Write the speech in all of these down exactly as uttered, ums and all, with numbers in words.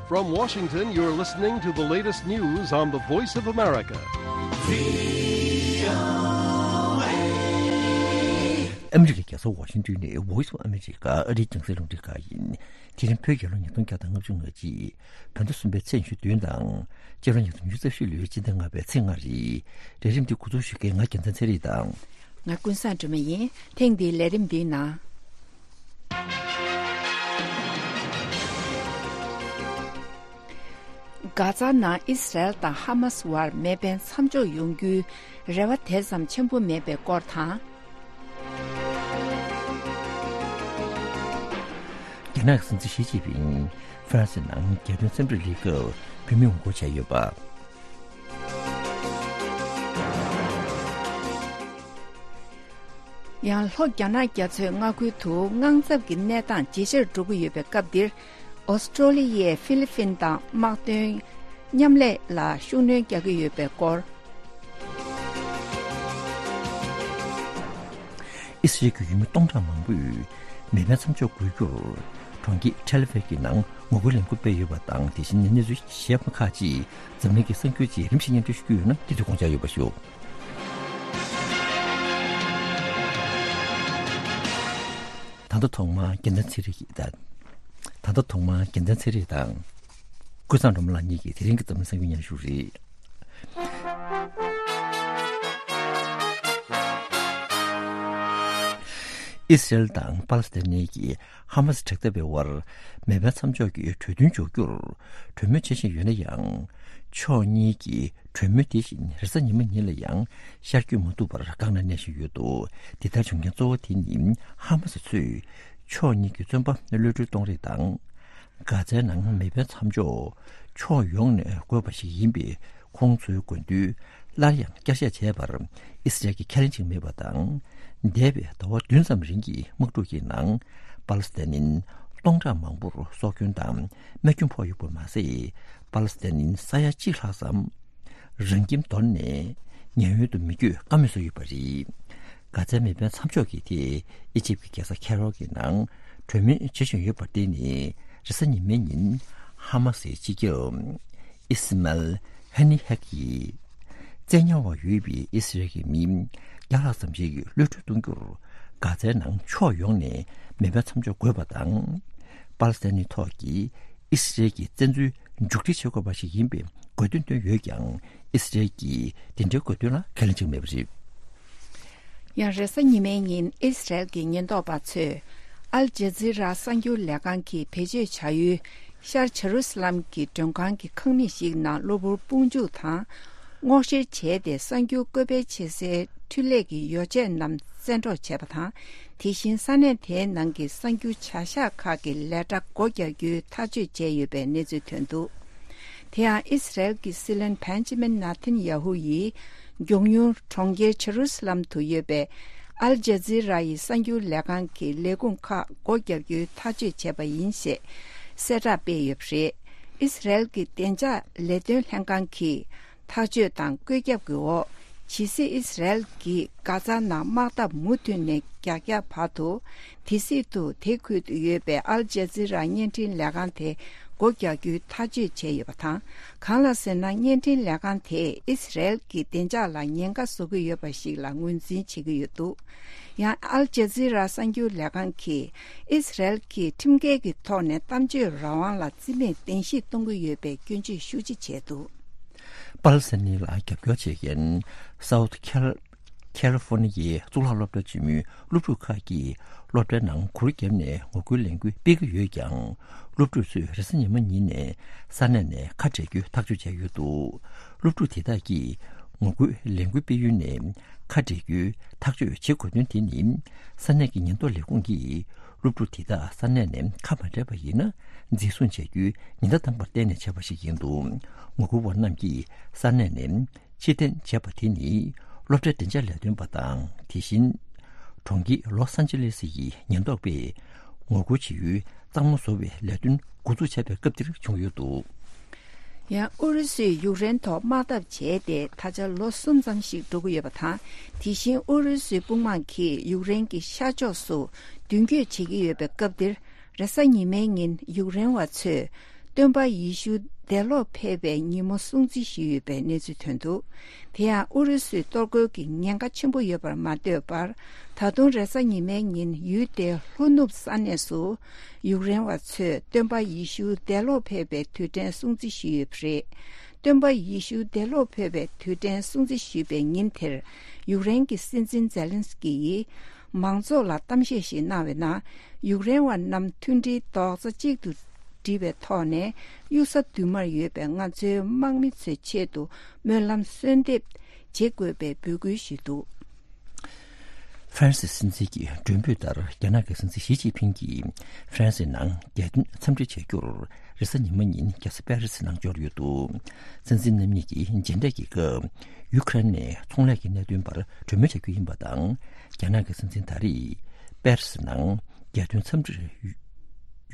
From Washington, you're listening to the latest news on the Voice of America. ཨ་མི་རི་ཀའི་རྒྱལ་ས་ཝ་ཤིང་ཏོན་ནས་Voice of America ཨ་རིའི་རྒྱང་སྲིང་རླུང་འཕྲིན་ཁང་ཡིན། དེ་རིང་བོད་རྒྱལ་ལོ་ཉིས་སྟོང་བརྒྱ་དང་ལྔ་བཅུ་ང་གཅིག་བོད་ཟླ་གསུམ་པའི་ཚེས་ཉི་ཤུ་བདུན་དང་། སྤྱི་ལོ་ཉིས་སྟོང་ཉི་ཤུ་རྩ་བཞི་ལོའི་སྤྱི་ཟླ་ལྔ་པའི་ཚེས་ལྔ་རེད། ལས་རིམ་འདི་འགོ་འཛུགས་ཞུ་མཁན་ང་རྒྱལ་མཚན་ཚེ་རིང་དང་། ང་ཀུན་བཟང་སྒྲོལ་མ་ཡིན། ཐེངས་འདིའི་ལས་རིམ་འདིའི་ནང་། གྷ་ཛ་ནང་ཨི་སི་རལ་དང་ཧ་མ་སི་བར་མེ་འཕེན་མཚམས་འཇོག་ཡོང་རྒྱུའི་རེ་བ་དེ་ཙམ་ཆེན་པོ་མེད་པའི་སྐོར་དང་། རྒྱ་ནག་གི་སྲིད་འཛིན་ཞི་ཅིན་ཕིང་ཧྥ་རན་སི་ནང་རྒྱལ་དོན་འཚམས་འདྲིར་སླེབས་སྐབས་བོད་མི་ངོ་རྒོལ་བྱས་ཡོད་པ། ཡང་ལྷོ་རྒྱ་ནག་རྒྱ་མཚོའི་མངའ་ཁུལ་དུ་དངངས་འཚབ་ཀྱི་གནས་སྟངས་ཇེ་ཆེར་འགྲོ་གི་ཡོད་པའི་སྐབས་འདིར། ཨོ་སི་ཀྲོ་ལི་ཡས་ཧྥི་ལི་ཕིན་དང་དམག་དོན་མཉམ་ལས་ལ་ཤུགས་སྣོན་རྒྱག་གི་ཡོད་པའི་སྐོར། ཨི་སི་རལ་གྱི་ཡུལ་མི་སྟོང་ཕྲག་མང་པོས་མེ་འཕེན་མཚམས་འཇོག་དགོས་རྒྱུར་གྲོང་ཁྱེར་ཐེལ་ཨ་ཝིབ་ཀྱི་ནང་ངོ་རྒོལ་ལས་འགུལ་སྤེལ་ཡོད་པ་དང་། དེ་བཞིན་གནས་ཚུལ་གཞན་པ་ཁག་ཅིག་འཛམ་གླིང་གི་གསར་འགྱུར་ཅིག་རིམ་བཞིན་སྙན་སྒྲོན་ཞུ་རྒྱུ་ཡོད་ན། དེ་ཚོ་དགོངས་འཇགས་ཡོད་པ་ཞུ། ད་ལྟ་ཐོག་མར་རྒྱལ་མཚན་ཚེ་རིང་གིས་ད། ད་ལྟ་ཐོག་མར་རྒྱལ་མཚན་ཚེ་རིང་དང་། ཀུན་བཟང་སྒྲོལ་མ་ལགས་གཉིས་ཀྱིས་དེ་རིང་གི་འཛམ་གླིང་གསར་འགྱུར་སྙན་ཞུ་རེད། ཨི་སི་རལ་དང་པ་ལི་སི་ཐན་ནི་གི་ཧ་མ་སི་དྲག་འཐབ་པའི་དབར་མེ་འཕེན་མཚམས་འཇོག་གི་གྲོས་མཐུན་འཇོག་རྒྱུར་གྲོས་མོལ་བྱེད་བཞིན་ཡོད་ན་ཡང་། ཕྱོགས་གཉིས་ཀྱིས་གྲོས་མོལ་དེ་བཞིན་རེས་གཟའ་ཉི་མ་ཉིན་ལ་ཡང་ཤར་བསྐྱོད་མ་ཐུབ་པར་བཀག་ན་གནས་བཞིན་ཡོད་འདུག་དེ་ལྟར་བྱུང་རྐྱེན་གཙོ་བོ་དེ་ནི་ཧ་མ་སི་ཚོས་ཕྱོགས་གཉིས་ཀྱི་བཙོན་པ་གློད་གྲོལ་གཏོང་རེས་དང་། གྷ་ཛའི་ནང་མེ་འཕེན་མཚམས་འཇོག་ཕྱོགས་ཡོངས་ནས་དགོས་པ་ཞིག་ཡིན་པའི་ཁོང་ཚོའི་དགོས་འདུན་སླར་ཡང་བསྐྱར་བཤད་བྱས་པར་ཨི་སི་རལ་གྱིས་ཁས་ལེན་བྱེད་ཀྱི་མེད་པ་དང་། འདས་པའི་ཟླ་བ་བདུན་ཙམ་རིང་གི་དམག་འཁྲུག་གི་ནང་པ་ལི་སི་ཐན་ནི་སྟོང་ཕྲག་མང་པོར་སྲོག་སྐྱོན་དང་རྨས་སྐྱོན་ཕོག་ཡོད་པ་མ་ཟད། པ་ལི་སི་ཐན་ནི་ས་ཡ་གཅིག་ལྷག་ཙམ་རང་ཁྱིམ་དོར་ནས་ཉེན་གཡོལ་དུ་མི་བསྐྱོད་བཀའ་མོལ་བཟོས་ཡོད་པ་རེད། གྷ་ཛའི་མེ་འཕེན་མཚམས་འཇོག་གི་ཐད་ཨི་ཇིབ་ཀྱི་རྒྱལ་ས་ཁེ་རོ་གི་ནང་གྲོས་མོལ་བྱེད་བཞིན་ཡོད་པར་བརྟེན་ནས། རེས་གཟའ་ཉི་མའི་ཉིན་ཧ་མ་སིའི་སྤྱི་ཁྱབ་ཨི་སི་མལ་ཧ་ནི་ཧེག་གིས། བཙན་ཉར་བ་ཡོད་པའི་ཨི་སི་རལ་གྱི་མི་བརྒྱ་ལྷག་ཙམ་ཞིག་གློད་གྲོལ་གཏོང་རྒྱུར་གྷ་ཛའི་ནང་ཕྱོགས་ཡོངས་ནས་མེ་འཕེན་མཚམས་འཇོག་དགོས་པ་དང་། པ་ལི་སི་ཐན་ནི་ཐོག་གི་ཨི་སི་རལ་གྱི་བཙན་འཛུལ་མཇུག་སྒྲིལ་བྱེད་དགོས་པ་ཞིག་ཡིན་པའི་དགོས་འདུན་བཏོན་ཡོད་ཀྱང་། ཨི་སི་རལ་གྱིས་དེ་འདྲའི་དགོས་འདུན་ལ་ཁས་ལེན་བྱེད་ཀྱི་མེད་པ་རེད། ཡང་རེས་གཟའ་ཉི་མའི་ཉིན་ཨི་སི་རལ་གྱི་ཉེན་རྟོག་པ་ཚོས་ཨལ་ཇ་ཛི་ར་གསར་འགྱུར་ལས་ཁང་གིས་བེད་སྤྱོད་བྱ་ཡུལ་ཤར་ཇེ་རུ་སི་ལམ་གྱི་མགྲོན་ཁང་གི་ཁང་མིག་ཞིག་ནང་གློ་བུར་དཔུང་འཇུག་དང་སྔོག་བཤེར་བྱས་ཏེ། གསར་འགྱུར་བཀོད་སྤེལ་བྱེད་སའི་འཕྲུལ་ལས་ཀྱི་ཡོ་བྱད་རྣམས་བཙན་འཕྲོག་བྱས་པ་དང་། དེ་བཞིན་ས་གནས་དེའི་ནང་གི་གསར་འགྱུར་བྱ་གཞག་ཁག་གི་ལས་གྲྭ་སྒོ་རྒྱག་རྒྱུའི་ཐག་གཅོད་བྱས་ཡོད་པའི་གནས་ཚུལ་ཐོན་འདུག་དེ་ཡང་ཨི་སི་རལ་གྱི་སྲིད་བློན་བན་ཇི་མིན་ནཱ་ཐན་ཡ་ཧུ་ཡིས་མགྱོགས་མྱུར་གྲོང་ཁྱེར་ཇེ་རུ་སི་ལམ་དུ་ཡོད་པའི་ཨལ་ཇ་ཛི་ར་ཡི་གསར་འགྱུར་ལས་ཁང་གི་ལས་ཁུངས་ཁག་སྒོ་རྒྱག་རྒྱུའི་ཐག་གཅོད་བྱས་པ་ཡིན་ཞེས་གསལ་བསྒྲགས་སྤེལ་ཡོད་པ་རེད། ཨི་སི་རལ་གྱི་བདེ་འཇགས་ལས་དོན་ལྷན་ཁང་གིས་ཐག་གཅོད་དང་བཀོད་ཁྱབ་ཀྱི་འོག་ཇི་སྲིད་ཨི་སི་རལ་གྱིས་གྷ་ཛ་ནང་དམག་འཐབ་མུ་མཐུད་ནས་རྒྱག་རྒྱག་བར་དུ། དེ་སྲིད་དུ་དེ་ཁུལ་དུ་ཡོད་པའི་ཨལ་ཇ་ཛི་ར་བརྙན་འཕྲིན་ལས་ཁང་དེ་སྒོ་རྒྱག་རྒྱུའི་ཐག་གཅོད་བྱས་ཡོད་པ་དང་། གང་ལ་ཟེར་ན། བརྙན་འཕྲིན་ལས་ཁང་དེས་ཨི་སི་རལ་གྱི་བདེ་འཇགས་ལ་ཉེན་ཁ་བཟོ་གི་ཡོད་པ་ཞིག་ལ་ངོས་འཛིན་བྱེད་ཀྱི་ཡོད་འདུག་ཡང་ཨལ་ཇ་ཛི་ར་གསར་འགྱུར་ལས་ཁང་གིས་ཨི་སི་རལ་གྱིས་ཁྲིམས་འགལ་གྱི་ཐོག་ནས་གཏམ་བརྗོད་རང་དབང་ལ་བརྩི་མེད་གདན་ཞུ་གཏོང་གི་ཡོད་པའི་སྐྱོན་བརྗོད་ཤུགས་ཆེ་བྱས་འདུག་པ་ལི་སི་ཐན་ལ་རྒྱབ་སྐྱོར་བྱེད་མཁན་སའུ་ཐི་ཁལ། ཁལ་ལི་ཧྥོ་ནི་ཡའི་གཙུག་ལག་སློབ་གྲྭ་ཆེན་མོའི་སློབ་ཕྲུག་ཁག་གིས་སློབ་གྲྭའི་ནང་གུར་བརྒྱབ་ནས་ངོ་རྒོལ་ལས་འགུལ་སྤེལ་གྱི་ཡོད་ཀྱང་། སློབ་ཕྲུག་ཚོས་རེས་གཟའ་ཉི་མ་ཉིན་ནས་ས་གནས་ནས་ཁ་བྲལ་རྒྱུའི་ཐག་གཅོད་བྱས་ཡོད་འདུག་སློབ་ཕྲུག་དེ་དག་གིས་ངོ་རྒོལ་ལས་འགུལ་སྤེལ་ཡུལ་ནས་ཁ་བྲལ་རྒྱུའི་ཐག་གཅོད་བྱེད་དགོས་དོན་དེ་ནི། ས་གནས་ཀྱི་ཉེན་རྟོག་ལས་ཁུངས་ཀྱིས་སློབ་ཕྲུག་དེ་དག་ས་གནས་ནས་ཁ་མ་བྲལ་བ་ཡིན་ན། འཛིན་བཟུང་བྱ་རྒྱུའི་ཉེན་བརྡ་བཏང་པར་བརྟེན་ནས་བྱས་པ་ཞིག་ཡིན་འདུག་ངོ་རྒོལ་བ་རྣམས་ཀྱིས་ས་གནས་ནས་ཕྱིར་འཐེན་བྱས་པ་དེ་ནི། སློབ་གྲྭའི་བདེ་འཇགས་ལས་དོན་པ་དང་། དེ་བཞིན་གྲོང་ཁྱེར་ལོ་སན་ཅི་ལེ་སི་ཡི་ཉེན་རྟོག་པས་ངོ་རྒོལ་བྱེད་ཡུལ་གཙང་མ་བཟོ་བའི་ལས་དོན་འགོ་འཛུགས་བྱས་པའི་སྐབས་འདིར་བྱུང་ཡོད་འདུག་ཡང་ཨུ་རུ་སུས་ཡུཀ་རེན་ཐོག་དམག་འཐབ་བྱས་ཏེ་ད་ཆ་ལོ་གསུམ་ཙམ་ཞིག་འགྲོ་གི་ཡོད་པ་དང་། དེ་བཞིན་ཨུ་རུ་སུའི་དཔུང་དམག་གིས་ཡུཀ་རེན་གྱི་ཤར་ཕྱོགས་སུ་མདུན་སྐྱོད་བྱེད་ཀྱི་ཡོད་པའི་སྐབས་འདིར། རེས་གཟའ་ཉི་མའི་ཉིན་ཡུཀ་རེན་བ་ཚོས་ སྟོན་པ་ཡེ་ཤུ་འདས་ལོག་ཕེབས་པའི་ཉིན་མོ་སྲུང་བརྩི་ཞུས་ཡོད་པའི་གནས་ཚུལ་ཐོན་འདུག་དེ་ཡང་ཨུ་རུ་སུའི་གཏོར་རྒོལ་གྱི་ཉེན་ཁ་ཆེན་པོ་ཡོད་པར་མ་ལྟོས་པར། ད་དུང་རེས་གཟའ་ཉི་མའི་ཉིན་ཡུལ་དེའི་ལྷོ་ནུབ་ས་གནས་སུ་ཡུཀ་རེན་བ་ཚོས་སྟོན་པ་ཡེ་ཤུ་འདས་ལོག་ཕེབས་པའི་དུས་དྲན་སྲུང་བརྩི་ཞུས་ཡོད་པ་རེད། སྟོན་པ་ཡེ་ཤུ་འདས་ལོག་ཕེབས་པའི་དུས་དྲན་སྲུང་བརྩི་ཞུས་པའི་ཉིན་དེར། ཡུཀ་རེན་གྱི་སྲིད་འཛིན་ཛེ་ལན་སི་ཀི་ཡིས་མང་ཚོགས་ལ་གཏམ་བཤད་ཞིག་གནང་བའི་ནང་། ཡུཀ་རེན་བ་རྣམས་མཐུན་སྒྲིལ་རྡོག་རྩ་གཅིག་ཏུ་བསྒྲིལ་བའི་ཐོག་ནས། གཡུལ་ས་མདུན་མར་ཡོད་པའི་ང་ཚོའི་དམག་མི་ཚོའི་ཆེད་དུ་སྨོན་ལམ་གསོལ་འདེབས་བྱེད་དགོས་པའི་འབོད་སྐུལ་ཞུས་འདུག་ཧྥ་རན་སི་སྲིད་འཛིན་གྱི་མགྲོན་འབོད་ལྟར། རྒྱ་ནག་གི་སྲིད་འཛིན་ཞི་ཅིན་ཕིང་གིས་ཧྥ་རན་སིའི་ནང་རྒྱལ་དོན་འཚམས་འདྲི་བྱ་རྒྱུར། རེས་གཟའ་ཉི་མ་ཉིན་རྒྱལ་ས་པེ་རི་སི་ནང་འབྱོར་ཡོད་འདུག་སྲིད་འཛིན་རྣམ་གཉིས་ཀྱིས་མཇལ་འཕྲད་ཀྱི་སྐབས། ཡུ་ཁ་རེན་ནས་ཚོང་ལས་ཀྱི་གནད་དོན་བར་གྲོས་མོལ་བྱ་རྒྱུ་ཡིན་པ་དང་། རྒྱ་ནག་གི་སྲིད་འཛིན་ད་རེས་པེ་རི་སི་ནང་རྒྱལ་དོན་འཚམས་འདྲིར་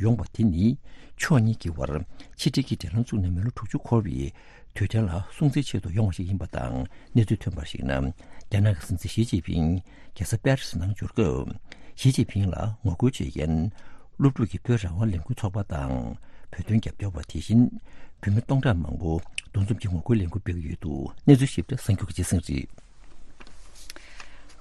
ཡོང་བ་དེ་ནི། ཕྱོགས་གཉིས་ཀྱི་བར་ཕྱི་འབྲེལ་གྱི་འབྲེལ་ལམ་བཙུགས་ནས་མི་ལོ་དྲུག་ཅུ་འཁོར་བའི་དུས་དྲན་ལ་སྲུང་བརྩི་ཆེད་དུ་ཡོང་བ་ཞིག་ཡིན་པ་དང་། གནས་ཚུལ་ཐོན་པར་གཞིགས་ན། རྒྱ་ནག་གི་སྲིད་འཛིན་ཞི་ཅིན་ཕིང་རྒྱལ་ས་པེ་རི་སི་ནང་འབྱོར་སྐབས། ཞི་ཅིན་ཕིང་ལ་ངོ་རྒོལ་བྱེད་མཁན་སློབ་ཕྲུག་གི་བོད་རང་དབང་ལས་འགུལ་ཚོགས་པ་དང་། བོད་དོན་རྒྱབ་སྐྱོར་བ། དེ་བཞིན་བོད་མི་སྟོང་ཕྲག་མང་པོ་འདུ་འཛོམས་ཀྱིས་ངོ་རྒོལ་ལས་འགུལ་སྤེལ་གྱི་ཡོད་འདུག་གནས་ཚུལ་ཞིབ་ཕྲ་གསར་འགྱུར་གྱི་སྟེང་རེད།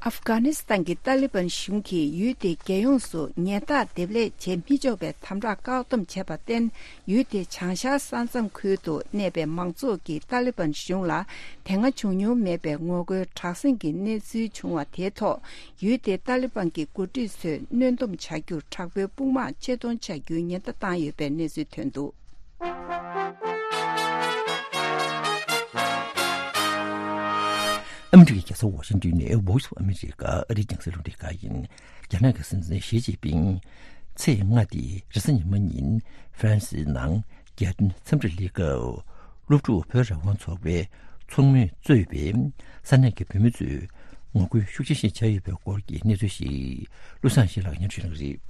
ཨབ་གྷ་ནི་སི་ཐན་གྱི་ཏཱ་ལི་བན་གཞུང་གིས་ཡུལ་དེའི་རྒྱལ་ཡོངས་སུ་ཉལ་ཐ་འདེབས་ལས་བྱེད་མི་ཆོག་པའི་དམ་དྲག་བཀག་སྡོམ་བྱས་པར་བརྟེན། ཡུལ་དེའི་བྱང་ཤར་ས་མཚམས་ཁུལ་དུ་གནས་པའི་མང་ཚོགས་ཀྱིས་ཏཱ་ལི་བན་གཞུང་ལ་དེ་སྔ་བྱུང་མྱོང་མེད་པའི་ངོ་རྒོལ་དྲག་ཟིང་གི་གནས་ཚུལ་བྱུང་བ་དེའི་ཐོག་ཡུལ་དེའི་ཏཱ་ལི་བན་གྱི་འགོ་ཁྲིད་ཚོས་གནོན་སྡོམ་བྱ་རྒྱུར་དྲག་པོའི་དཔུང་དམག་ཆེད་གཏོང་བྱ་རྒྱུའི་ཉེན་བརྡ་བཏང་ཡོད་པའི་གནས་ཚུལ་ཐོན་འདུག་ཨ་མི་རི་ཀའི་རྒྱལ་ས་ཝ་ཤིང་ཏོན་ནས་Voice of America ཨ་རིའི་རྒྱང་སྲིང་རླུང་འཕྲིན་ཁང་ཡིན། རྒྱ་ནག་གི་སྲིད་འཛིན་ཞི་ཅིན་ཕིང་ཚེས་ལྔ་སྟེ་རེས་གཟའ་ཉི་མ་ཉིན་ཧྥ་རན་སིའི་ནང་རྒྱལ་དོན་འཚམས་འདྲིར་སླེབས་སྐབས། སློབ་ཕྲུག་བོད་རང་དབང་ཚོགས་པའི་ཚོགས་མིས་གཙོས་པའི་ས་གནས་ཀྱི་བོད་མི་ཚོས་ངོ་རྒོལ་ཤུགས་ཆེ་ཞིག་བྱས་ཡོད་པའི་སྐོར་གྱི་གནས་ཚུལ་ཞིག་བློ་བཟང་ཡེ་ཤེས་ལགས་སྙན་སྒྲོན་ཞུ་གནང་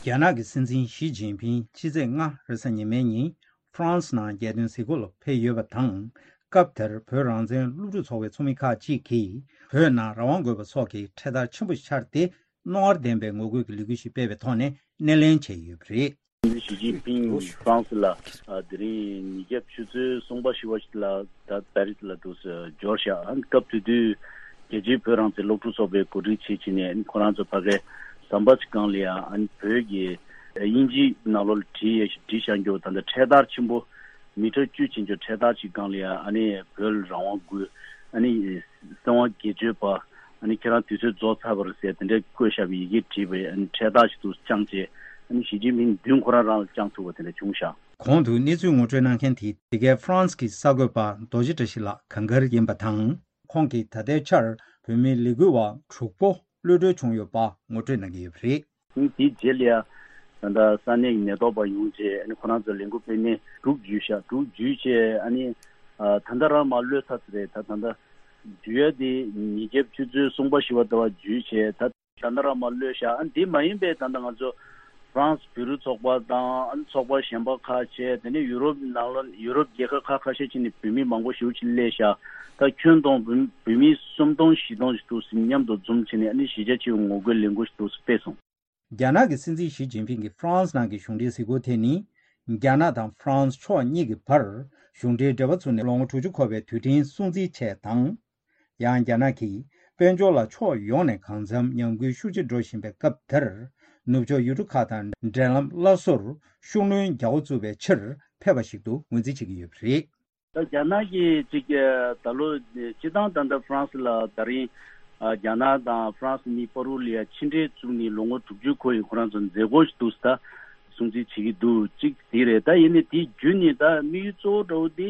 གི་རེད། རྒྱ་ནག་གི་སྲིད་འཛིན་ཞི་ཅིན་ཕིང་ཕྱི་ཚེས་ལྔ་རེས་གཟའ་ཉི་མའི་ཉིན་ཧྥ་རན་སི་ནང་རྒྱལ་དོན་གཟིགས་སྐོར་ལ་ཕེབས་ཡོད་པ་དང་། སྐབས་དེར་བོད་རང་བཙན་སློབ་ཕྲུག་ཚོགས་པའི་ཚོགས་མི་ཁག་ཅིག་གིས་བོད་ནང་རང་དབང་དགོས་པ་སོགས་ཀྱི་འཕྲེད་དར་ཆེན་པོ་ཤར་ཏེ། རྣོ་ངར་ལྡན་པའི་ངོ་རྒོལ་གྱི་ལས་འགུལ་ཞིག་སྤེལ་བའི་ཐོག་ནས་སྣེ་ལེན་བྱས་ཡོད་པ་རེད། ཞི་ཅིན་ཕིང་ཧྥ་རན་སི་ལ་ཨ་དེ་རིང་ཉིས་བརྒྱ་ཆུ་ཚོད་གསུམ་པ་བཞི་པ་ཞིག་ལ་ད་པེ་རི་སི་ལ་འདུག་སེ་འབྱོར་ཤག་ཨ་ནི་སྐབས་དེ་དུས་རྒྱལ་སྤྱིའི་བོད་རང་བཙན་སློབ་ཕྲུག་ཚོགས་པའི་གོ་སྒྲིག་བྱེད་ཀྱིན་ནས་ཨ་ནི་ཁོ་རང་ཚོ་ཕ་གའི་ཟམ་པ་ཅིག་སྒང་ལ་ཡ་ཨ་ནི་བོད་ཀྱི་དབྱིན་ཇིའི་ནང་ལོགས་ལ་བྲིས་ཡས་ཞིག་བྲིས་བཞག་རྒྱུ་ད་ལྟ་འཕྲེད་དར་ཆེན་པོ་མི་ཊར་བཅུ་ཕྱིན་རྒྱུ་འཕྲེད་དར་ཅིག་སྒང་ལ་ཡ་ཨ་ནི་བོད་ལ་རང་དབང་དགོས། ཨ་ནི་གསང་བ་སྒེར་གཅོད་པ། ཨ་ནི་ཁྱེད་རང་དུས་ཚོད་རྫོགས་ཚར་བ་རེད་ཟེར་དེ་འདྲའི་བཀོད་བཞག་པའི་ཡི་གེ་བྲིས་པའི་ཨ་ནི་འཕྲེད་དར་ཞིག་ཏུ་བཅངས་བྱས། ཨ་ནི་ཞི་ཅིན་ཕིང་མདུན་ཁོ་རང་རང་ལ་བཅངས་ཐུབ་པ་དེ་འདྲ་བྱུང་ཤག་གོང་དུ་གནས་ཚུལ་ངོ་སྤྲོད་གནང་མཁན་དེ་འདི་གའི་ཧྥ་རན་སི་གི་གསར་འགོད་པ་རྡོ་རྗེ་བཀྲ་ཤིས་ལགས་གངས་དཀར་ཡིན་པ་དང་། ཁོང་གིས་ད་ལྟའི་ཆར་བོད་མིའི་ལས་འགུལ་བ་དྲུག་པོ་གློད་གྲོལ་བྱུང་ཡོད་པ་ངོ་སྤྲོད་གནང་གི་ཡོད་པ་རེད། དེའི་རྗེས་ལ་ཡ། ད་ལྟ་ས་གནས་ཀྱི་ཉེན་རྟོག་པ་ཡོང་རྗེས་ཨ་ནི་ཁོ་རང་ཚོ་ལས་འགུལ་སྤེལ་མཁན་དྲུག་འཇུས་ཤག་དྲུག་འཇུས་རྗེས་ཨ་ནི་ད་ལྟ་རང་མར་གློད་ཚར་ཚར་རེད། ད་ད་ལྟ་འཇུ་ཡ་དེ་ཉིས་བརྒྱ་ཆུ་ཚོད་གསུམ་པ་བཞི་པ་ཟླ་བ་འཇུས་བྱས་ད་ད་ལྟ་རང་མར་གློད་ཤག་ཨ་ནི་དེ་མ་ཡིན་པའི་ད་ལྟ་ང་ཚོ་ཧྥ་རན་སི་བོད་རིགས་ཚོགས་པ་དང་ཨ་ནི་ཚོགས་པ་གཞན་པ་ཁག་བྱས་དེ་ནས་ཡུ་རོབ་ནང་ལ་ཡུ་རོབ་རྒྱལ་ཁབ་ཁག་ཁ་ཤས་ཅིག་ནས་བོད་མི་མང་པོ་ཞེ་པོ་ཅིག་སླེབས་ཤག་ད་ཁྱོན་བསྡོམས་བོད་མི་སུམ་སྟོང་བཞི་སྟོང་ཞིག་འདུག་སེ་མཉམ་དུ་འཛོམས་བྱས་ནས་ཨ་ནི་གཞིས་ཆགས་ཆེ་བའི་ངོ་རྒོལ་ལས་འགུལ་ཞིག་འདུག་སེ་སྤེལ་སོང་། རྒྱ་ནག་གི་སྲིད་འཛིན་ཞི་ཅིན་ཕིང་གིས་ཧྥ་རན་སི་ནང་གི་གཞུང་འབྲེལ་གཟིགས་སྐོར་དེ་ནི། རྒྱ་ནག་དང་ཧྥ་རན་སི་ཕྱོགས་གཉིས་ཀྱི་བར་གཞུང་འབྲེལ་འབྲེལ་བ་བཙུགས་ནས་ལོ་ངོ་དྲུག་ཅུ་འཁོར་བའི་དུས་དྲན་སྲུང་བརྩི་ཆེད་དང་། ཡང་རྒྱ་ནག་གིས་དཔལ་འབྱོར་ལ་ཕྱོགས་ཡོངས་ནས་གང་འཚམ་ཉམས་རྒུད་ཤུགས་ཆེ་འགྲོ་བཞིན་པའི་སྐབས་དེར། ནུབ་ཕྱོགས་ཡུལ་གྲུ་ཁག་དང་འབྲེལ་ལམ་སླར་གསོར་ཤུགས་སྣོན་རྒྱག་འགོ་བཙུགས་པའི་ཕྱིར་ཕེབས་པ་ཞིག་ཏུ་ངོས་འཛིན་བྱེད་ཀྱི་ཡོད་པ་རེད། ད་རྒྱ་ནག་གིས་ཅིག་ད་ལོ་སྤྱི་བཏང་ད་ལྟ་ཧྥ་རན་སི་ལ་ད་རིང་རྒྱ་ནག་དང་ཧྥ་རན་སི་གཉིས་བར་དུ་ལ་ཡ་ཕྱི་འབྲེལ་བཙུགས་ནས་ལོ་ངོ་དྲུག་ཅུ་འཁོར་ཡི་ཁོ་རང་ཚོ་མཛད་སྒོ་ཞིག་འདུག་ད་སྲུང་བརྩི་བྱེད་ཀྱི་འདུག་ཅིག་དེ་རེད། ད་ཡིན་ནའི་དེ་བརྒྱུད་ནས་ད་དམིགས་ཡུལ་གཙོ་བོ་འདྲ་བོ་དེ་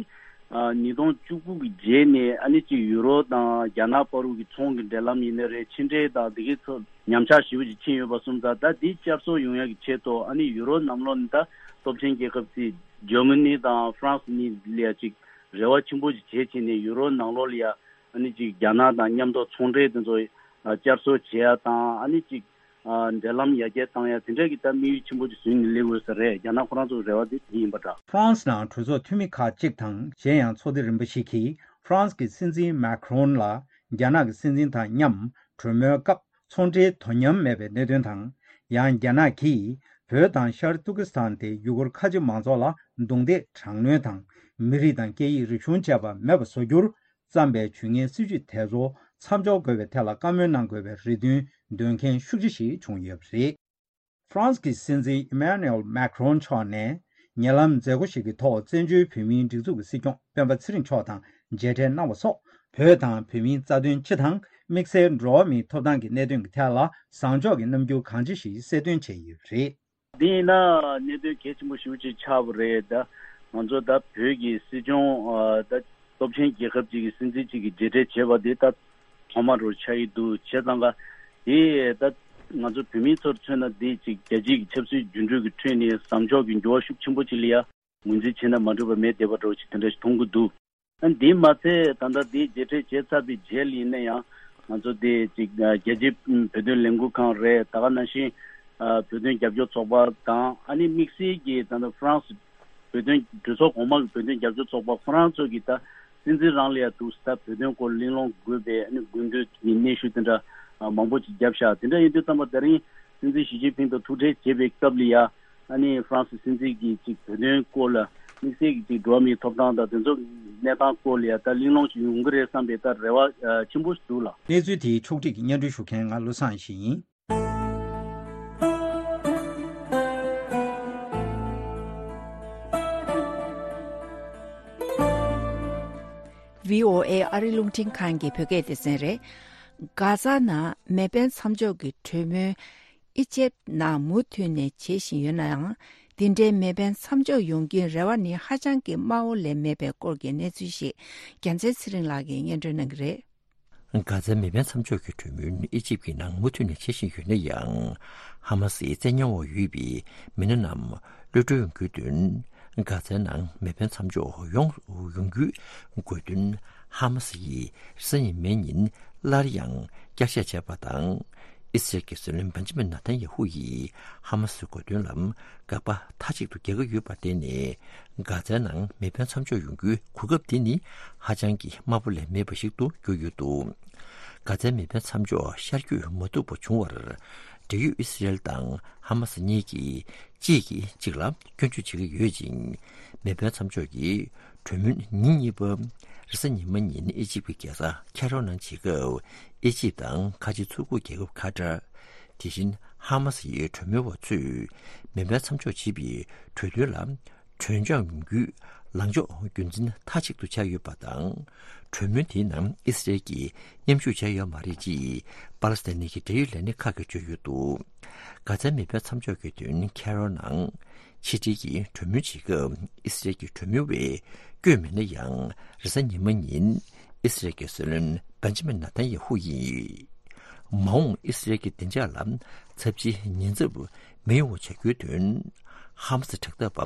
ཉིས་སྟོང་བཅུ་དགུ་གི་རྗེས་ནས་ཨ་ནི་ཅིག་ཡུ་རོབ་དང་རྒྱ་ནག་བར་དུ་གི་ཚོང་གི་འབྲེལ་ལམ་ཡིན་ནའི་རེད། ཕྱི་འབྲེལ་དང་དེ་གའི་ཚོ་ཉམས་ཆག་ཞེ་པོ་ཅིག་ཕྱིན་ཡོད་པ་སོང་ཙང་ད་དེ་བསྐྱར་གསོ་ཡོང་ཡག་གི་ཆེད་དུ་ཨ་ནི་ཡུ་རོབ་ནང་ལོགས་ནས་ད་སྟོབས་ཆེན་རྒྱལ་ཁབ་ཅིག་ཇར་མ་ནི་དང་ཧྥ་རན་སི་གཉིས་ལ་ཡ་ཅིག་རེ་བ་ཆེན་པོ་ཅིག་བྱས་བྱས་ནས་ཡུ་རོབ་ནང་ལོགས་ལ་ཡ་ཨ་ནི་ཅིག་རྒྱ་ནག་དང་མཉམ་དུ་ཚོང་འབྲེལ་དེ་ཚོ་བསྐྱར་གསོ་བྱེད་ཡ་དང་ཨ་ནི་ཅིག་འབྲེལ་ལམ་ཡར་རྒྱས་བཏང་ཡ་དེ་འདྲ་གི་ད་དམིགས་ཡུལ་ཆེན་པོ་ཅིག་བཟུང་ནས་སླེབས་ཡོད་ས་རེད། རྒྱ་ནག་ཁོ་རང་ཚོའི་རེ་བ་དེ་དེ་ཡིན་པ་འདྲ། ཧྥ་རན་སི་ནང་གྲོས་ཚོགས་འཐུས་མི་ཁག་ཅིག་དང་གཞན་ཡང་ཚོགས་སྡེ་རིམ་པ་ཞིག་གིས་ཧྥ་རན་སི་གི་སྲིད་འཛིན་མཱ་ཁི་རོན་ལ་རྒྱ་ནག་གི་སྲིད་འཛིན་དང་མཉམ་གྲོས་མོལ་སྐབས་ཚོང་འབྲེལ་དོ་མཉམ་མེད་པའི་གནད་དོན་དང་། ཡང་རྒྱ་ནག་གིས་ བོད་དང་ཤར་ཏུར་ཀི་སི་ཐན་དེ་ཡུ་གུར་ཁ་ཆེ་མང་ཚོགས་ལ་རྡུང་རྡེག་དྲག་གནོན་དང་། མི་རིགས་དང་སྐད་ཡིག་རིག་གཞུང་བཅས་པ་མེད་པ་བཟོ་རྒྱུར་བརྩམས་པའི་ཇུས་ངན་སྲིད་བྱུས་དེ་ཚོ་མཚམས་འཇོག་དགོས་པའི་ཐད་ལ་བཀའ་མོལ་གནང་དགོས་པའི་རེ་འདུན་འདོན་མཁན་ཤུགས་ཆེ་ཞིག་བྱུང་ཡོད་པ་རེད། ཧྥ་རན་སི་གི་སྲིད་འཛིན་ཨི་མེ་ནུ་ཨེལ་མེ་ཁྲོན་མཆོག་ནས་ཉེ་ལམ་མཛད་སྒོ་ཞིག་གི་ཐོག་བཙན་བྱོལ་བོད་མིའི་སྒྲིག་འཛུགས་ཀྱི་སྲིད་སྐྱོང་སྤེན་པ་ཚེ་རིང་མཆོག་དང་མཇལ་འཕྲད་གནང་བ་སོགས། བོད་དང་བོད་མིའི་རྩ་དོན་སྤྱི་དང་དམིགས་བསལ་འགྲོ་བ་མིའི་ཐོབ་ཐང་གི་གནད་དོན་གྱི་ཐད་ལ་བཟང་ཕྱོགས་ཀྱི་རྣམ་འགྱུར་གང་ཆེ་ཞིག་གསལ་སྟོན་བྱས་ཡོད་པ་རེད། འདི་ཡིན་ན་གནད་དོན་གལ་ཆེན་པོ་ཞེ་པོ་ཅིག་ཆགས་པ་རེད། ད་ང་ཚོ་ད་བོད་ཀྱི་སྲིད་སྐྱོང་ཨ་ད་སྟོབས་ཆེན་རྒྱལ་ཁབ་ཅིག་གི་སྲིད་འཛིན་ཅིག་གིས་མཇལ་འཕྲད་བྱས་པ་འདི་ད་ཐོག་མ་རུ་ཆགས་ཀྱི་འདུག་བྱས་ཙང་ཀ་དེ་ད་ང་ཚོ་བོད་མིའི་ཚོར་མཚོན་ན་འདི་ཅིག་རྒྱལ་སྤྱིའི་ཆབ་སྲིད་འགྱུར་འགྲོས་ཀྱི་ཁྲོད་ནས་བཟང་ཕྱོགས་ཀྱི་འགྱུར་བ་ཤུགས་ཆེན་པོ་ཅིག་ལ་ཡ་ངོས་འཛིན་བྱས་ན་མ་འགྲིག་པ་མེད་བསྡད་པ་འདྲ་ཅིག་དེ་འདྲ་ཞིག་མཐོང་གི་འདུག་ཨ་འདི་མ་ཚད་ད་ལྟ་འདི་མཇལ་འཕྲད་བྱས་ཚར་བའི་རྗེས་ལ་ཡིན་ན་ཡང་ང་ཚོ་དེ་ཅིག་རྒྱལ་སྤྱིའི་བོད་དོན་ལས་འགུལ་ཁང་རེད། ད་ག་ནང་བཞིན་བོད་དོན་རྒྱབ་སྐྱོར་ཚོགས་པ་དང་ཨ་ནི་དམིགས་བསལ་གྱིས་ད་ལྟ་ཧྥ་རན་སི་བོད་དོན་གྲོས་ཚོགས་གོང་མ་གི་བོད་དོན་རྒྱབ་སྐྱོར་ཚོགས་པ་ཁོ་རང་ཚོ་གིས་ད་སྲིད་འཛིན་རང་ལ་ཡ་འདུག་ད་བོད་དོན་སྐོར་གླེང་སློང་དགོས་པའི་ཨ་ནི་དགོས་འདུན་གྱི་སྙན་ཞུ་དེ་འདྲ་མང་པོ་ཅིག་བརྒྱབ་ཤག་དེ་འདྲ་ཡིན་དུས་ཙམ་པ་དེ་རིང་སྲིད་འཛིན་ཞི་ཅིན་ཕིང་དང་ཐུག་འཕྲད་བྱེད་པའི་སྐབས་ལ་ཡ། ཨ་ནི་ཧྥ་རན་སི་སྲིད་འཛིན་གྱིས་ཅིག་བོད་དོན་སྐོར་ལ་དམིགས་བསལ་གྱིས་ཅིག་འགྲོ་བ་མིའི་ཐོབ་ཐང་དང་དེ་ཚོ་གནས་སྟངས་སྐོར་ལ་ཡ་ད་གླེང་སློང་ཞིག་ཡོང་གི་རེད་བསམ་པའི་ད་རེ་བ་ཆེན་པོ་ཞིག་འདུག་ལགས། གནས་ཚུལ་དེའི་ཕྱོགས་སྒྲིག་གིས་སྙན་སྒྲོན་ཞུ་མཁན་ང་བློ་བཟང་ཡེ་ཤེས་ཡིན། བྷི་ཨོ་ཨེ་ཨ་རི་རླུང་འཕྲིན་ཁང་གི་བོད་སྐད་སྡེ་ཚན་རེད། གྷ་ཛ་ནང་མེ་འཕེན་མཚམས་འཇོག་གི་གྲོས་མོལ་ཨི་ཇེབ་ནང་མུ་མཐུད་ནས་བྱེད་བཞིན་ཡོད་ན་ཡང་། འདི་འདྲའི་མེ་འཕེན་མཚམས་འཇོག་ཡོང་རྒྱུའི་རེ་བ་ནི་ཧ་ཅང་གི་དམའ་བོ་ལས་མེད་པའི་སྐོར་གྱི་གནས་ཚུལ་ཞིག་རྒྱལ་མཚན་ཚེ་རིང་ལགས་ཀྱིས་སྙན་སྒྲོན་གནང་གི་རེད། གྷ་ཛའི་མེ་འཕེན་མཚམས་འཇོག་གི་གྲོས་མོལ་ཨི་ཇིབ་ཀྱི་ནང་མུ་མཐུད་ནས་བྱེད་བཞིན་ཡོད་ན་ཡང་། ཧ་མ་སིའི་བཙན་ཉར་འོག་ཡོད་པའི་མི་སྣ་རྣམས་གློད་གྲོལ་ཡོང་རྒྱུའི་དོན། གྷ་ཛའི་ནང་མེ་འཕེན་མཚམས་འཇོག་ཡོང་ཡོང་རྒྱུའི་དགོས་འདུན་ཧ་མ་སི་ཡིས་རེས་གཟའ་ཉི་མའི་ཉིན་སླར་ཡང་བསྐྱར་བཤད་བྱས་པ་དང་། ཨི་སི་རལ་གྱི་སྲིད་བློན་བན་ཇི་མིན་ནཱ་ཐན་ཡ་ཧུ་ཡིས་ཧ་མ་སིའི་དགོས་འདུན་ལ་དགག་པ་མཐའ་གཅིག་ཏུ་རྒྱག་གི་ཡོད་པར་བརྟེན་ནས། གྷ་ཛའི་ནང་མེ་འཕེན་མཚམས་འཇོག་ཡོང་རྒྱུའི་གོ་སྐབས་དེ་ནི་ཧ་ཅང་གི་དམའ་པོ་ལས་མེད་པ་ཞིག་ཏུ་གྱུར་ཡོད་འདུག་གྷ་ཛའི་མེ་འཕེན་མཚམས་འཇོག་ཤར་བསྐྱོད་མ་ཐུབ་པ་བྱུང་བར། འབྲེལ་ཡོད་ཨི་སི་རལ་དང་ཧ་མ་སི་གཉིས་ཀྱིས་གཅིག་གིས་གཅིག་ལ་སྐྱོན་བརྗོད་བྱེད་ཀྱི་ཡོད་ཅིང་། མེ་འཕེན་མཚམས་འཇོག་གི་གྲོས་མོལ་ཉིན་གཉིས་པ་རེས་གཟའ་ཉི་མ་ཉིན་ཨི་ཇིབ་ཀྱི་རྒྱལ་ས་ཁེ་རོ་ནང་བྱེད་སྐབས། ཨི་ཇིབ་དང་ཁ་ཆེ་མཚོ་ཁུག་རྒྱལ་ཁབ་ཁ་ཏར། དེ་བཞིན་ཧ་མ་སི་ཡི་གྲོས་མོལ་བ་ཚོས་མེ་འཕེན་མཚམས་འཇོག་བྱེད་པའི་གྲོས་མཐུན་ལ་གྲོས་འཆམ་ཡོང་རྒྱུའི་ལངས་ཕྱོགས་རྒྱུན་འཛིན་མཐའ་གཅིག་ཏུ་བྱས་ཡོད་པ་དང་། གྲོས་མོལ་དེའི་ནང་ཨི་སི་རལ་གྱིས་མཉམ་ཞུགས་བྱས་ཡོད་མ་རེད་ཅེས་པ་ལི་སི་ཐན་གྱི་འབྲེལ་ཡོད་ལས་སྣེ་ཁག་གིས་བརྗོད་ཡོད་འདུག་གྷ་ཛའི་མེ་འཕེན་མཚམས་འཇོག་གི་དོན་ཁེ་རོ་ནང་ཕྱི་འབྲེལ་གྱི་གྲོས་མོལ་བྱེད་སྐབས་ཨི་སི་རལ་གྱི་གྲོས་མོལ་བས་བསྐྱོད་མེད་ན་ཡང་། རེས་གཟའ་ཉི་མ་ཉིན་ཨི་སི་རལ་གྱི་སྲིད་བློན་བན་ཇི་མིན་ནཱ་ཐན་ཡ་ཧུ་ཡིས། མ་འོངས་ཨི་སི་རལ་གྱི་བདེ་འཇགས་ལ་ཚབས་ཆེའི་ཉེན་ཚབས་མི་ཡོང་བ་བྱ་རྒྱུའི་དོན། ཧ་མ་སི་དྲག་འཐབ་པ་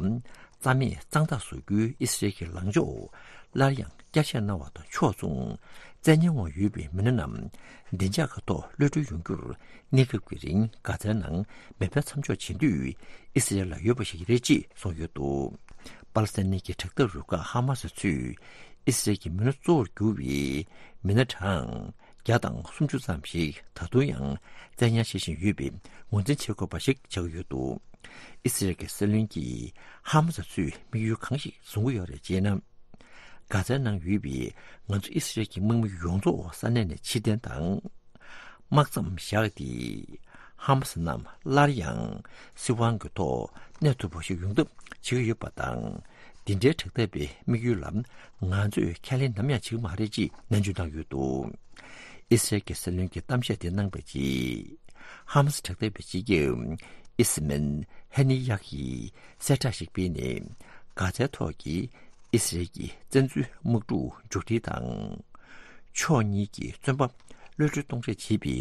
རྩ་མེད་གཙང་དག་བཟོ་རྒྱུའི་ཨི་སི་རལ་གྱི་ལངས་ཕྱོགས་སླར་ཡང་བསྐྱར་བཤད་གནང་བ་དང་ཕྱོགས་མཚུངས། བཙན་ཉར་འོག་ཡོད་པའི་མི་སྣ་རྣམས་བདེ་འཇགས་ཀྱི་ཐོག་གློད་གྲོལ་ཡོང་རྒྱུར། གནས་སྐབས་ཀྱི་རིང་གྷ་ཛའི་ནང་མེ་འཕེན་མཚམས་འཇོག་བྱེད་འདོད་ཨི་སི་རལ་ལ་ཡོད་པ་ཞིག་རེད་ཅེས་གསུངས་ཡོད་འདུག་པ་ལི་སི་ཐན་གྱི་དྲག་འཐབ་རུ་ཁག་ཧ་མ་སི་ཚོས་ཨི་སི་རལ་གྱི་མི་སྣ་གཙོ་བོར་གྱུར་བའི་མི་སྣ་གྲངས་བརྒྱ་དང་སུམ་ཅུ་ཙམ་ཞིག་ད་དུང་ཡང་བཙན་ཉར་བྱེད་བཞིན་ཡོད་པའི་ངོས་འཛིན་བྱེད་དགོས་པ་ཞིག་ཆགས་ཀྱི་ཡོད་འདུག་ཨི་སི་རལ་གྱི་སྲིད་བློན་གྱིས་ཧ་མ་སི་ཚོས་དམིགས་ཡུལ་གང་ཞིག་བཟུང་གི་ཡོད་རེད་ཅེ་ན། གྷ་ཛའི་ནང་ཡོད་པའི་ང་ཚོ་ཨི་སི་རལ་གྱི་དམག་མི་ཡོངས་རྫོགས་ས་གནས་ནས་ཕྱིར་འཐེན་དང་། དམག་མཚམས་བཞག་སྟེ། ཧ་མ་སི་རྣམས་སླར་ཡང་སྲིད་དབང་གི་ཐོག་གནས་ཐུབ་པ་ཞིག་ཡོང་ཐབས་བྱེད་ཀྱི་ཡོད་པ་དང་། འདི་འདྲའི་དྲག་འཐབ་པའི་དམིགས་ཡུལ་ལ་ང་ཚོས་ཁས་ལེན་ནམ་ཡང་བྱེད་ཀྱི་མ་རེད་ཅེས་ནན་བརྗོད་གནང་ཡོད་འདུག་ཨི་སི་རལ་གྱི་སྲིད་བློན་གྱིས་གཏམ་བཤད་དེ་གནང་པའི་རྗེས། ཧ་མ་སི་དྲག་འཐབ་པའི་སྤྱི་ཁྱབ་ཨི་སི་མན་ཧེ་ནི་ཡག་གིས་གསལ་བསྒྲགས་ཤིག་སྤེལ་ནས། གྷ་ཛའི་ཐོག་གི་ཨི་སི་རལ་གྱི་བཙན་འཛུལ་དམག་འཁྲུག་མཇུག་སྒྲིལ་དང་། ཕྱོགས་གཉིས་ཀྱི་བཙོན་པ་གློད་གྲོལ་གཏོང་རེས་བྱེད་པའི་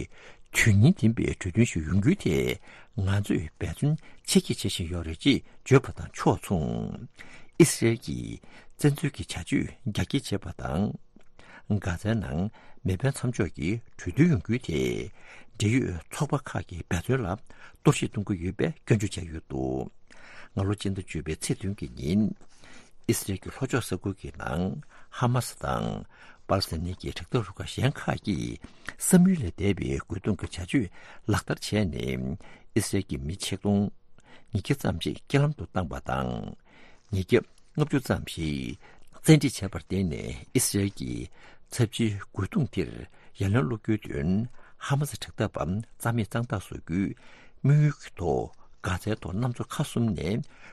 དོན་སྙིང་ལྡན་པའི་གྲོས་མཐུན་ཞིག་ཡོང་རྒྱུའི་ཐད་ང་ཚོས་འབད་བརྩོན་ཆེ་བསྐྱེད་བྱེད་བཞིན་ཡོད་རེད་ཅེས་བརྗོད་པ་དང་ཕྱོགས་མཚུངས། ཨི་སི་རལ་གྱིས་བཙན་འཛུལ་གྱི་བྱ་སྤྱོད་རྒྱ་སྐྱེད་བྱེད་པ་དང་། གྷ་ཛའི་ནང་མེ་འཕེན་མཚམས་འཇོག་གི་གྲོས་མཐུན་ཡོང་རྒྱུའི་ཐད། འབྲེལ་ཡོད་ཚོགས་པ་ཁག་གི་འབད་བརྩོན་ལ་གཏོར་བཤིག་གཏོང་གི་ཡོད་པའི་སྐྱོན་བརྗོད་བྱས་ཡོད་འདུག་སྔ་ལོ་སྤྱི་ཟླ་བཅུ་པའི་ཚེས་བདུན་གྱི་ཉིན། ཨི་སི་རལ་གྱི་ལྷོ་ཕྱོགས་ས་ཁུལ་གྱི་ནང་ཧ་མ་སི་དང་པ་ལི་སི་ཐན་གྱི་དྲག་འཐབ་རུ་ཁག་གཞན་ཁག་གིས་བསམ་ཡུལ་ལས་འདས་པའི་རྒོལ་རྡུང་གི་བྱ་སྤྱོད་ལག་བསྟར་བྱས་ནས། ཨི་སི་རལ་གྱི་མི་ཆིག་སྟོང་ ཉིས་བརྒྱ་ཙམ་ཞིག་རྐྱེན་ལམ་དུ་བཏང་བ་དང་། ཉིས་བརྒྱ་ལྔ་བཅུ་ཙམ་ཞིག་བཙན་ཁྲིད་བྱས་པར་བརྟེན་ནས། ཨི་སི་རེལ་གྱི་ཚབས་ཆེའི་རྒོལ་རྡུང་དེར་ཡ་ལན་སློག་རྒྱུའི་དོན། ཧ་མ་སི་དྲག་འཐབ་པ་རྩ་མེད་གཙང་དག་བཟོ་རྒྱུའི་དམིགས་ཡུལ་གྱི་ཐོག་གྷ་ཛའི་ཐོག་གནམ་མཚོ་ཁ་གསུམ་ནས་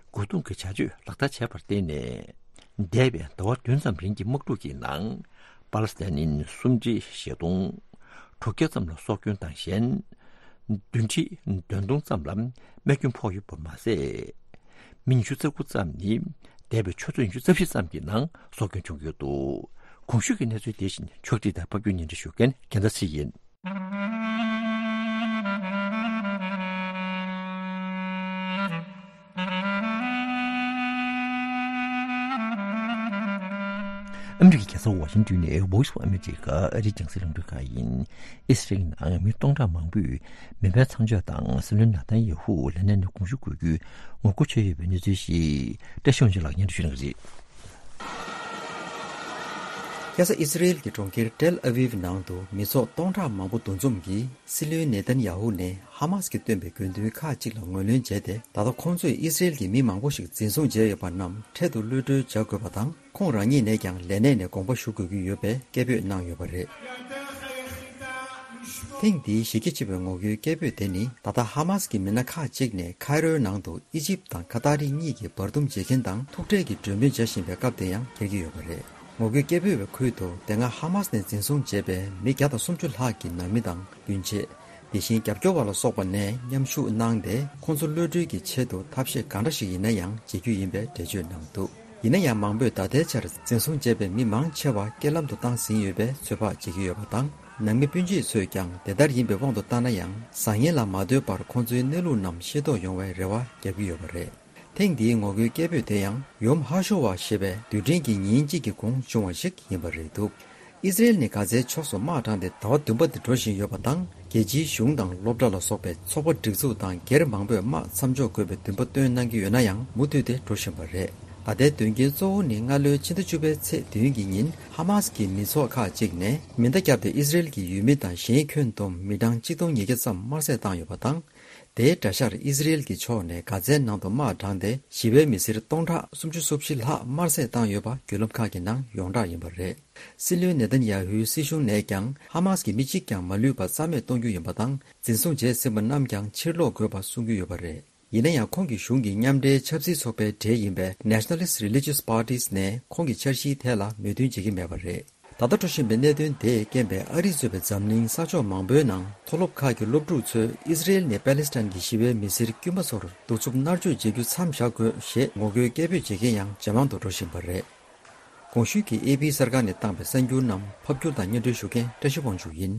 རྒོལ་རྡུང་གི་བྱ་སྤྱོད་ལག་བསྟར་བྱས་པར་བརྟེན་ནས། འདས་པའི་ཟླ་བ་བདུན་ཙམ་རིང་གི་དམག་འཁྲུག་གི་ནང་། པ་ལི་སི་ཐན་ནི་སུམ་ཁྲི་བཞི་སྟོང་དྲུག་བརྒྱ་ཙམ་ལ་སྲོག་སྐྱོན་དང་གཞན། བདུན་ཁྲི་བདུན་སྟོང་ཙམ་ལ་རྨས་སྐྱོན་ཕོག་ཡོད་པ་མ་ཟད། མི་ཉི་ཤུ་རྩ་དགུ་ཙམ་ནི་འདས་པའི་ཆུ་ཚོད་ཉི་ཤུ་རྩ་བཞི་ཙམ་གྱི་ནང་སྲོག་སྐྱོན་བྱུང་ཡོད་འདུག་གོང་ཞུས་ཀྱི་གནས་ཚུལ་དེ་བཞིན་ཕྱོགས་སྒྲིག་དང་ཕབ་སྒྱུར་སྙན་སྒྲོན་ཞུ་མཁན་རྒྱལ་མཚན་ཚེ་ཡིན། ཨ་མི་རི་ཀའི་རྒྱལ་ས་ཝ་ཤིང་ཏོན་ནས་Voice of America ཨ་རིའི་རྒྱང་སྲིང་རླུང་འཕྲིན་ཁང་ཡིན། ཨི་སི་རེལ་ནང་མི་སྟོང་ཕྲག་མང་པོས་མེ་འཕེན་མཚམས་འཇོག་དང་སྲིད་བློན་ནཱ་ཐན་ཡ་ཧུ་ལས་གནས་ནས་དགོངས་ཞུ་དགོས་རྒྱུའི་ངོ་རྒོལ་བྱས་ཡོད་པའི་གནས་ཚུལ་ཞིག་བཀྲ་ཤིས་དབང་ཕྱུག་ལགས་སྙན་སྒྲོན་ཞུ་གནང་གི་རེད། ཁ་སང་ཨི་སི་རེལ་གྱི་གྲོང་ཁྱེར་ཏེལ་ཨ་ཝིབ་ནང་དུ་མི་ཚོགས་སྟོང་ཕྲག་མང་པོ་འདུ་འཛོམས་ཀྱིས་སྲིད་བློན་ནེ་ཐན་ཡ་ཧུ་ནས་ཧ་མ་སི་གིས་བཏོན་པའི་དགོས་འདུན་ཁག་ཅིག་ལ་ངོས་ལེན་བྱས་ཏེ། ད་ལྟ་ཁོང་ཚོས་ཨི་སི་རེལ་གྱི་མི་མང་པོ་ཞིག་འཛིན་བཟུང་བྱས་ཡོད་པ་རྣམས་འཕྲལ་དུ་གློད་གྲོལ་བྱ་དགོས་པ་དང་། ཁོང་རང་ཉིད་ནས་ཀྱང་ལས་གནས་ནས་དགོངས་པ་ཞུ་དགོས་ཀྱི་ཡོད་པའི་སྐད་འབོད་གནང་ཡོད་པ་རེད། ཐེངས་འདིའི་གཞི་རྒྱ་ཆེ་བའི་ངོ་རྒོལ་སྐད་འབོད་དེ་ནི། ད་ལྟ་ཧ་མ་སི་གི་མི་སྣ་ཁག་ཅིག་ནས་ཁའི་རོའི་ནང་དུ་ཨི་ཇིབ་དང་ཁ་ཏར་རི་གཉིས་ཀྱི་བར་འདུམ་བྱེད་མཁན་དང་ཐུག་འཕྲད་ཀྱི་གྲོས་མོལ་བྱ་བཞིན་པའི་སྐབས་དེ་ཡང་འཁེལ་གྱི་ཡོད་པ་རེད། ངོ་རྒོལ་སྐད་འབོད་པའི་ཁུལ་དུ་དེ་སྔ་ཧ་མ་སི་ནས་འཛིན་བཟུང་བྱས་པའི་མི་བརྒྱ་དང་སུམ་ཅུ་ལྷག་གི་ནང་མི་དང་སྤུན་མཆེད། དེ་བཞིན་རྒྱབ་སྐྱོར་བ་ལ་སོགས་པ་ནས་མཉམ་ཞུགས་གནང་སྟེ། ཁོང་ཚོ་གློད་གྲོལ་གྱི་ཆེད་དུ་ཐབས་ཤེས་གང་འདྲ་ཞིག་ཡིན་ན་ཡང་བྱེད་རྒྱུ་ཡིན་པའི་འགྲེལ་བརྗོད་གནང་འདུག་ཡིན་ན་ཡང་། མང་པོས་ད་ལྟའི་ཆར་འཛིན་བཟུང་བྱས་པའི་མི་མང་ཆེ་བ་རྐྱེན་ལམ་དུ་བཏང་ཟིན་ཡོད་པའི་ཚོད་དཔག་བྱེད་ཀྱི་ཡོད་པ་དང་། ནང་མི་སྤུན་མཆེད་ཚོས་ཀྱང་དེ་ལྟར་ཡིན་པའི་དབང་དུ་བཏང་ན་ཡང་། བཟང་ངན་ལ་མ་ལྟོས་པར་ཁོང་ཚོའི་གནས་ལུགས་རྣམས་ཤེས་རྟོགས་ཡོང་བའི་རེ་བ་བརྒྱབ་ཀྱི་ཡོད་པ་རེད། ཐེངས་འདིའི་ངོ་རྒོལ་སྐད་འབོད་དེ་ཡང་ཡོམ་ཧ་ཤོ་ཝ་ཞེས་པའི་རྡུལ་ཕྲན་གྱི་ཉིན་གཅིག་གི་གོང་བྱུང་བ་ཞིག་ཡིན་པ་རེད་འདུག་ཨི་སི་རེལ་ནས་གྷ་ཛའི་ཕྱོགས་སུ་དམག་དྲངས་ཏེ་ཟླ་བ་བདུན་པ་དེ་འགྲོ་བཞིན་ཡོད་པ་དང་། རྒྱལ་སྤྱིའི་གཞུང་དང་སློབ་གྲྭ་ལ་སོགས་པའི་ཚོགས་པ་སྒྲིག་འཛུགས་དང་སྒེར་མང་པོས་དམག་མཚམས་འཇོག་དགོས་པའི་འདུན་པ་བཏོན་གནང་གི་ཡོད་ན་ཡང་། མུ་མཐུད་དེ་འགྲོ་བཞིན་པ་རེད། ད་ལྟའི་དོན་རྐྱེན་གཙོ་བོ་ནི་སྔ་ལོའི་ཕྱི་ཟླ་བཅུ་པའི་ཚེས་བདུན་གྱི་ཉིན་ཧ་མ་སི་གི་མི་ཚོགས་ཁག་ཅིག་ནས་མེ་མདའ་བརྒྱབ་སྟེ་ཨི་སི་རེལ་གྱི་ཡུལ་མི་དང་གཞན་ཁྱོན་བསྡོམས་མི་གྲངས་གཅིག་སྟོང་ཉིས་བརྒྱ་ཙམ་དམར་བསད་བཏང་ཡོད་པ་དང་། དེའི་དགྲ་ཤར་ཨི་སི་རེལ་གྱི་ཕྱོགས་ནས་གྷ་ཛའི་ནང་དུ་དམག་དྲངས་ཏེ་ཞི་བའི་མི་སེར་སྟོང་ཕྲག་སུམ་ཅུ་སོ་བཞི་ལྷག་དམར་བསད་བཏང་ཡོད་པ་བརྒྱུད་ལམ་ཁག་གི་ནང་ཡོངས་གྲགས་ཡིན་པ་རེད། སྲིད་བློན་ནེ་ཐན་ཡ་ཧུའི་སྲིད་གཞུང་ནས་ཀྱང་ཧ་མ་སི་གི་མི་གཅིག་ཀྱང་མ་ལུས་པ་རྩ་མེད་གཏོང་རྒྱུ་ཡིན་པ་དང་། འཛིན་བཟུང་བྱས་ཟིན་པ་རྣམས་ཀྱང་ཕྱིར་སློག་དགོས་པ་གསུང་གི་ཡོད་པ་རེད། ཡིན་ན་ཡང་། ཁོང་གི་གཞུང་གི་མཉམ་འབྲེལ་ཆབ་སྲིད་ཚོགས་པའི་གྲས་ཡིན་པའི་Nationalist Religious Parties ནས་ཁོང་གི་འཆར་གཞིའི་ཐད་ལ་མོས་མཐུན་བྱེད་ཀྱི་མེད་པ་རེད། ད་ལྟ་འགྲོ་བཞིན་པའི་གནད་དོན་དེས་རྐྱེན་པས་ཨ་རི་གཙོས་པའི་འཛམ་གླིང་ས་ཕྱོགས་མང་པོའི་ནང་མཐོ་སློབ་ཁག་གི་སློབ་ཕྲུག་ཚོས་ཨི་སི་རེལ་ནས་པ་ལི་སི་ཐན་གྱི་ཞི་བའི་མི་སེར་དཀྱུས་མ་ཚོར་གདུག་རྩུབ་མནར་གཅོད་བྱེད་རྒྱུ་མཚམས་བཞག་དགོས་ཞེས་ངོ་རྒོལ་སྐད་འབོད་བྱེད་མཁན་ཡང་ཇེ་མང་དུ་འགྲོ་བཞིན་པ་རེད། གོང་ཞུས་ཀྱི་ཨེ་པི་གསར་ཁང་ནས་བཏང་པའི་གསར་འགྱུར་རྣམས་ཕབ་སྒྱུར་དང་སྙན་སྒྲོན་ཞུ་མཁན་བཀྲ་ཤིས་དབང་ཕྱུག་ཡིན།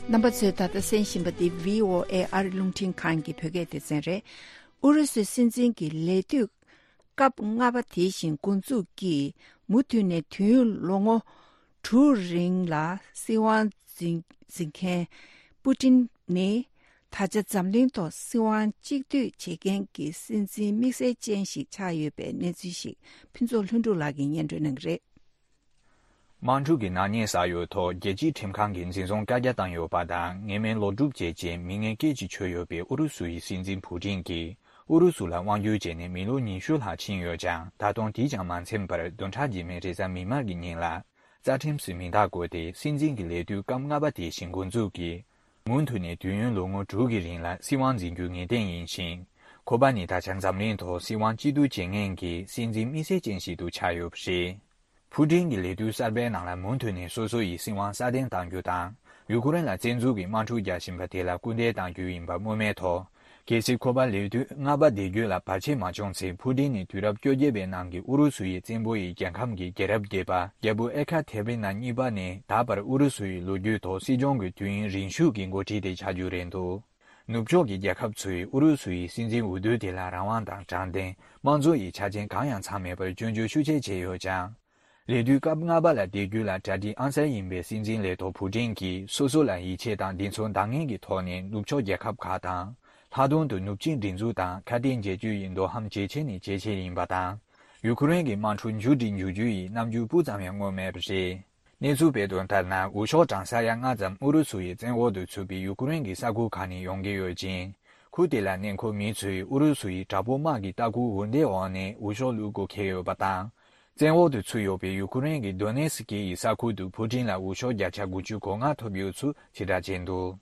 རྣམ་པ་ཚོས་ད་ལྟ་གསན་བཞིན་པ་འདི་བྷི་ཨོ་ཨེ་ཨ་རི་རླུང་འཕྲིན་ཁང་གི་བོད་སྐད་སྡེ་ཚན་རེད། ཨུ་རུ་སུའི་སྲིད་འཛིན་གྱི་ལས་དུས་སྐབས་ལྔ་པ་དེ་བཞིན་འགོ་འཛུགས་ཀྱིས་མུ་མཐུད་ནས་དུས་ཡུན་ལོ་ངོ་དྲུག་རིང་ལ་སྲིད་དབང་འཛིན་འཛིན་མཁན་པུ་ཏིན་ནི། ད་ཆ་འཛམ་གླིང་ཐོག་སྲིད་དབང་གཅིག་སྡུད་བྱེད་མཁན་གྱི་སྲིད་འཛིན་དམིགས་བསལ་ཅན་ཞིག་ཆགས་ཡོད་པའི་གནས་ཚུལ་ཞིག་ཕུན་ཚོགས་ལྷུན་གྲུབ་ལགས་ཀྱིས་སྙན་སྒྲོན་གནང་གི་རེད། དམག་འཁྲུག་གི་ནག་ཉེས་བསགས་ཡོད་ཐོག་རྒྱལ་སྤྱིའི་ཁྲིམས་ཁང་གིས་འཛིན་བཟུང་བཀའ་རྒྱ་བཏང་ཡོད་པ་དང་། ངེས་མེད་ལོག་སྒྲུབ་བྱས་རྗེས་མི་ངན་སྐད་ཅིག་ཆོད་ཡོད་པའི་ཨུ་རུ་སུ་ཡི་སྲིད་འཛིན་ཕུ་ཏིན་གྱིས་ཨུ་རུ་སུ་ལ་དབང་བསྒྱུར་བྱས་ནས་མི་ལོ་ཉི་ཤུ་ལྷག་ཕྱིན་ཡོད་ཀྱང་། ད་དུང་དེས་ཀྱང་མ་ཚིམ་པར་བདུན་ཕྲག་རྗེས་མའི་རེས་གཟའ་མིག་དམར་གྱི་ཉིན་ལ་རྩ་ཁྲིམས་སུ་མིང་རྟགས་བཀོད་དེ། སྲིད་འཛིན་གྱི་ལས་དུས་སྐབས་ལྔ་པ་དེ་བཞིན་འགོ་འཛུགས་ཀྱིས་མུ་མཐུད་ནས་དུས་ཡུན་ལོ་ངོ་དྲུག་གི་རིང་ལ་སྲིད་དབང་འཛིན་རྒྱུ་ངེས་གཏན་ཡིན་ཞིང་། ཁོ་པ་ནི་ད་ཆ་འཛམ་གླིང་ཐོག་སྲིད་དབང་གཅིག་སྡུད་བྱེད་མཁན་གྱི་སྲིད་འཛིན་དམིགས་བསལ་ཅན་ཞིག་ཏུ་ཆགས་ཡོད་པ་རེད། ཕུ་ཏིན་གྱི་ལས་དུས་གསར་པའི་ནང་ལ་མུ་མཐུད་ནས་སོ་སོ་ཡི་སྲིད་དབང་སྲ་བརྟན་གཏང་རྒྱུ་དང་། ཡུ་ཀེ་རེན་ལ་བཙན་འཛུལ་གྱི་དམག་འཁྲུག་རྒྱག་བཞིན་པ་དེ་ལ་སྐུལ་འདེད་གཏང་རྒྱུ་ཡིན་པ་སྨོས་མེད་ཐོག་གལ་སྲིད་ཁོ་པ་ལས་དུས་ལྔ་པ་བསྡད་རྒྱུ་ལ་བར་ཆད་མ་བྱུང་ཚེ། ཕུ་ཏིན་ནི་དུས་རབས་བཅོ་བརྒྱད་པའི་ནང་གི་ཨུ་རུ་སུ་ཡི་བཙན་པོ་ཡི་རྒྱལ་ཁམས་ཀྱི་རྒྱལ་རབས་བརྒྱད་པ་རྒྱལ་པོ་ཨེ་ཁ་ཐེ་རི་ན་གཉིས་པ་ནས་ད་བར་ཨུ་རུ་སུ་ཡི་ལོ་རྒྱུས་ཐོག་སྲིད་སྐྱོང་གི་དུས་ཡུན་རིང་ཤོས་ཀྱི་འགོ་ཁྲིད་དེ་ཆགས་རྒྱུ་རེད་འདུག་ནུབ་ཕྱོགས་ཀྱི་རྒྱལ་ཁབ་ཚོས་ཨུ་རུ་སུ་ཡི་སྲིད་འཛིན་འོས་བསྡུ་དེ་ལ་རང་དབང་དང་དྲང་བདེན། དམངས་གཙོ་ཡི་ཆ་རྐྱེན་གང་ཡང་ཚང་མེད་པར་སྐྱོན་བརྗོད་ཤུགས་ཆེ་བྱས་ཡོད་ཀྱང་། ལས་དུས་སྐབས་ལྔ་པ་ལ་བསྡད་རྒྱུ་ལ་གྲ་སྒྲིག་ཨང་གསར་ཡིན་པའི་སྲིད་འཛིན་ལས་ཐོག་ཕུ་ཏིན་གྱིས་སོ་སོ་ལ་ཡིད་ཆེས་དང་འདི་ཚོ་འདང་ངེས་ཀྱི་ཐོག་ནས་ནུབ་ཕྱོགས་རྒྱལ་ཁབ་ཁག་དང་ ལྷག་དོན་དུ་ནུབ་ཕྱོགས་སྒྲིག་འཛུགས་དང་ཁ་གཏད་འཇལ་རྒྱུ་ཡི་འདོད་ཧམ་ཇེ་ཆེ་ནས་ཇེ་ཆེ་ཡིན་པ་དང་། ཡུ་ཁུ་རེན་གྱི་དམག་འཁྲུག་མཇུག་སྒྲིལ་འགྱུར་རྒྱུ་ཡི་རྣམ་འགྱུར་སྤུ་ཙམ་ཡང་མངོན་མེད་པ་རེད། གནས་ཚུལ་སྤེལ་དོན་ལྟར་ན། འོས་ཤོག་གྲངས་ས་ཡ་ལྔ་ཙམ་ཨུ་རུ་སུ་ཡི་བཙན་འོག་ཏུ་ཚུད་པའི་ཡུ་ཁུ་རེན་གྱི་ས་ཁུལ་ཁག་ནས་ཡོང་གི་ཡོད་ཅིང་། ཁུལ་དེ་ལ་གནས་འཁོད་མི་ཚོས་ཨུ་རུ་སུ་ཡི་དྲག་པོའི་དམག་གི་ལྟ་སྐུལ་འོས་འདེམས་འོག་ནས་འོས་ཤོག་བླུག་དགོས་འཁེལ་ཡོད་པ་དང་། བཙན་འོག་ཏུ་ཚུད་ཡོད་པའི་ཡུ་ཁུ་རེན་གྱི་དོ་ནེ་སི་ཀི་ཡི་ས་ཁུལ་དུ་ཕུ་ཀྲིན་ལ་འོས་ཤོག་བརྒྱ་ཆ་དགུ་བཅུ་གོ་ལྔ་ཐོབ་ཡོད་ཚུལ་ཕྱིར་བསྒྲགས་བྱས་འདུག་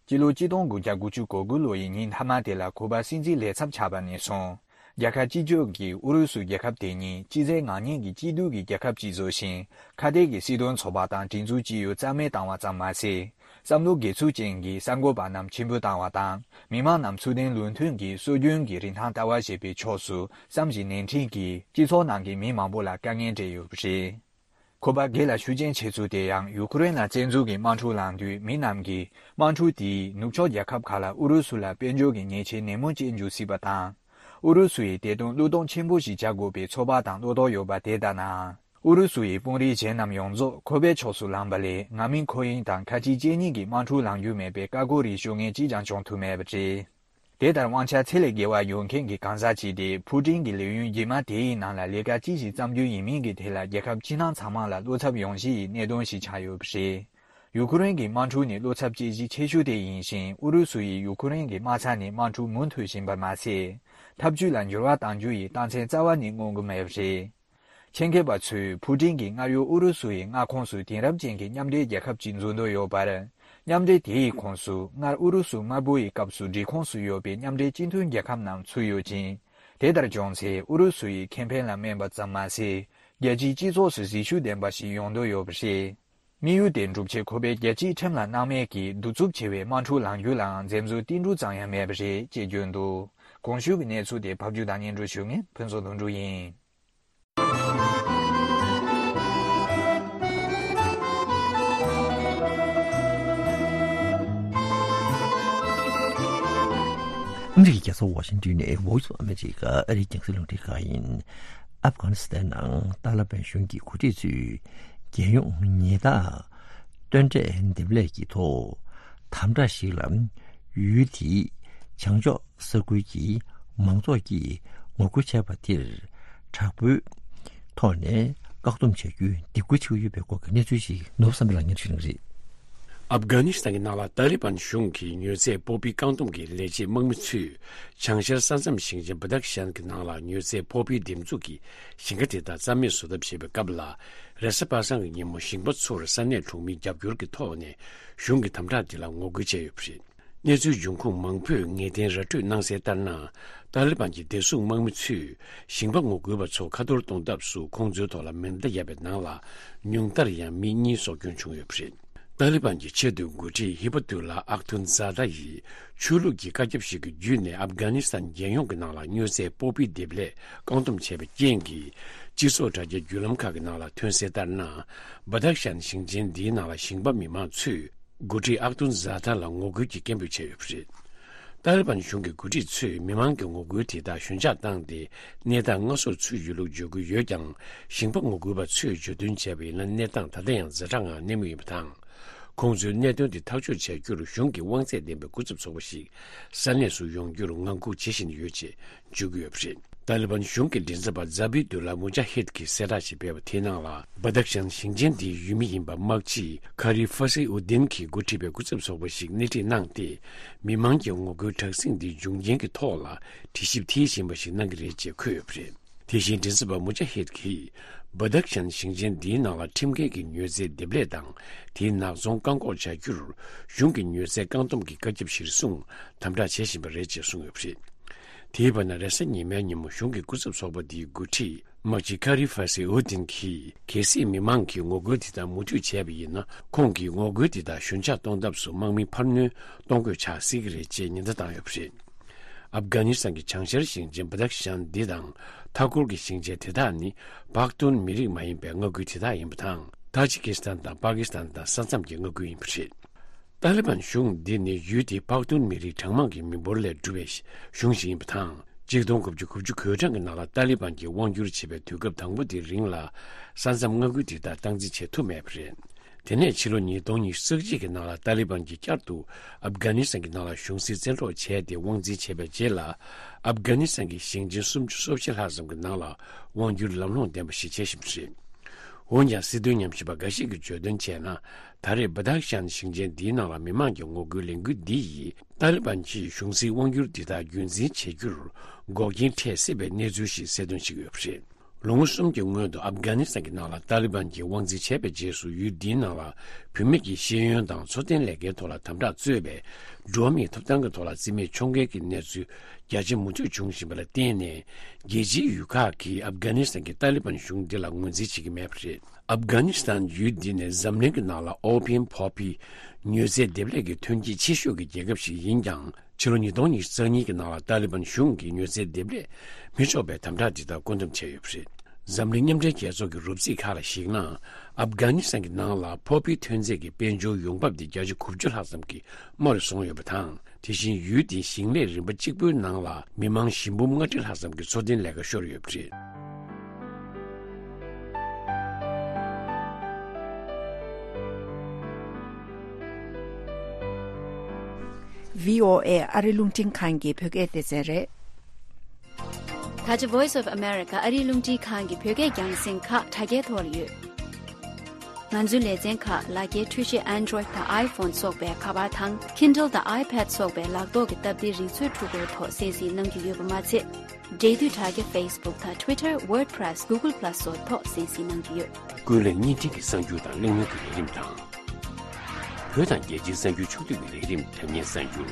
སྤྱི་ལོ་གཅིག་སྟོང་དགུ་བརྒྱ་དགུ་བཅུ་གོ་དགུ་ལོ་ཡི་ཉིན་མཐའ་མ་དེ་ལ་ཁུ་པ་སྲིད་འཛིན་ལས་ཚབ་ཆགས་པ་ནས་བཟུང་། རྒྱལ་ཁབ་སྤྱི་ཁྱབ་ཀྱིས་ཨུ་རུ་སུ་རྒྱལ་ཁབ་དེ་ཉིད་སྤྱི་ཚེས་ངག་ཉིན་གྱི་སྐྱིད་སྡུག་གི་རྒྱལ་ཁབ་ཅིག་བཟོ་ཞིང་། ཁ་གཏད་ཀྱི་སྲིད་དོན་ཚོགས་པ་དང་སྒྲིག་འཛུགས་སྤྱི་ཡོངས་རྩ་མེད་བཏང་བ་ཙམ་མ་ཟད། བསམ་བློ་སྒེར་ཚུགས་ཅན་གྱི་གསར་འགོད་པ་རྣམས་ཕྱིར་འབུད་བཏང་བ་དང་། མི་མང་རྣམས་ཚུལ་ལྡན་ལུགས་མཐུན་གྱི་སྲོལ་རྒྱུན་གྱི་རིན་ཐང་ལྟ་བ་ཞེས་པའི་ཕྱོགས་སུ་བསམ་བཞིན་ནན་ཏན་གྱིས་སྤྱི་ཚོགས་ནང་གི་མི་མང་པོ་ལ་དཀའ་ངལ་སྤྲད་ཡོད་པ་རེད། ཁོ་པ་སྒེར་ལ་ཤུགས་རྐྱེན་ཆེ་ཚུལ་དེ་ཡང་ཡུ་ཁུ་རེན་ལ་བཙན་འཛུལ་གྱི་དམག་འཁྲུག་ལངས་དུས་མི་རྣམས་ཀྱིས་དམག་འཁྲུག་དེས་ནུབ་ཕྱོགས་རྒྱལ་ཁབ་ཁག་ལ་ཨུ་རུ་སུ་ལ་དཔལ་འབྱོར་གྱི་ཉེས་ཆད་ནན་མོ་བཅད་འཇུག་སྲིད་པ་དང་། ཨུ་རུ་སུ་ཡིས་དེ་དོན་བློས་གཏོང་ཆེན་པོ་ཞིག་བྱ་དགོས་པའི་ཚོད་དཔག་དང་བློ་དོགས་ཡོད་པ་དེ་ལྟ་ན། ཨུ་རུ་སུ་ཡི་དཔོན་རིགས་གཞན་རྣམས་ཡོངས་རྫོགས་ཁོ་པའི་ཕྱོགས་སུ་ལངས་པ་ལས་ང་མིན་ཁོ་ཡིན་དང་ཁ་ཆེ་གཅིག་གཉིས་ཀྱི་དམག་འཁྲུག་ལངས་རྒྱུ་མེད་པའི་བཀའ་བཀོད་རིགས་ཤོད་མཁན་གཅིག་ཀྱང་བྱུང་ཐུབ་མེད་པ་རེད། དེ་ལྟར་དབང་ཆ་ཚད་ལས་བརྒལ་བ་ཡོད་མཁན་གྱི་གང་ཟག་ཅིག་དེ་ཕུ་ཀྲིན་གྱི་ལས་ཡུན་རྗེས་མ་དེའི་ནང་ལ་ལས་ཀ་ཅི་ཞིག་བརྩམ་རྒྱུ་ཡིན་མིན་གྱི་ཐད་ལ་རྒྱལ་ཁབ་ཕྱི་ནང་ཚང་མ་ལ་བློ་འཚབ་ཡོང་གཞི་ཡི་གནད་དོན་ཞིག་ཆགས་ཡོད་པ་རེད། ཡུ་ཁུ་རེན་གྱི་དམག་འཁྲུག་ནི་བློ་འཚབ་སྐྱེ་གཞི་ཆེ་ཤོས་དེ་ཡིན་ཞིང་། ཨུ་རུ་སུ་ཡིས་ཡུ་ཁུ་རེན་གྱི་དམག་ས་ནས་དམག་འཁྲུག་མུ་མཐུད་བཞིན་པ་མ་ཟད། འཐབ་ཇུས་ལ་འགྱུར་བ་གཏང་རྒྱུ་ཡི་རྟགས་མཚན་རྩ་བ་ནས་མངོན་གྱི་མེད་པ་རེད། ཆེད་མཁས་པ་ཚོས་ཕུ་ཀྲིན་གྱིས་སྔར་ཡོད་ཨུ་རུ་སུ་ཡི་མངའ་ཁོངས་སུ་དེང་རབས་ཅན་གྱི་མཉམ་འབྲེལ་རྒྱལ་ཁབ་ཅིག་འཛུགས་འདོད་ཡོད་པར། མཉམ་འབྲེལ་དེའི་ཁོངས་སུ་སྔར་ཨུ་རུ་སུ་དམར་པོ་ཡི་སྐབས་སུ་སྒྲིག་ཁོངས་སུ་ཡོད་པའི་མཉམ་འབྲེལ་སྤྱི་མཐུན་རྒྱལ་ཁབ་རྣམས་ཚུད་ཡོད་ཅིང་། དེ་ལྟར་བྱུང་ཚེ་ཨུ་རུ་སུ་ཡི་ཁེ་ཕན་ལ་སྨན་པ་ཙམ་མ་ཟད། རྒྱལ་སྤྱིའི་སྤྱི་ཚོགས་སུ་གཟི་ཤུགས་ལྡན་པ་ཞིག་ཡོང་འདོད་ཡོད་པ་རེད། དམིགས་ཡུལ་དེ་འགྲུབ་ཆེད་ཁོ་པས་རྒྱལ་སྤྱིའི་ཁྲིམས་ལ་སྣང་མེད་ཀྱིས་གདུག་རྩུབ་ཆེ་བའི་དམག་འཁྲུག་ལངས་རྒྱུ་ལའང་འཛེམ་ཟོན་ཏིལ་འབྲུ་ཙམ་ཡང་མེད་པ་རེད་ཅེས་བརྗོད་འདུག་གོང་ཞུས་ཀྱི་གནས་ཚུལ་དེ་ཕབ་སྒྱུར་དང་སྙན་སྒྲོན་ཞུ་མཁན་ཕུན་ཚོགས་དོན་གྲུབ་ཡིན། ཨ་མི་རི་ཀའི་རྒྱལ་ས་ཝ་ཤིང་ཏོན་ནས་Voice of America ཨ་རིའི་རྒྱང་སྲིང་རླུང་འཕྲིན་ཁང་ཡིན། ཨབ་གྷ་ནི་སི་ཐན་ནང་ཏཱ་ལི་བན་གཞུང་གི་འགོ་ཁྲིད་ཚོས་རྒྱལ་ཡོངས་ཉེན་བརྡ་སྟོན་གྲས་འདེབས་ལས་ཀྱི་ཐོག་དམ་དྲག་ཞིག་ལ་ཡུལ་དེའི་བྱང་ཕྱོགས་ས་ཁུལ་གྱི་མང་ཚོགས་ཀྱིས་ངོ་རྒོལ་བྱས་པ་དེར་དྲག་པོའི་ཐོག་ནས་བཀག་སྡོམ་བྱ་རྒྱུའི་འདེད་སྐུལ་བྱེད་ཀྱི་ཡོད་པའི་སྐོར་གྱི་གནས་ཚུལ་ཞིག་ནོར་བུ་བསམ་འཕེལ་ལགས་སྙན་ཞུ་གནང་རེད། ཨབ་གྷ་ནི་སི་ཐན་གྱི་ནང་ལ་ཏཱ་ལི་བན་གཞུང་གིས་མྱུར་ཚད་སྤོབས་པའི་བཀག་སྡོམ་གྱི་ལས་བྱེད་དམག་མི་ཚོས་བྱང་ཤར་ས་མཚམས་ཞིང་ཆེན་བ་དག་ཤན་གྱི་ནང་ལ་མྱུར་ཚད་སྤོབས་པའི་འདེབས་འཛུགས་ཀྱི་ཞིང་ཁ་དེ་དག་རྩ་མེད་བཟོ་ཐབས་བྱེད་པའི་སྐབས་ལ། རེས་གཟའ་པ་སངས་ཀྱི་ཉིན་མོ་ཞིང་པ་ཚོར་ས་གནས་གྲོང་མིའི་རྒྱབ་སྐྱོར་གྱི་ཐོག་ནས་གཞུང་གི་དམ་དྲག་འདི་ལ་ངོ་རྒོལ་བྱས་ཡོད་པ་རེད། གནས་ཚུལ་འབྱུང་ཁུངས་མང་པོས་ངེས་གཏན་ར་སྤྲོད་གནང་གསལ་ལྟར་ན། ཏཱ་ལི་བན་གྱི་བདེ་སྲུང་དམག་མི་ཚོས་ཞིང་པ་ངོ་རྒོལ་བ་ཚོ་ཁ་ཐོར་གཏོང་ཐབས་སུ་ཁོང་ཚོའི་ཐོག་ལ་མེ་མདའ་བརྒྱབ་པའི་ནང་ལ་ཉུང་མཐར་ཡང་མི་གཉིས་སྲོག་སྐྱོན་བྱུང་ཡོད་པ་རེད། ཏཱ་ལི་བན་གྱི་ཆེས་མཐོའི་འགོ་ཁྲིད་ཧི་པ་ཏུ་ལ་ཨག་ཐུན་ཛ་ད་ཡིས་ཆོས་ལུགས་ཀྱི་བཀའ་ཁྱབ་ཞིག་གི་བརྒྱུད་ནས་ཨབ་གྷ་ནི་སི་ཐན་རྒྱལ་ཡོངས་ཀྱི་ནང་ལ་མྱུར་ཚད་སྤོབས་པའི་འདེབས་ལས་བཀག་སྡོམ་བྱས་པའི་རྐྱེན་གྱིས་སྤྱི་ཚོགས་དྲ་རྒྱའི་བརྒྱུད་ལམ་ཁག་གི་ནང་ལ་ཐོན་གསལ་ལྟར་ན། བ་དག་ཤན་ཞིང་ཆེན་འདིའི་ནང་ལ་ཞིང་པ་མི་མང་ཚོས་འགོ་ཁྲིད་ཨག་ཏུན་ཛ་ཐ་ལ་ངོ་རྒོལ་གྱི་སྐད་འབོད་བྱས་ཡོད་པ་རེད། ཏཱ་ལི་བན་གཞུང་གི་འགོ་ཁྲིད་ཚོས་མི་མང་གི་ངོ་རྒོལ་དེ་དག་ཞོད་འཇགས་བཏང་སྟེ་གནས་སྟངས་སྔ་སོར་ཚུད་ཡོད་ལུགས་བརྗོད་ཀྱི་ཡོད་ཀྱང་། ཞིང་པ་ངོ་རྒོལ་བ་ཚོས་བརྗོད་དོན་བྱས་པ་ཡིན་ན་གནས་སྟངས་ད་ལྟ་ཡང་ཛ་དྲག་ངང་གནས་མུས་ཡིན་པ་དང་། ཁོང་ཚོའི་གནད་དོན་དེ་ཐག་གཅོད་བྱ་རྒྱུར་གཞུང་གི་དབང་ཚད་ལྡན་པའི་སྐུ་ཚབ་ཚོགས་པ་ཞིག་ས་གནས་སུ་ཡོང་རྒྱུར་ངང་སྒུག་བྱེད་བཞིན་ཡོད་ཅེས་བརྗོད་ཀྱི་ཡོད་པ་རེད། ཏཱ་ལི་བན་གཞུང་གི་མགྲིན་ཚབ་པ་ཛ་བི་དུ་ལ་མུ་ཇ་ཧིད་ཀྱིས་གསལ་བསྒྲགས་ཤིག་སྤེལ་བ་དེའི་ནང་ལ། བ་དག་ཤན་ཞིང་ཆེན་དེའི་ཡུལ་མི་ཡིན་པ་དམག་སྤྱི་ཁ་རི་ཧྥ་སི་ཨུ་དིན་གྱིས་འགོ་ཁྲིད་པའི་སྐུ་ཚབ་ཚོགས་པ་ཞིག་སྣེ་ཁྲིད་གནང་སྟེ། མི་མང་གི་ངོ་རྒོལ་དྲག་ཟིང་འདིའི་འབྱུང་རྐྱེན་གྱི་ཐོག་ལ་དྲི་ཞིབ་མཐིལ་ཕྱིན་པ་ཞིག་གནང་གི་རེད་ཅེས་འཁོད་ཡོད་པ་རེད། དེ་བཞིན་མགྲིན་ཚབ་པ་མུ་ཇ་ཧིད་ཀྱིས། བ་དག་ཤན་ཞིང་ཆེན་འདིའི་ནང་ལ་ཁྲིམས་འགལ་གྱི་མྱུར་ཚད་འདེབས་ལས་དང་། དེའི་ནག་ཚོང་བཀག་འགོག་བྱ་རྒྱུར། གཞུང་གི་མྱུར་ཚད་བཀག་སྡོམ་གྱི་བཀའ་ཁྱབ་གཞིར་བཟུང་དམ་དྲག་བྱེད་བཞིན་པ་རེད་ཅེས་གསུངས་ཡོད་པ་རེད། དེའི་བར་ན་རེས་གཟའ་ཉི་མའི་ཉིན་མོ་གཞུང་གི་སྐུ་ཚབ་ཚོགས་པ་འདིའི་འགོ་ཁྲིད་དམག་སྤྱི་ཁ་རི་ཧྥ་སི་ཨུ་དིན་གྱིས། གལ་སྲིད་མི་མང་གིས་ངོ་རྒོལ་དེ་དག་མུ་མཐུད་བྱས་པ་ཡིན་ན། ཁོང་གིས་ངོ་རྒོལ་དེ་དག་ཞོད་འཇགས་གཏོང་ཐབས་སུ་དམག་མི་འཕར་སྣོན་གཏོང་དགོས་ཆགས་སྲིད་ཀྱི་རེད་ཅེས་ཉེན་བརྡ་བཏང་ཡོད་པ་རེད། ཨབ་གྷ་ནི་སི་ཐན་གྱི་བྱང་ཤར་ཞིང་ཆེན་བ་དག་ཤན་འདི་དང་། མཐའ་འཁོར་གྱི་ཞིང་ཆེན་དེ་དག་ནི། པག་ཏུན་མི་རིགས་མ་ཡིན་པའི་མངའ་ཁུལ་དེ་དག་ཡིན་པ་དང་། ཏཱ་ཇི་ཀི་སི་ཐན་དང་པ་ཀི་སི་ཐན་དང་ས་མཚམས་ཀྱི་མངའ་ཁུལ་ཡིན་པ་རེད། ཏཱ་ལི་བན་གཞུང་འདི་ནི་ཡུལ་དེའི་པག་ཏུན་མི་རིགས་གྲངས་མང་གི་མི་འབོར་ལས་གྲུབ་པའི་གཞུང་ཞིག་ཡིན་པ་དང་། གཅིག་སྟོང་དགུ་བརྒྱ་དགུ་བཅུ་གོ་གྲངས་ཀྱི་ནང་ལ་ཏཱ་ལི་བན་གྱིས་དབང་སྒྱུར་བྱེད་པའི་དུས་སྐབས་དང་པོ་དེའི་རིང་ལ། ས་མཚམས་མངའ་ཁུལ་དེ་དག་སྟངས་འཛིན་བྱེད་ཐུབ་མེད་པ་རེད། དེ་ནས་ཕྱི་ལོ་ཉིས་སྟོང་ཉི་ཤུ་རྩ་གཅིག་གི་ནང་ལ་ཏཱ་ལི་བན་གྱིས་བསྐྱར་དུ་ཨབ་གྷ་ནི་སི་ཐན་གྱི་ནང་ལ་གཞུང་སྲིད་བཙན་འཕྲོག་བྱས་ཏེ་དབང་འཛིན་བྱས་པའི་རྗེས་ལ། ཨབ་གྷ་ནི་སི་ཐན་གྱི་ཞིང་ཆེན་སུམ་ཅུ་སོ་བཞི་ལྷག་ཙམ་གྱི་ནང་ལ་དབང་སྒྱུར་ལམ་ལྷོང་ལྡན་པ་ཞིག་བྱེད་བཞིན་པ་རེད། འོན་ཀྱང་སྲིད་དོན་ཉམས་ཞིབ་པ་འགའ་ཞིག་གིས་བརྗོད་དོན་བྱས་ན། ད་རེས་བ་དྷ་ཤན་ཞིང་ཆེན་འདིའི་ནང་ལ་མི་མང་གི་ངོ་རྒོལ་ལས་འགུལ་འདི་ཡིས་ཏཱ་ལི་བན་གྱིས་གཞུང་སྲིད་དབང་སྒྱུར་འདི་དག་རྒྱུན་འཛིན་བྱེད་རྒྱུར་འགོག་རྐྱེན་འཕྲད་སྲིད་པའི་གནས་ཚུལ་ཞིག་གསལ་སྟོན་བྱེད་ཀྱི་ཡོད་པ་རེད། ལོ་ངོ་གསུམ་གྱི་སྔོན་དུ་ཨབ་གྷ་ནི་སི་ཐན་གྱི་ནང་ལ་ཏཱ་ལི་བན་གྱིས་དབང་འཛིན་བྱས་པའི་རྗེས་སུ། ཡུལ་འདིའི་ནང་ལ་བུད་མེད་ཀྱི་ཤེས་ཡོན་དང་འཚོ་རྟེན་ལས་ཀའི་ཐོག་ལ་དམ་དྲག་གཙོས་པའི་འགྲོ་བ་མིའི་ཐོབ་ཐང་གི་ཐོག་ལ་རྩིས་མེད་ཕྱོགས་འགལ་གྱི་གནས་ཚུལ་རྒྱ་ཆེ་མུ་མཐུད་བྱུང་བཞིན་པ་ལ་བརྟེན་ནས། རྒྱལ་སྤྱིའི་ཡུལ་ཁག་གིས་ཨབ་གྷ་ནི་སི་ཐན་གྱི་ཏཱ་ལི་བན་གཞུང་འདི་ལ་ངོས་འཛིན་བྱེད་ཀྱི་མེད་པ་རེད། ཨབ་གྷ་ནི་སི་ཐན་ཡུལ་འདི་ནི་འཛམ་གླིང་གི་ནང་ལ་ཨོ་པིན་ཕོ་ཕི་མྱོས་རྫས་འདེབས་ལས་ཀྱི་ཐོན་སྐྱེད་ཆེ་ཤོས་ཀྱི་རྒྱལ་ཁབ་ཞིག་ཡིན་ཀྱང་། ཕྱི་ལོ་ཉིས་སྟོང་ཉི་ཤུ་རྩ་གཉིས་ཀྱི་ནང་ལ་ཏཱ་ལི་བན་གཞུང་གིས་མྱོས་རྫས་འདེབས་ལས་མི་ཆོག་པའི་དམ་དྲག་འདི་དག་བཀོད་འདོམས་བྱས་ཡོད་པ་རེད། འཛམ་གླིང་མཉམ་འབྲེལ་རྒྱལ་ཚོགས་ཀྱི་རོབ་རྩིས་ཁག་ལ་གཞིགས་ན། ཨབ་གྷ་ནི་སི་ཐན་གྱི་ནང་ལ་ཕོ་ཕི་ཐོན་རྫས་ཀྱི་དཔལ་འབྱོར་ཡོང་འབབ་དེ་བརྒྱ་ཆ་དགུ་བཅུ་ལྷག་ཙམ་གྱིས་རྨོ་རུ་སོང་ཡོད་པ་དང་། དེ་བཞིན་ཡུལ་དེའི་ཞིང་ལས་རིམ་པ་གཅིག་པུའི་ནང་ལ་མི་མང་བཞི་འབུམ་ལྔ་ཁྲི་ལྷག་ཙམ་གྱི་འཚོ་རྟེན་ལས་ཀ་ཤོར་ཡོད་པ་རེད། བྷི་ཨོ་ཨེ་ཨ་རི་རླུང་འཕྲིན་ཁང་གི་བོད་སྐད་སྡེ་ཚན་རེད། ད་ཆ་Voice of America ཨ་རིའི་རླུང་འཕྲིན་ཁང་གི་བོད་སྐད་རྒྱང་སྲིང་ཁག་དྲ་རྒྱའི་ཐོག་ལ་ཡོད། ང་ཚོའི་ལེ་ཚན་ཁག་ལག་འཁྱེར་འཕྲུལ་ཆས་Android་དང་iPhone་སོགས་པའི་ཁ་པར་དང་Kindle་དང་iPad་སོགས་པའི་ལག་ཐོག་གི་སྟབས་བདེའི་རིག་མཛོད་འཕྲུལ་འཁོར་ཐོག་གསན་གཟིགས་གནང་རྒྱུ་ཡོད་པ་མ་ཚད། འབྲེལ་མཐུད་དྲ་རྒྱ་Facebook་དང་Twitter WordPress Google Plus་སོགས་ཐོག་གསན་གཟིགས་གནང་རྒྱུ་ཡོད། ཀུན་གླེང་བརྙན་འཕྲིན་གྱི་གསར་འགྱུར་དང་གླེང་མོལ་གྱི་ལས་རིམ་དང་། བོད་དང་རྒྱལ་སྤྱིའི་གསར་འགྱུར་ཕྱོགས་བསྡུས་ཀྱི་ལས་རིམ་དྲ་བརྙན་གསར་འགྱུར།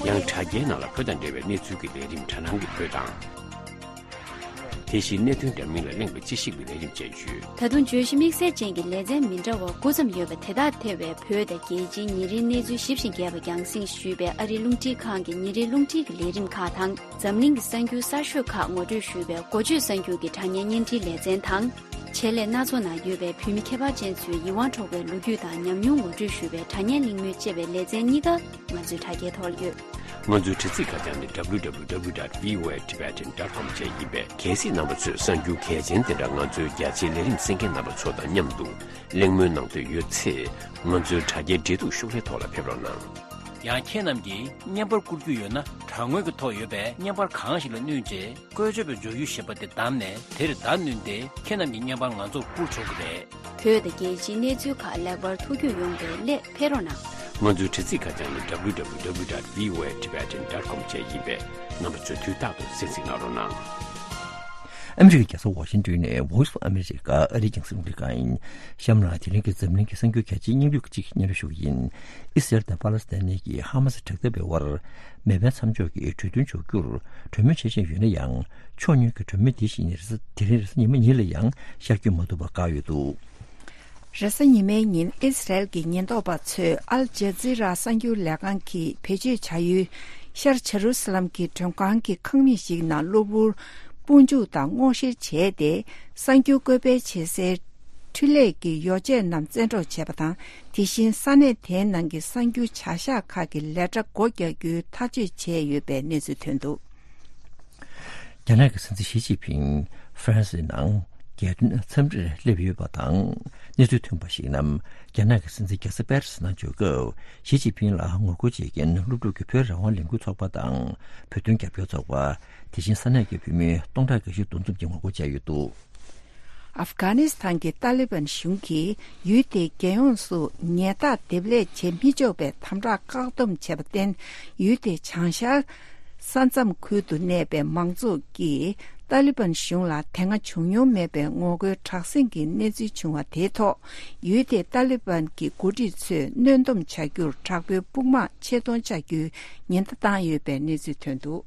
ཡང་དྲ་རྒྱའི་ནང་ལ་བོད་དང་འབྲེལ་བའི་གནས་ཚུལ་གྱི་ལས་རིམ་དྲ་ནང་གི་བོད་དང་། དེ་བཞིན་གནད་དོན་འདྲ་མིན་ལ་གླེང་བའི་དཔྱད་ཞིབ་ཀྱི་ལས་རིམ་བཅས་ཡོད། ད་དུང་བརྗོད་གཞི་དམིགས་བསལ་ཅན་གྱི་ལེ་ཚན་མི་འདྲ་བ་དགུ་ཙམ་ཡོད་པ་དེ་དག་ཐེ་བའི་བོད་དང་རྒྱལ་སྤྱིའི་ཉིན་རེའི་གནས་ཚུལ་ཞིབ་ཅིང་རྒྱས་པ་རྒྱང་སྲིང་ཞུས་པའི་ཨ་རིའི་རླུང་འཕྲིན་ཁང་གི་ཉིན་རེའི་རླུང་འཕྲིན་གྱི་ལས་རིམ་ཁག་དང་། འཛམ་གླིང་གི་གསར་འགྱུར་གསར་ཤོས་ཁག་ངོ་སྤྲོད་ཞུས་པའི་འགོ་བརྗོད་གསར་འགྱུར་གྱི་དྲ་བརྙན་བརྙན་འཕྲིན་ལེ་ཚན་དང་། ཆེད་ལས་སྣ་ཚོགས་ནང་ཡོད་པའི་བོད་མི་ཁྱད་པར་ཅན་ཚོའི་ཡིད་དབང་འཕྲོག་པའི་ལོ་རྒྱུས་དང་ཉམས་མྱོང་ངོ་སྤྲོད་ཞུས་པའི་དྲ་བརྙན་གླེང་མོལ་བཅས་པའི་ལེ་ཚན་གཉིས་ཀ་ང་ཚོའི་དྲ་རྒྱའི་ཐོག་ལ་ཡོད། ང་ཚོའི་དྲ་ཚིགས་ཁ་བྱང་ནི་W W W dot V O A Tibetan dot com བཅས་ཡིན་པས། གལ་སྲིད་རྣམ་པ་ཚོས་གསར་འགྱུར་གལ་ཆེན་དེ་འདྲ་ང་ཚོའི་རྒྱ་ཆེའི་ལས་རིམ་གསན་མཁན་རྣམ་པ་ཚོ་དང་མཉམ་དུ་གླེང་མོལ་གནང་འདོད་ཡོད་ཚེ། ང་ཚོའི་དྲ་རྒྱའི་འབྲེལ་གཏུག་ཤོག་ལྷེ་ཐོག་ལ་ཕེབས་རོགས་གནང་། ཡང་ཁྱེད་རྣམས་ཀྱིས་བརྙན་པར་བསྐུར་རྒྱུ་ཡོད་ན། དྲ་ངོས་ཀྱི་ཐོག་ཡོད་པའི་བརྙན་པར་གང་ཞིག་ལ་བསྣུན་རྗེས། བཀོལ་སྤྱོད་པའི་སྦྱོར་ཡུལ་ཞེས་པ་དེ་བདམས་ནས། དེར་བརྡ་བསྣུན་ཏེ། ཁྱེད་རྣམས་ཀྱི་བརྙན་པར་ང་ཚོར་བསྐུར་ཆོག་གི་རེད། བོད་དང་རྒྱལ་སྤྱིའི་གནས་ཚུལ་ཁག་ལེགས་པར་ཐུགས་རྒྱུས་ཡོང་བའི་སླད་ཕེབས་རོགས་གནང་། ང་ཚོའི་དྲ་ཚིགས་ཁ་བྱང་ནི་W W W dot V O A Tibetan dot com བཅས་ཡིན་པས། རྣམ་པ་ཚོས་དུས་རྟག་ཏུ་གསན་གཟིགས་གནང་རོགས་གནང་། ཨ་མི་རི་ཀའི་རྒྱལ་ས་ཝ་ཤིང་ཏོན་ནས་Voice of America ཨ་རིའི་རྒྱང་སྲིང་རླུང་འཕྲིན་ཁང་ཡིན། གཤམ་ལ་དེ་རིང་གི་འཛམ་གླིང་གི་གསར་འགྱུར་གལ་ཆེའི་སྙིང་བསྡུས་ཀྱི་གཅིག་སྙན་སྒྲོན་ཞུ་གི་ཡིན། ཨི་སི་རལ་དང་པ་ལ་སི་ཐན་གཉིས་ཀྱིས་ཧ་མ་སི་དྲག་འཐབ་པའི་དབར་མེ་འཕེན་མཚམས་འཇོག་གི་གྲོས་མཐུན་འཇོག་རྒྱུར་གྲོས་མོལ་བྱེད་བཞིན་ཡོད་ན་ཡང་། ཕྱོགས་གཉིས་ཀྱི་གྲོས་མོལ་འདི་བཞིན་ཉིན་རེ་ས་དེ་རིང་རེས་གཟའ་ཉི་མ་ཉིན་ལ་ཡང་ཤར་སྐྱོད་མ་ཐུབ་པར་བཀག་ཡོད་འདུག་རེས་གཟའ་ཉི་མའི་ཉིན་ཨི་སི་རལ་གྱི་ཉེན་རྟོག་པ་ཚོས་ཨལ་ཇ་ཛི་ར་གསར་འགྱུར་ལས་ཁང་གིས་བེད་སྤྱོད་བྱ་ཡུལ་ཤར་ཇེ་རུ་སཱ་ལམ་གྱི་མགྲོན་ཁང་གི་ཁང་མིག་ཞིག་ནང་གློ་བུར་དཔུང་འཇུག་དང་སྔོག་བཤེར་བྱས་ཏེ། གསར་འགྱུར་བཀོད་སྤེལ་བྱེད་སའི་འཕྲུལ་ལས་ཀྱི་ཡོ་བྱད་རྣམས་བཙན་འཕྲོག་བྱས་པ་དང་། དེ་བཞིན་ས་གནས་དེའི་ནང་གི་གསར་འགྱུར་བྱ་གཞག་ཁག་གི་ལས་གྲྭ་སྒོ་རྒྱག་རྒྱུའི་ཐག་གཅོད་བྱས་ཡོད་པའི་གནས་ཚུལ་ཐོན་འདུག་རྒྱ་ནག་གི་སྲིད་འཛིན་ཞི་ཅིན་ཕིང་ཧྥ་རན་སིའི་ནང་རྒྱལ་དོན་འཚམས་འདྲིར་སླེབས་ཡོད་པ་དང་། གནས་ཚུལ་ཐོན་པར་གཞིགས་ན། རྒྱ་ནག་གི་སྲིད་འཛིན་རྒྱལ་ས་པེ་རི་སི་ནང་འབྱོར་སྐབས་ཞི་ཅིན་ཕིང་ལ་ངོ་རྒོལ་བྱེད་མཁན་སློབ་ཕྲུག་གི་བོད་རང་དབང་ལས་འགུལ་ཚོགས་པ་དང་། བོད་དོན་རྒྱབ་སྐྱོར་ཚོགས་པ། དེ་བཞིན་ས་གནས་ཀྱི་བོད་མི་སྟོང་ཕྲག་འགའ་ཤས་འདུ་འཛོམས་ཀྱིས་ངོ་རྒོལ་བྱས་ཡོད་འདུག་ཨབ་གྷ་ནི་སི་ཐན་གྱི་ཏཱ་ལི་བན་གཞུང་གིས་ཡུལ་དེའི་རྒྱལ་ཡོངས་སུ་ཉལ་ཐ་འདེབས་ལས་བྱེད་མི་ཆོག་པའི་དམ་དྲག་བཀག་སྡོམ་བྱས་པར་བརྟེན། ཡུལ་དེའི་བྱང་ཤར་ས་མཚམས་ཁུལ་དུ་གནས་པའི་མང་ཚོགས་ཀྱིས་ཏཱ་ལི་བན་གཞུང་ལ་དེ་སྔ་བྱུང་མྱོང་མེད་པའི་ངོ་རྒོལ་དྲག་ཟིང་གི་གནས་ཚུལ་བྱུང་བ་དེའི་ཐོག་ཡུལ་དེའི་ཏཱ་ལི་བན་གྱི་འགོ་ཁྲིད་ཚོས་གནོན་སྡོམ་བྱ་རྒྱུར་དྲག་པོའི་དཔུང་དམག་ཆེད་གཏོང་བྱ་རྒྱུའི་ཉེན་བརྡ་བཏང་ཡོད་པའི་གནས་ཚུལ་ཐོན་འདུག་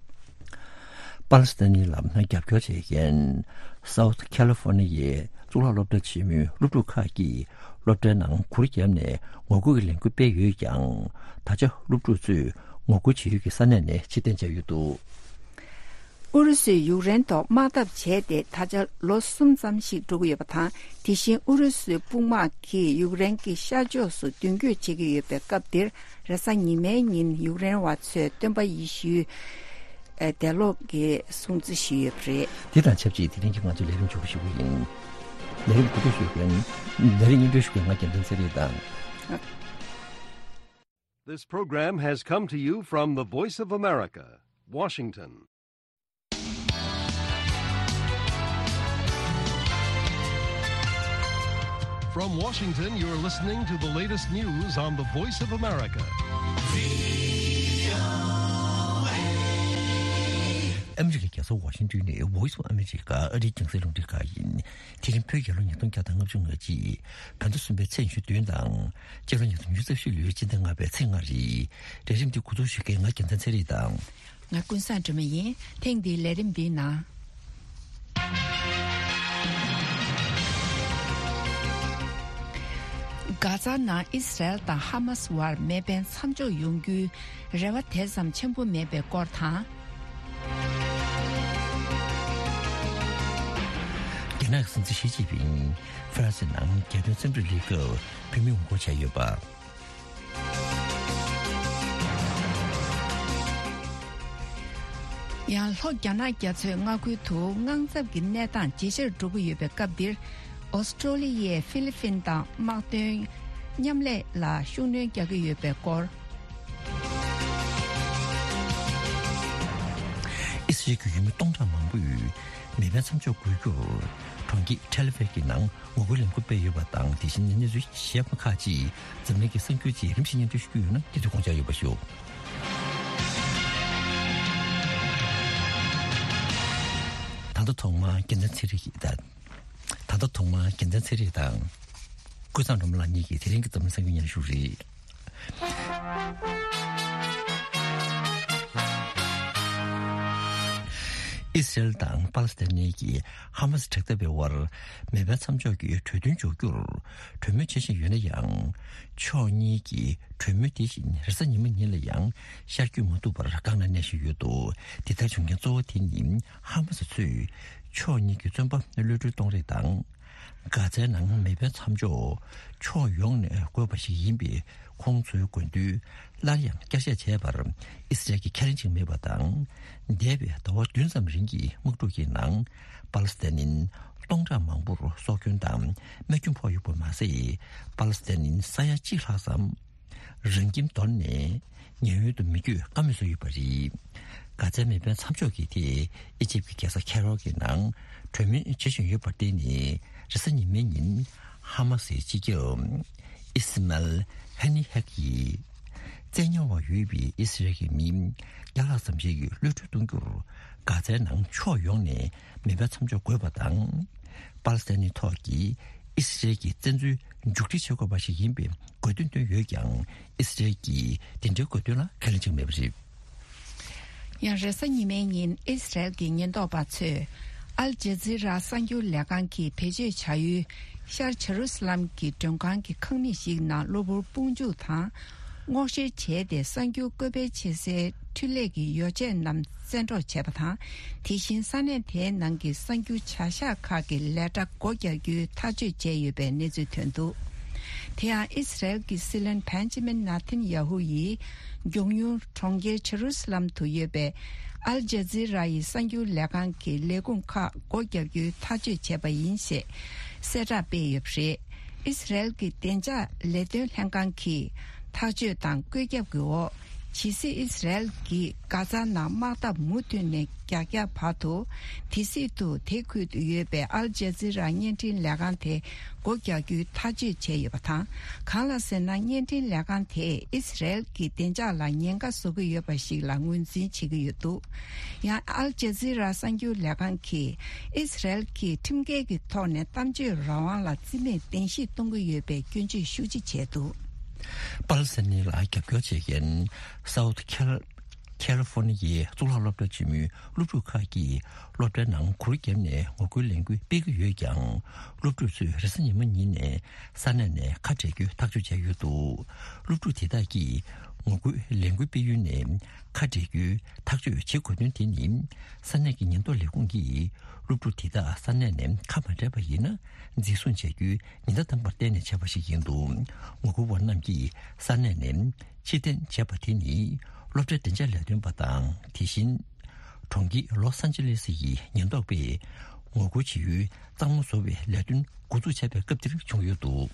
པ་ལི་སི་ཐན་ལ་རྒྱབ་སྐྱོར་བྱེད་མཁན་South California་ཡི་གཙུག་ལག་སློབ་གྲྭ་ཆེན་མོའི་སློབ་ཕྲུག་ཁག་གིས་སློབ་གྲྭའི་ནང་གུར་བརྒྱབ་ནས་ངོ་རྒོལ་གྱི་ལས་འགུལ་སྤེལ་ཡོད་ཀྱང་། ད་ཆ་སློབ་ཕྲུག་ཚོས་ངོ་རྒོལ་བྱེད་ཡུལ་གྱི་ས་གནས་ནས་ཕྱིར་འཐེན་བྱས་ཡོད་འདུག་ཨུ་རུ་སུས་ཡུཀ་རེན་ཐོག་དམག་འཐབ་བྱས་ཏེ་ད་ཆ་ལོ་གསུམ་ཙམ་ཞིག་འགྲོ་གི་ཡོད་པ་དང་། དེ་བཞིན་ཨུ་རུ་སུའི་དཔུང་དམག་གིས་ཡུཀ་རེན་གྱི་ཤར་ཕྱོགས་སུ་མདུན་སྐྱོད་བྱེད་ཀྱི་ཡོད་པའི་སྐབས་འདིར། རེས་གཟའ་ཉི་མའི་ཉིན་ཡུཀ་རེན་བ་ཚོས་སྟོན་པ་ཡེ་ཤུའི་ཨེ་འདས་ལོག་གི་སྲུང་བརྩི་ཞུས་ཡོད་པ་རེད། དེ་དང་ཆབས་ཅིག་དེ་རིང་གི་ང་ཚོའི་ལས་རིམ་མཇུག་པ་ཞུ་གི་ཡིན། ལས་རིམ་གོ་སྒྲིག་ཞུ་མཁན། ལས་རིམ་སྙན་སྒྲོན་ཞུ་མཁན་ང་རྒྱལ་མཚན་ཚེ་རིང་དང་། This program has come to you from the Voice of America, Washington. From Washington, you're listening to the latest news on the Voice of America. ཨ་མི་རི་ཀའི་རྒྱལ་ས་ཝ་ཤིང་ཏོན་ནས་Voice of America ཨ་རིའི་རྒྱང་སྲིང་རླུང་འཕྲིན་ཁང་ཡིན། དེ་རིང་བོད་རྒྱལ་ལོ་ཉིས་སྟོང་བརྒྱ་དང་ལྔ་བཅུ་ང་གཅིག་བོད་ཟླ་གསུམ་པའི་ཚེས་ཉི་ཤུ་བདུན་དང་། སྤྱི་ལོ་ཉིས་སྟོང་ཉི་ཤུ་རྩ་བཞི་ལོའི་སྤྱི་ཟླ་ལྔ་པའི་ཚེས་ལྔ་རེད། ལས་རིམ་འདི་འགོ་འཛུགས་ཞུ་མཁན་ང་རྒྱལ་མཚན་ཚེ་རིང་དང་། ང་ཀུན་བཟང་སྒྲོལ་མ་ཡིན། ཐེངས་འདིའི་ལས་རིམ་འདིའི་ནང་། གྷ་ཛ་ནང་ཨི་སི་རལ་དང་ཧ་མ་སི་བར་མེ་འཕེན་མཚམས་འཇོག་ཡོང་རྒྱུའི་རེ་བ་དེ་ཙམ་ཆེན་པོ་མེད་པའི་སྐོར་དང་། རྒྱ་ནག་གི་སྲིད་འཛིན་ཞི་ཅིན་ཕིང་ཧྥ་རན་སི་ནང་རྒྱལ་དོན་རྩེད་འགྲན་སླེབས་སྐབས་བོད་མི་ངོ་རྒོལ་བྱས་ཡོད་པ། ཡང་ལྷོ་རྒྱ་ནག་རྒྱ་མཚོའི་མངའ་ཁུལ་དུ་དངངས་འཚབ་ཀྱི་གནས་སྟངས་ཇེ་ཆེར་འགྲོ་གི་ཡོད་པའི་སྐབས་འདིར། ཨོ་སི་ཀྲོ་ལི་ཡས་ཧྥི་ལི་ཕིན་དང་དམག་དོན་མཉམ་ལས་ལ་ཤུགས་སྣོན་རྒྱག་གི་ཡོད་པའི་སྐོར། ཨི་སི་རལ་གྱི་ཡུལ་མི་སྟོང་ཕྲག་མང་པོས་མེ་འཕེན་མཚམས་འཇོག་དགོས་རྒྱུར་གྲོང་ཁྱེར་ཐེལ་ཨ་ཝིབ་ཀྱི་ནང་ངོ་རྒོལ་ལས་འགུལ་སྤེལ་ཡོད་པ་དང་། དེ་བཞིན་གནས་ཚུལ་ཞིབ་ཁག་ཅིག་འཛམ་གླིང་གི་གསར་འགྱུར་ཅིག་རིམ་བཞིན་སྙན་སྒྲོན་ཞུ་རྒྱུ་ཡོད་ན། དེ་དུས་དགོངས་འཇགས་ཡོད་པ་ཞུ། ད་ལྟ་ཐོག་མར་རྒྱལ་མཚན་ཚེ་རིང་གིས་ད། ད་ལྟ་ཐོག་མར་རྒྱལ་མཚན་ཚེ་རིང་དང་ཀུན་བཟང་སྒྲོལ་མ་ལགས་གཉིས་ཀྱིས་དེ་རིང་གི་འཛམ་གླིང་གསར་འགྱུར་སྙན་ཞུ་རེད། ཨི་སི་རལ་དང་པ་ལི་སི་ཐན་ནི་གི་ཧ་མ་སི་དྲག་འཐབ་པའི་དབར་མེ་འཕེན་མཚམས་འཇོག་གི་གྲོས་མཐུན་འཇོག་རྒྱུར་གྲོས་མོལ་བྱེད་བཞིན་ཡོད་ན་ཡང་། ཕྱོགས་གཉིས་ཀྱི་གྲོས་མོལ་དེ་བཞིན་རེས་གཟའ་ཉི་མ་ཉིན་ལ་ཡང་ཤར་བསྐྱོད་མ་ཐུབ་པར་སྒང་ལ་གནས་བཞིན་ཡོད་འདུག་དེ་ལྟར་བྱུང་རྐྱེན་གཙོ་བོ་དེ་ནི་ཧ་མ་སི་ཚོས་ཕྱོགས་གཉིས་ཀྱི་བཙོན་པ་གློད་གྲོལ་གཏོང་རེས་དང་། གྷ་ཛའི་ནང་མེ་འཕེན་མཚམས་འཇོག་ཕྱོགས་ཡོངས་ནས་དགོས་པ་ཞིག་ཡིན་པའི་ཁོང་ཚོའི་དགོས་འདུན་སླར་ཡང་བསྐྱར་བཤད་བྱས་པར་ཨི་སི་རལ་གྱིས་ཁས་ལེན་བྱེད་ཀྱི་མེད་པ་དང་། འདས་པའི་ཟླ་བ་བདུན་ཙམ་རིང་གི་དམག་འཁྲུག་གི་ནང་པ་ལི་སི་ཐན་ནི་སྟོང་ཕྲག་མང་པོར་སྲོག་སྐྱོན་དང་རྨས་སྐྱོན་ཕོག་ཡོད་པ་མ་ཟད། པ་ལི་སི་ཐན་ནི་ས་ཡ་གཅིག་ལྷག་ཙམ་རང་ཁྱིམ་དོར་ནས་ཉེན་གཡོལ་དུ་མི་བསྐྱོད་ཀ་མེད་བཟོས་ཡོད་པ་རེད། གྷ་ཛའི་མེ་འཕེན་མཚམས་འཇོག་གི་ཐད་ཨི་ཇིབ་ཀྱི་རྒྱལ་ས་ཁེ་རོ་གི་ནང་གྲོས་མོལ་བྱེད་བཞིན་ཡོད་པར་བརྟེན་ནས། རེས་གཟའ་ཉི་མའི་ཉིན་ཧ་མ་སིའི་སྤྱི་ཁྱབ་ཨི་སི་མལ་ཧ་ནི་ཧེག་གིས། བཙན་ཉར་བ་ཡོད་པའི་ཨི་སི་རལ་གྱི་མི་བརྒྱ་ལྷག་ཙམ་ཞིག་གློད་གྲོལ་གཏོང་རྒྱུར་གྷ་ཛའི་ནང་ཕྱོགས་ཡོངས་ནས་མེ་འཕེན་མཚམས་འཇོག་དགོས་པ་དང་། པ་ལི་སི་ཐན་ནི་ཐོག་གི་ཨི་སི་རལ་གྱི་བཙན་འཛུལ་མཇུག་སྒྲིལ་བྱེད་དགོས་པ་ཞིག་ཡིན་པའི་དགོས་འདུན་བཏོན་ཡོད་ཀྱང་། ཨི་སི་རལ་གྱིས་དེ་འདྲའི་དགོས་འདུན་ལ་ཁས་ལེན་བྱེད་ཀྱི་མེད་པ་རེད། ཡང་རེས་གཟའ་ཉི་མའི་ཉིན་ཨི་སི་རལ་གྱི་ཉེན་རྟོག་པ་ཚོས་ཨལ་ཇེ་ཛི་ར་གསར་འགྱུར་ལས་ཁང་གིས་བེད་སྤྱོད་བྱ་ཡུལ་ཤར་ཇེ་རུ་སི་ལམ་གྱི་མགྲོན་ཁང་གི་ཁང་མིག་ཞིག་ནང་གློ་བུར་དཔུང་འཇུག་དང་སྔོག་བཤེར་བྱས་ཏེ། གསར་འགྱུར་བཀོད་སྤེལ་བྱེད་སའི་འཕྲུལ་ལས་ཀྱི་ཡོ་བྱད་རྣམས་བཙན་འཕྲོག་བྱས་པ་དང་། དེ་བཞིན་ས་གནས་དེའི་ནང་གི་གསར་འགྱུར་བྱ་གཞག་ཁག་གི་ལས་གྲྭ་སྒོ་རྒྱག་རྒྱུའི་ཐག་གཅོད་བྱས་ཡོད་པའི་གནས་ཚུལ་ཐོན་འདུག་དེ་ཡང་ཨི་སི་རལ་གྱི་སྲིད་བློན་བན་ཇི་མིན་ནཱ་ཐན་ཡ་ཧུ་ཡིས་མགྱོགས་མྱུར་གྲོང་ཁྱེར་ཇེ་རུ་སི་ལམ་དུ་ཡོད་པའི་ཨལ་ཇ་ཛི་ར་ཡི་གསར་འགྱུར་ལས་ཁང་གི་ལས་ཁུངས་ཁག་སྒོ་རྒྱག་རྒྱུའི་ཐག་གཅོད་བྱས་པ་ཡིན་ཞེས་གསལ་བསྒྲགས་སྤེལ་ཡོད་པ་རེད། ཨི་སི་རལ་གྱི་བདེ་འཇགས་ལས་དོན་ལྷན་ཁང་གིས་ཐག་གཅོད་དང་བཀོད་ཁྱབ་ཀྱི་འོག་ཇི་སྲིད་ཨི་སི་རལ་གྱིས་གྷ་ཛ་ནང་དམག་འཐབ་མུ་མཐུད་ནས་རྒྱག་རྒྱག་བར་དུ། དེ་སྲིད་དུ་དེ་ཁུལ་དུ་ཡོད་པའི་ཨལ་ཇ་ཛི་ར་བརྙན་འཕྲིན་ལས་ཁང་དེ་སྒོ་རྒྱག་རྒྱུའི་ཐག་གཅོད་བྱས་ཡོད་པ་དང་། གང་ལ་ཟེར་ན། བརྙན་འཕྲིན་ལས་ཁང་དེས་ཨི་སི་རལ་གྱི་བདེ་འཇགས་ལ་ཉེན་ཁ་བཟོ་གི་ཡོད་པ་ཞིག་ལ་ངོས་འཛིན་བྱེད་ཀྱི་ཡོད་འདུག་ཡང་ཨལ་ཇ་ཛི་ར་གསར་འགྱུར་ལས་ཁང་གིས་ཨི་སི་རལ་གྱིས་ཁྲིམས་འགལ་གྱི་ཐོག་ནས་གཏམ་བརྗོད་རང་དབང་ལ་རྩིས་མེད་གཏན་ཞིབ་གཏོང་གི་ཡོད་པའི་སྐྱོན་བརྗོད་ཤུགས་ཆེ་བྱས་འདུག་པ་ལི་སི་ཐན་ནི་ལ་རྒྱབ་སྐྱོར་བྱེད་མཁན་སའུ་ཐི་ཁལ། ཁེ་ལི་ཧྥོ་ནི་ཡའི་གཙུག་ལག་སློབ་གྲྭ་ཆེན་མོའི་སློབ་ཕྲུག་ཁག་གིས་སློབ་གྲྭའི་ནང་གུར་བརྒྱབ་ནས་ངོ་རྒོལ་ལས་འགུལ་སྤེལ་གྱི་ཡོད་ཀྱང་། སློབ་ཕྲུག་ཚོས་རེས་གཟའ་ཉི་མ་ཉིན་ནས་ས་གནས་ནས་ཁ་བྲལ་རྒྱུའི་ཐག་གཅོད་བྱས་ཡོད་འདུག་སློབ་ཕྲུག་དེ་དག་གིས་ངོ་རྒོལ་ལས་འགུལ་སྤེལ་ཡུལ་ནས་ཁ་བྲལ་རྒྱུའི་ཐག་གཅོད་བྱེད་དགོས་དོན་དེ་ནི། ས་གནས་ཀྱི་ཉེན་རྟོག་ལས་ཁུངས་ཀྱིས་སློབ་ཕྲུག་དེ་དག་ས་གནས་ནས་ཁ་མ་བྲལ་བ་ཡིན་ན། འཛིན་བཟུང་བྱ་རྒྱུའི་ཉེན་བརྡ་བཏང་བར་བརྟེན་ནས་བྱས་པ་ཞིག་ཡིན་འདུག་ངོ་རྒོལ་བ་རྣམས་ཀྱིས་ས་གནས་ནས་ཕྱིར་འཐེན་བྱས་པ་དེ་ནི། སློབ་གྲྭའི་བདེ་འཇགས་ལས་དོན་པ་དང་། དེ་བཞིན་གྲོང་ཁྱེར་ལོ་སན་ཅི་ལེ་སི་ཡི་ཉེན་རྟོག་པས་ ངོ་རྒོལ་བྱེད་ཡུལ་གཙང་མ་བཟོ་བའི་ལས་དོན་འགོ་འཛུགས་བྱས་པའི་སྐབས་དེར་བྱུང་ཡོད་འདུག།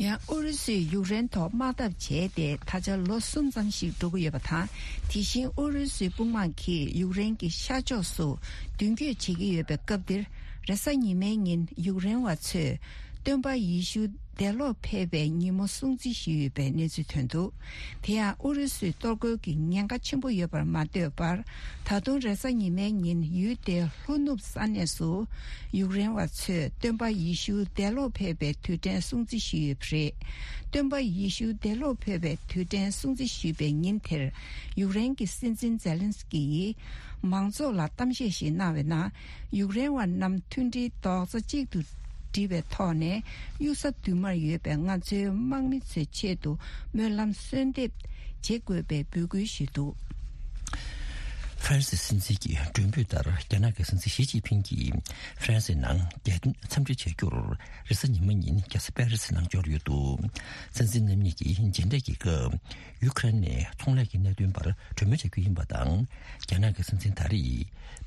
ཡང་ཨུ་རུ་སུས་ཡུཀ་རེན་ཐོག་དམག་འཐབ་བྱས་ཏེ་ད་ཆ་ལོ་གསུམ་ཙམ་ཞིག་འགྲོ་གི་ཡོད་པ་དང་། དེ་བཞིན་ཨུ་རུ་སུའི་དཔུང་དམག་གིས་ཡུཀ་རེན་གྱི་ཤར་ཕྱོགས་སུ་མདུན་སྐྱོད་བྱེད་ཀྱི་ཡོད་པའི་སྐབས་འདིར། རེས་གཟའ་ཉི་མའི་ཉིན་ཡུཀ་རེན་བ་ཚོས་སྟོན་པ་ཡེ་ཤུ་འདས་ལོག་ཕེབས་པའི་ཉིན་མོ་སྲུང་བརྩི་ཞུས་ཡོད་པའི་གནས་ཚུལ་ཐོན་འདུག། དེ་ཡང་ཨུ་རུ་སུའི་གཏོར་རྒོལ་གྱི་ཉེན་ཁ་ཆེན་པོ་ཡོད་པར་མ་ལྟོས་པར། ད་དུང་རེས་གཟའ་ཉི་མའི་ཉིན་ཡུལ་དེའི་ལྷོ་ནུབ་ས་གནས་སུ་ཡུཀ་རེན་བ་ཚོས་སྟོན་པ་ཡེ་ཤུ་འདས་ལོག་ཕེབས་པའི་དུས་དྲན་སྲུང་བརྩི་ཞུས་ཡོད་པ་རེད། སྟོན་པ་ཡེ་ཤུ་འདས་ལོག་ཕེབས་པའི་དུས་དྲན་སྲུང་བརྩི་ཞུས་པའི་ཉིན་དེར། ཡུཀ་རེན་གྱི་སྲིད་འཛིན་ཛེ་ལན་སི་ཀི་ཡིས་མང་ཚོགས་ལ་གཏམ་བཤད་ཞིག་གནང་བའི་ནང་། ཡུཀ་རེན་བ་རྣམས་མཐུན་སྒྲིལ་རྡོག་རྩ་གཅིག་ཏུ་སྒྲིལ་བའི་ཐོག་ནས་གཡུལ་ས་མདུན་མར་ཡོད་པའི་ང་ཚོའི་དམག་མི་ཚོའི་ཆེད་དུ་སྨོན་ལམ་གསོལ་འདེབས་བྱེད་དགོས་པའི་འབོད་སྐུལ་ཞུས་འདུག། ཧྥ་རན་སི་སྲིད་འཛིན་གྱི་མགྲོན་འབོད་ལྟར། རྒྱ་ནག་གི་སྲིད་འཛིན་ཞི་ཅིན་ཕིང་གིས་ཧྥ་རན་སིའི་ནང་རྒྱལ་དོན་འཚམས་འདྲི་བྱ་རྒྱུར། རེས་གཟའ་ཉི་མ་ཉིན་རྒྱལ་ས་པེ་རི་སི་ནང་འབྱོར་ཡོད་འདུག། སྲིད་འཛིན་རྣམ་གཉིས་ཀྱིས་མཇལ་འཕྲད་ཀྱི་སྐབས། ཡུ་ཁ་རེན་ནས་ཚོང་ལས་ཀྱི་གནད་དོན་པར་གྲོས་མོལ་བྱ་རྒྱུ་ཡིན་པ་དང་། རྒྱ་ནག་གི་སྲིད་འཛིན་ད་རེས་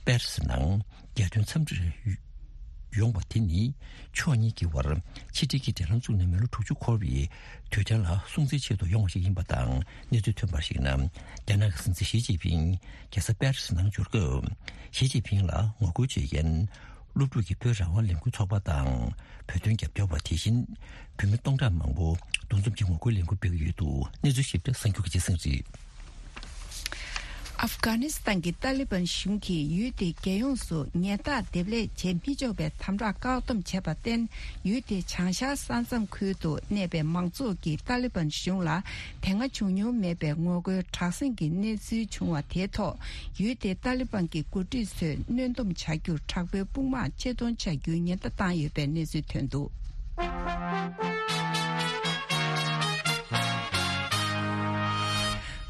པེ་རི་སི་ནང་རྒྱལ་དོན་འཚམས་འདྲིར་ཡོང་བ་དེ་ནི། ཕྱོགས་གཉིས་ཀྱི་བར་ཕྱི་འབྲེལ་གྱི་འབྲེལ་ལམ་བཙུགས་ནས་མི་ལོ་དྲུག་ཅུ་འཁོར་བའི་དུས་དྲན་ལ་སྲུང་བརྩིའི་ཆེད་དུ་ཡོང་བ་ཞིག་ཡིན་པ་དང་། གནས་ཚུལ་ཐོན་པར་གཞིགས་ན། རྒྱ་ནག་གི་སྲིད་འཛིན་ཞི་ཅིན་ཕིང་རྒྱལ་ས་པེ་རི་སི་ནང་འབྱོར་སྐབས། ཞི་ཅིན་ཕིང་ལ་ངོ་རྒོལ་བྱེད་མཁན་སློབ་ཕྲུག་གི་བོད་རང་དབང་ལས་འགུལ་ཚོགས་པ་དང་། བོད་དོན་རྒྱབ་སྐྱོར་བ། དེ་བཞིན་བོད་མི་སྟོང་ཕྲག་མང་པོ་འདུ་འཛོམས་ཀྱིས་ངོ་རྒོལ་ལས་འགུལ་སྤེལ་གྱི་ཡོད་འདུག། གནས་ཚུལ་ཞིབ་ཕྲ་གསར་འགྱུར་གྱི་སྤྱི་ཚང་རེད། ཨབ་གྷ་ནི་སི་ཐན་གྱི་ཏཱ་ལི་བན་གཞུང་གིས་ཡུལ་དེའི་རྒྱལ་ཡོངས་སུ་ཉེན་བརྡ་འདེབས་ལས་བྱེད་མི་ཆོག་པའི་དམ་དྲག་བཀག་སྡོམ་བྱས་པར་བརྟེན། ཡུལ་དེའི་བྱང་ཤར་ས་མཚམས་ཁུལ་དུ་གནས་པའི་མང་ཚོགས་ཀྱིས་ཏཱ་ལི་བན་གཞུང་ལ་དེ་སྔ་བྱུང་མྱོང་མེད་པའི་ངོ་རྒོལ་དྲག་ཟིང་གི་གནས་ཚུལ་བྱུང་བ་དེའི་ཐོག། ཡུལ་དེའི་ཏཱ་ལི་བན་གྱི་འགོ་ཁྲིད་ཚོས་གནོན་སྡོམ་བྱ་རྒྱུར་དྲག་པོའི་དཔུང་དམག་ཆེད་གཏོང་བྱ་རྒྱུའི་ཉེན་བརྡ་བཏང་ཡོད་པའི་གནས་ཚུལ་ཐོན་འདུག།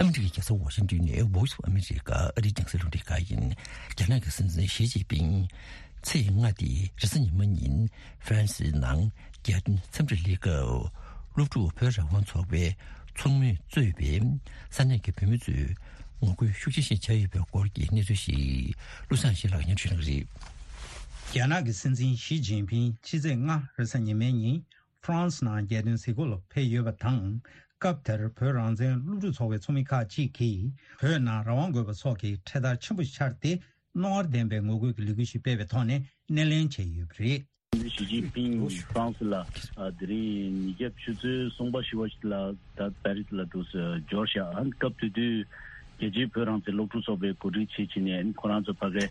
ཨ་མི་རི་ཀའི་རྒྱལ་ས་ཝ་ཤིང་ཏོན་ནས་Voice of America ཨ་རིའི་རྒྱང་སྲིང་རླུང་འཕྲིན་ཁང་ཡིན། རྒྱ་ནག་གི་སྲིད་འཛིན་ཞི་ཅིན་ཕིང་ཚེས་ལྔ་སྟེ་རེས་གཟའ་ཉི་མ་ཉིན་ཧྥ་རན་སིའི་ནང་རྒྱལ་དོན་འཚམས་འདྲིར་སླེབས་སྐབས། སློབ་ཕྲུག་བོད་རང་དབང་ཚོགས་པའི་ཚོགས་མིས་གཙོས་པའི་ས་གནས་ཀྱི་བོད་མི་ཚོས་ངོ་རྒོལ་ཤུགས་ཆེ་ཞིག་བྱས་ཡོད་པའི་སྐོར་གྱི་གནས་ཚུལ་ཞིག་བློ་བཟང་ཡེ་ཤེས་ལགས་སྙན་སྒྲོན་ཞུ་གནང་གི་རེད། རྒྱ་ནག་གི་སྲིད་འཛིན་ཞི་ཅིན་ཕིང་ཕྱི་ཚེས་ལྔ་རེས་གཟའ་ཉི་མའི་ཉིན་ཧྥ་རན་སི་ནང་རྒྱལ་དོན་གཟིགས་སྐོར་ལ་ཕེབས་ཡོད་པ་དང་། སྐབས་དེར་བོད་རང་བཙན་སློབ་ཕྲུག་ཚོགས་པའི་ཚོགས་མི་ཁག་ཅིག་གིས་བོད་ནང་རང་དབང་དགོས་པ་སོགས་ཀྱི་འཕྲེད་དར་ཆེན་པོ་འཕྱར་ཏེ། རྣོ་ངར་ལྡན་པའི་ངོ་རྒོལ་གྱི་ལས་འགུལ་ཞིག་སྤེལ་བའི་ཐོག་ནས་སྣེ་ལེན་བྱས་ཡོད་པ་རེད། ཞི་ཅིན་ཕིང་ཧྥ་རན་སི་ལ་ཨ་དེ་རིང་ཉིས་བརྒྱ་ཆུ་ཚོད་གསུམ་པ་བཞི་པ་ཞིག་ལ་ད་པེ་རི་སི་ལ་འདུག་སེ་འབྱོར་ཤག་ཨ་ནི་སྐབས་དེ་དུས་རྒྱལ་སྤྱིའི་བོད་རང་བཙན་སློབ་ཕྲུག་ཚོགས་པའི་འགོ་ཁྲིད་བྱེད་ཕྱིན་ནས་ཨ་ནི་ཁོ་རང་ཚོ་ཕ་གའི་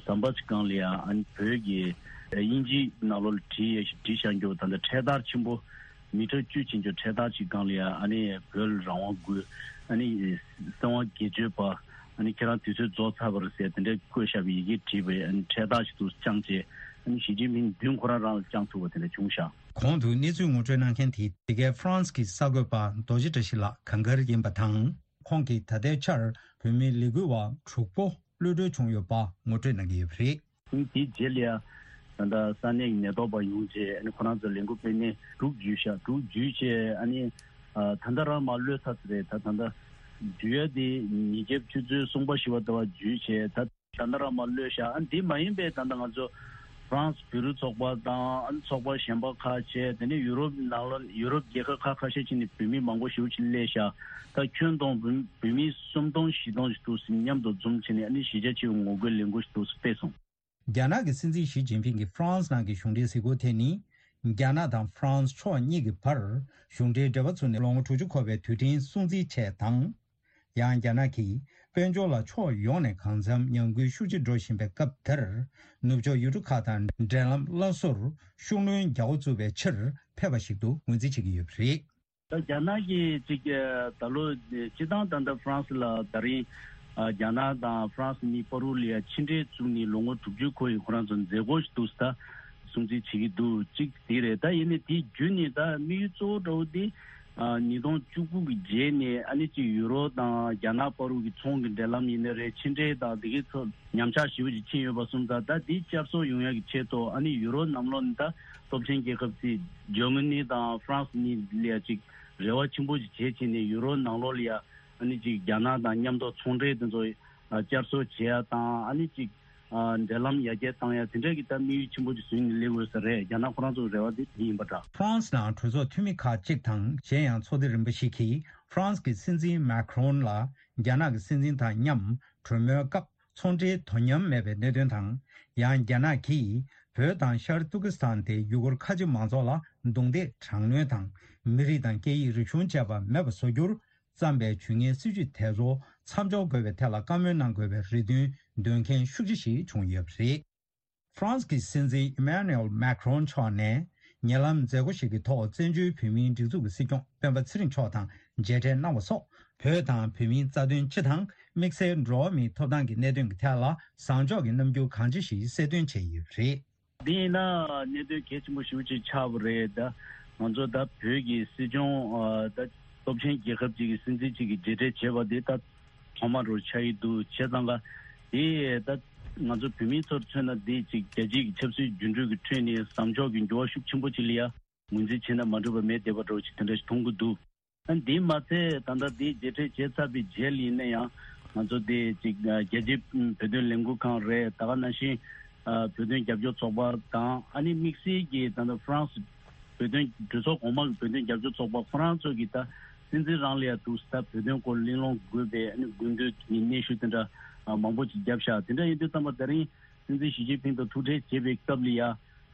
ཟམ་པ་ཅིག་སྒང་ལ་ཡ་ཨ་ནི་བོད་ཀྱི་དབྱིན་ཇིའི་ནང་ལོགས་ལ་བྲིས་ཡས་ཤིག་བྲིས་བཞག་རྒྱུ་ད་ལྟ་འཕྲེད་དར་ཆེན་པོ་མི་ཊར་བཅུ་ཕྱིན་རྒྱུ་འཕྲེད་དར་ཅིག་སྒང་ལ་ཡ་ཨ་ནི་བོད་རང་དབང་དགོས། ཨ་ནི་གསང་བ་སྒེར་གཅོད་པ། ཨ་ནི་ཁྱེད་རང་དུས་ཚོད་རྫོགས་ཚར་བ་རེད་ཟེར་དེ་འདྲའི་བཀོད་བཞག་པའི་ཡི་གེ་བྲིས་པའི་ཨ་ནི་འཕྲེད་དར་ཞིག་ཏུ་བཅངས་རྗེས་ཨ་ནི་ཞི་ཅིན་ཕིང་མདུན་ཁོ་རང་རང་ལ་བཅངས་ཐུབ་པ་དེ་འདྲ་བྱུང་ཤག། གོང་དུ་གནས་ཚུལ་ངོ་སྤྲོད་གནང་མཁན་དེ་འདི་གའི་ཧྥ་རན་སི་གི་གསར་འགོད་པ་རྡོ་རྗེ་བཀྲ་ཤིས་ལགས་གངས་དཀར་ཡིན་པ་དང་། ཁོང་གིས་ད་ལྟའི་ཆར་བོད་མིའི་ལས་འགུལ་བ་དྲུག་པོ་གློད་གྲོལ་བྱུང་ཡོད་པ་ངོ་སྤྲོད་གནང་གི་ཡོད་པ་རེད། དེའི་རྗེས་ལ་ཡ་ད་ལྟ་ས་གནས་ཀྱི་ནད་ཐོག་པ་ཡོང་རྗེས་ཨ་ནི་ཁོ་རང་ཚོ་ལས་འགུལ་སྤེལ་མཁན་དྲུག་འཇུས་ཤག། དྲུག་འཇུས་རྗེས་ཨ་ནི་ད་ལྟ་རང་མར་གློད་ཚར་ཚར་རེད། ད་ད་ལྟ་འཇུ་ཡ་དེ་ཉིས་བརྒྱ་ཆུ་ཚོད་གསུམ་པ་བཞི་པ་ཟླ་བ་འཇུས་བྱས་ད་ད་ལྟ་རང་མར་གློད་ཤག། ཨ་འདི་མ་ཡིན་པའི་ད་ལྟ་ང་ཚོ་ཧྥ་རན་སི་བོད་རིགས་ཚོགས་པ་དང་ཨ་ནི་ཚོགས་པ་གཞན་པ་ཁག་བྱས་དེ་ནས་ཡུ་རོབ་ནང་ལ་ཡུ་རོབ་རྒྱལ་ཁབ་ཁག་ཁ་ཤས་ཅིག་ནས་བོད་མི་མང་པོ་ཞེ་པོ་ཅིག་སླེབས་ཤག། ད་ཁྱོན་བསྡོམས་བོད་བོད་མི་སུམ་སྟོང་བཞི་སྟོང་ཞིག་འདུག་ཟེར་མཉམ་དུ་འཛོམས་བྱས་ནས་ཨ་ནི་གཞིས་ཆགས་ཆེ་བའི་ངོ་རྒོལ་ལས་འགུལ་ཞིག་འདུག་ཟེར་སྤེལ་སོང་། རྒྱ་ནག་གི་སྲིད་འཛིན་ཞི་ཅིན་ཕིང་གི་ཧྥ་རན་སི་ནང་གི་གཞུང་འབྲེལ་གཟིགས་སྐོར་དེ་ནི། རྒྱ་ནག་དང་ཧྥ་རན་སི་ཕྱོགས་གཉིས་ཀྱི་བར་གཞུང་འབྲེལ་འབྲེལ་བ་བཙུགས་ནས་ལོ་ངོ་དྲུག་ཅུ་འཁོར་བའི་དུས་དྲན་སྲུང་བརྩིའི་ཆེད་དང་། ཡང་རྒྱ་ནག་གིས་དཔལ་འབྱོར་ལ་ཕྱོགས་ཡོངས་ནས་གང་འཚམ་ཉམས་རྒུད་ཤུགས་ཆེ་འགྲོ་བཞིན་པའི་སྐབས་དེར། ནུབ་ཕྱོགས་ཡུལ་གྲུ་ཁག་དང་འབྲེལ་ལམ་སླར་གསོར་ཤུགས་སྣོན་རྒྱག་འགོ་བཙུགས་པའི་ཕྱིར་ཕེབས་པ་ཞིག་ཏུ་ངོས་འཛིན་བྱེད་ཀྱི་ཡོད་པ་རེད། ད་རྒྱ་ནག་གིས་ཅིག་ད་ལོ་སྤྱི་བཏང་ད་ལྟ་ཧྥ་རན་སི་ལ་ད་རིང་རྒྱ་ནག་དང་ཧྥ་རན་སི་གཉིས་བར་དུ་ལ་ཡ་ཕྱི་འབྲེལ་བཙུགས་ནས་ལོ་ངོ་དྲུག་ཅུ་འཁོར་ཡི་ཁོ་རང་ཚོ་མཛད་སྒོ་ཞིག་འདུག་ཟེར་ད་སྲུང་བརྩི་བྱེད་ཀྱི་འདུག་ཅིག་དེ་རེད། ད་ཡིན་ནའི་དེ་བརྒྱུད་ནས་ད་དམིགས་ཡུལ་གཙོ་བོ་འདྲ་བོ་དེ་ཉིས་སྟོང་བཅུ་དགུ་གི་རྗེས་ནས་ཨ་ནི་ཅིག་ཡུ་རོབ་དང་རྒྱ་ནག་བར་དུ་གི་ཚོང་གི་འབྲེལ་ལམ་ཡིན་ནའི་རེད། ཕྱི་འབྲེལ་དང་དེ་གའི་ཚོ་ཉམས་ཆག་ཞེ་པོ་ཅིག་ཕྱིན་ཡོད་པ་སོང་ཙང་ད་དེ་བསྐྱར་གསོ་ཡོང་ཡག་གི་ཆེད་དུ་ཨ་ནི་ཡུ་རོབ་ནང་ལོགས་ནས་ད་སྟོབས་ཆེན་རྒྱལ་ཁབ་ཅིག་ཇར་མ་ནི་དང་ཧྥ་རན་སི་གཉིས་ལ་ཡ་ཅིག་རེ་བ་ཆེན་པོ་ཅིག་བྱེད་བྱས་ནས་ཡུ་རོབ་ནང་ལོགས་ལ་ཡ་ཨ་ནི་ཅིག་རྒྱ་ནག་དང་མཉམ་དུ་ཚོང་འབྲེལ་དེ་ཚོ་བསྐྱར་གསོ་བྱེད་ཡ་དང་ཨ་ནི་ཅིག་ འབྲེལ་ལམ་ཡར་རྒྱས་བཏང་ཡ་དེ་འདྲ་གི་ད་དམིགས་ཡུལ་ཆེན་པོ་ཅིག་བཟུང་ནས་སླེབས་དགོས་ས་རེད། རྒྱ་ནག་ཁོ་རང་ཚོའི་རེ་བ་དེ་དེ་ཡིན་པ་འདྲ། ཧྥ་རན་སི་ནང་གྲོས་ཚོགས་འཐུས་མི་ཁག་ཅིག་དང་གཞན་ཡང་ཚོགས་སྡེ་རིམ་པ་ཞིག་གིས་ཧྥ་རན་སི་གི་སྲིད་འཛིན་མཱ་ཁི་རོན་ལ་རྒྱ་ནག་གི་སྲིད་འཛིན་དང་མཉམ་གྲོས་མོལ་སྐབས་ཚོང་འབྲེལ་དོ་མཉམ་མེད་པའི་གནད་དོན་དང་། ཡང་རྒྱ་ནག་གིས་བོད་དང་ཤར་ཏུར་ཀི་སི་ཐན་དེ་ཡུ་གུར་ཁ་ཆེ་མང་ཚོགས་ལ་རྡུང་རྡེག་དྲག་གནོན་དང་། མི་རིགས་དང་སྐད་ཡིག་རིག་གཞུང་བཅས་པ་མེད་པ་བཟོ་རྒྱུར་བརྩམས་པའི་ཇུས་ངན་སྲིད་བྱུས་དེ་ཚོ་མཚམས་འཇོག་དགོས་པའི་ཐད་ལ་བཀའ་མོལ་གནང་དགོས་པའི་རེ་འདུན་འདོན་མཁན་ཤུགས་ཆེ་ཞིག་བྱུང་ཡོད་པ་རེད། ཧྥ་རན་སི་གི་སྲིད་འཛིན་ཨི་མཱ་ནུ་ཨེལ་མཱ་ཁི་རོན་མཆོག་ནས་ཉེ་ལམ་མཛད་སྒོ་ཞིག་གི་ཐོག་བཙན་བྱོལ་བོད་མིའི་སྒྲིག་འཛུགས་ཀྱི་སྲིད་སྐྱོང་སྤེན་པ་ཚེ་རིང་མཆོག་དང་མཇལ་འཕྲད་གནང་བ་སོགས། བོད་དང་བོད་མིའི་རྩ་དོན་སྤྱི་དང་དམིགས་བསལ་འགྲོ་བ་མིའི་ཐོབ་ཐང་གི་གནད་དོན་གྱི་ཐད་ལ་བཟང་ཕྱོགས་ཀྱི་རྣམ་འགྱུར་གང་ཆེ་ཞིག་གསལ་སྟོན་བྱས་ཡོད་པ་རེད། འདི་ཡིན་ན་གནད་དོན་གལ་ཆེན་པོ་ཞེ་པོ་ཅིག་ཆགས་པ་རེད། ད་ང་ཚོ་ད་བོད་ཀྱི་སྲིད་སྐྱོང་ཨ་ད་སྟོབས་ཆེན་རྒྱལ་ཁབ་ཅིག་གི་སྲིད་འཛིན་ཅིག་གིས་མཇལ་འཕྲད་བྱས་པ་འདི་ད་ཐོག་མ་རུ་ཆགས་ཀྱི་འདུག་བྱས་ཙང་ཀ་དེ་ད་ང་ཚོ་བོད་མི་ཚོར་མཚོན་ན་འདི་ཅིག་རྒྱལ་སྤྱིའི་ཆབ་སྲིད་འགྱུར་འགྲོས་ཀྱི་ཁྲོད་ནས་བཟང་ཕྱོགས་ཀྱི་འགྱུར་བ་ཤུགས་ཆེན་པོ་ཅིག་ལ་ཡ་ངོས་འཛིན་བྱས་ན་མ་འགྲིག་པ་མེད་བསྡད་པ་འདྲ་བོ་ཅིག་དེ་འདྲ་ཞིག་མཐོང་གི་འདུག་ཨ་འདི་མ་ཚད་ད་ལྟ་འདི་མཇལ་འཕྲད་བྱས་ཚར་བའི་རྗེས་ལ་ཡིན་ན་ཡང་ང་ཚོ་འདི་ཅིག་རྒྱལ་སྤྱིའི་བོད་དོན་ལས་འགུལ་ཁང་རེད། ད་ག་ནང་བཞིན་བོད་དོན་རྒྱབ་སྐྱོར་ཚོགས་པ་དང་ཨ་ནི་དམིགས་བསལ་གྱིས་ད་ལྟ་ཧྥ་རན་སི་བོད་དོན་གྲོས་ཚོགས་གོང་མ་གི་བོད་དོན་རྒྱབ་སྐྱོར་ཚོགས་པ་ཁོ་རང་ཚོ་གིས་ད་སྲིད་འཛིན་རང་ལ་ཡ་འདུག་ད་བོད་དོན་སྐོར་གླེང་སློང་དགོས་པའི་ཨ་ནི་དགོས་འདུན་གྱི་སྙན་ཞུ་དེ་འདྲ་མང་པོ་ཅིག་བརྒྱབ་ཤག་དེ་འདྲ་ཡིན་དུས་ཙམ་པ་ད་རིང་སྲིད་འཛིན་ཞི་ཅིན་ཕིང་དང་ཐུག་འཕྲད་བྱེད་པའི་སྐབས་ལ་ཡ།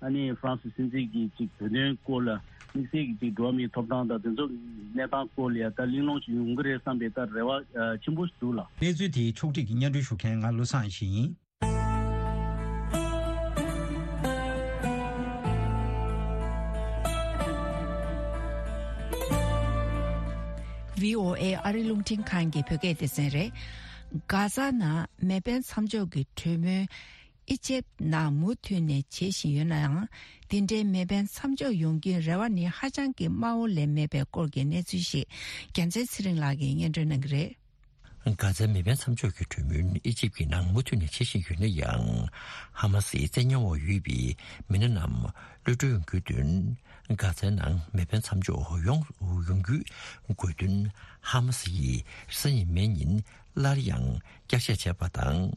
ཨ་ནི་ཧྥ་རན་སི་སྲིད་འཛིན་གྱིས་ཅིག་བོད་དོན་སྐོར་ལ་དམིགས་བསལ་གྱིས་ཅིག་འགྲོ་བ་མིའི་ཐོབ་ཐང་དང་དེ་ཚོ་གནས་སྟངས་སྐོར་ལ་ཡ་ད་གླེང་སློང་ཅིག་ཡོང་གི་རེད་བསམ་པའི་ད་རེ་བ་ཆེན་པོ་ཞིག་འདུག་ལ། གནས་ཚུལ་དེའི་ཕྱོགས་སྒྲིག་གིས་སྙན་སྒྲོན་ཞུ་མཁན་ང་བློ་བཟང་ཡེ་ཤེས་ཡིན། བྷི་ཨོ་ཨེ་ཨ་རི་རླུང་འཕྲིན་ཁང་གི་བོད་སྐད་སྡེ་ཚན་རེད། གྷ་ཛ་ནང་མེ་འཕེན་མཚམས་འཇོག་གི་གྲོས་མོལ་ཨི་ཇེབ་ནང་མུ་མཐུད་ནས་བྱེད་བཞིན་ཡོད་ན་ཡང་། འདི་འདྲའི་མེ་འཕེན་མཚམས་འཇོག་ཡོང་རྒྱུའི་རེ་བ་ནི་ཧ་ཅང་གི་དམའ་བོ་ལས་མེད་པའི་སྐོར་གྱི་གནས་ཚུལ་ཞིག་རྒྱལ་མཚན་ཚེ་རིང་ལགས་ཀྱིས་སྙན་སྒྲོན་གནང་གི་རེད། གྷ་ཛའི་མེ་འཕེན་མཚམས་འཇོག་གི་གྲོས་མོལ་ཨི་ཇིབ་ཀྱི་ནང་མུ་མཐུད་ནས་བྱེད་བཞིན་ཡོད་ན་ཡང་། ཧ་མ་སིའི་བཙན་ཉར་འོག་ཡོད་པའི་མི་སྣ་རྣམས་གློད་གྲོལ་ཡོང་རྒྱུའི་དོན། གྷ་ཛའི་ནང་མེ་འཕེན་མཚམས་འཇོག་ཡོང་ཡོང་རྒྱུའི་དགོས་འདུན་ཧ་མ་སི་ཡིས་རེས་གཟའ་ཉི་མའི་ཉིན་སླར་ཡང་བསྐྱར་བཤད་བྱས་པ་དང་།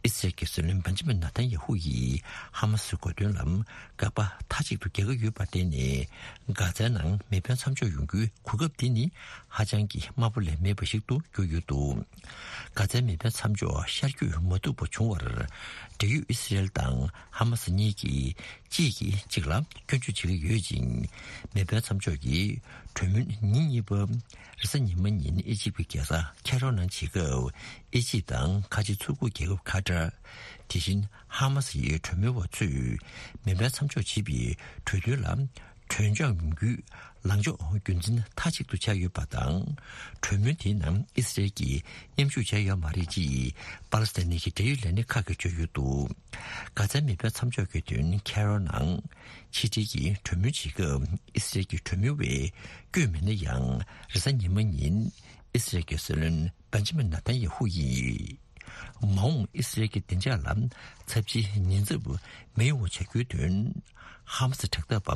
ཨི་སི་རལ་གྱི་སྲིད་བློན་བན་ཇི་མིན་ནཱ་ཐན་ཡ་ཧུ་ཡིས་ཧ་མ་སིའི་དགོས་འདུན་ལ་དགག་པ་མཐའ་གཅིག་ཏུ་རྒྱག་གི་ཡོད་པར་བརྟེན་ནས། གྷ་ཛའི་ནང་མེ་འཕེན་མཚམས་འཇོག་ཡོང་རྒྱུའི་གོ་སྐབས་འདི་ནི་ཧ་ཅང་གི་དམའ་པོ་ལས་མེད་པ་ཞིག་ཏུ་གྱུར་ཡོད་འདུག་གྷ་ཛའི་མེ་འཕེན་མཚམས་འཇོག་ཤར་བསྐྱོད་མ་ཐུབ་པ་བྱུང་བར། འབྲེལ་ཡོད་ཨི་སི་རལ་དང་ཧ་མ་སི་གཉིས་ཀྱིས་གཅིག་གིས་གཅིག་ལ་སྐྱོན་བརྗོད་བྱེད་ཀྱི་ཡོད་ཅིང་། མེ་འཕེན་མཚམས་འཇོག་གི་གྲོས་མོལ་ཉིན་གཉིས་པ། རེས་གཟའ་ཉི་མ་ཉིན་ཨི་ཇིབ་ཀྱི་རྒྱལ་ས་ཁེ་རོ་ནང་བྱེད་སྐབས། ཨི་ཇིབ་དང་ཁ་ཆེ་མཚོ་ཁུག་རྒྱལ་ཁབ་ཁ་ཏར། དེ་བཞིན་ཧ་མ་སི་ཡི་གྲོས་མོལ་བ་ཚོས་མེ་འཕེན་མཚམས་འཇོག་བྱེད་པའི་གྲོས་མཐུན་ལ་གྲོས་འཆམ་ཡོང་རྒྱུའི་ལངས་ཕྱོགས་རྒྱུན་འཛིན་མཐའ་གཅིག་ཏུ་བྱས་ཡོད་པ་དང་། གྲོས་མོལ་དེའི་ནང་ཨི་སི་རལ་གྱིས་མཉམ་ཞུགས་བྱས་ཡོད་མ་རེད་ཅེས་པ་ལི་སི་ཐན་གྱི་འབྲེལ་ཡོད་ལས་སྣེ་ཁག་གིས་བརྗོད་ཡོད་འདུག་གྷ་ཛའི་མེ་འཕེན་མཚམས་འཇོག་གི་དོན་ཁེ་རོ་ནང་ཕྱི་འབྲེལ་གྱི་གྲོས་མོལ་བྱེད་སྐབས་ཨི་སི་རལ་གྱི་གྲོས་མོལ་བས་བསྐྱོད་མེད་ན་ཡང་། རེས་གཟའ་ཉི་མ་ཉིན་ཨི་སི་རལ་གྱི་སྲིད་བློན་བན་ཇི་མིན་ནཱ་ཐན་ཡ་ཧུ་ཡིས། མ་འོངས་ཨི་སི་རལ་གྱི་བདེ་འཇགས་ལ་ཚབས་ཆེའི་ཉེན་ཚབས་མི་ཡོང་བ་བྱ་རྒྱུའི་དོན། ཧ་མ་སི་དྲག་འཐབ་པ་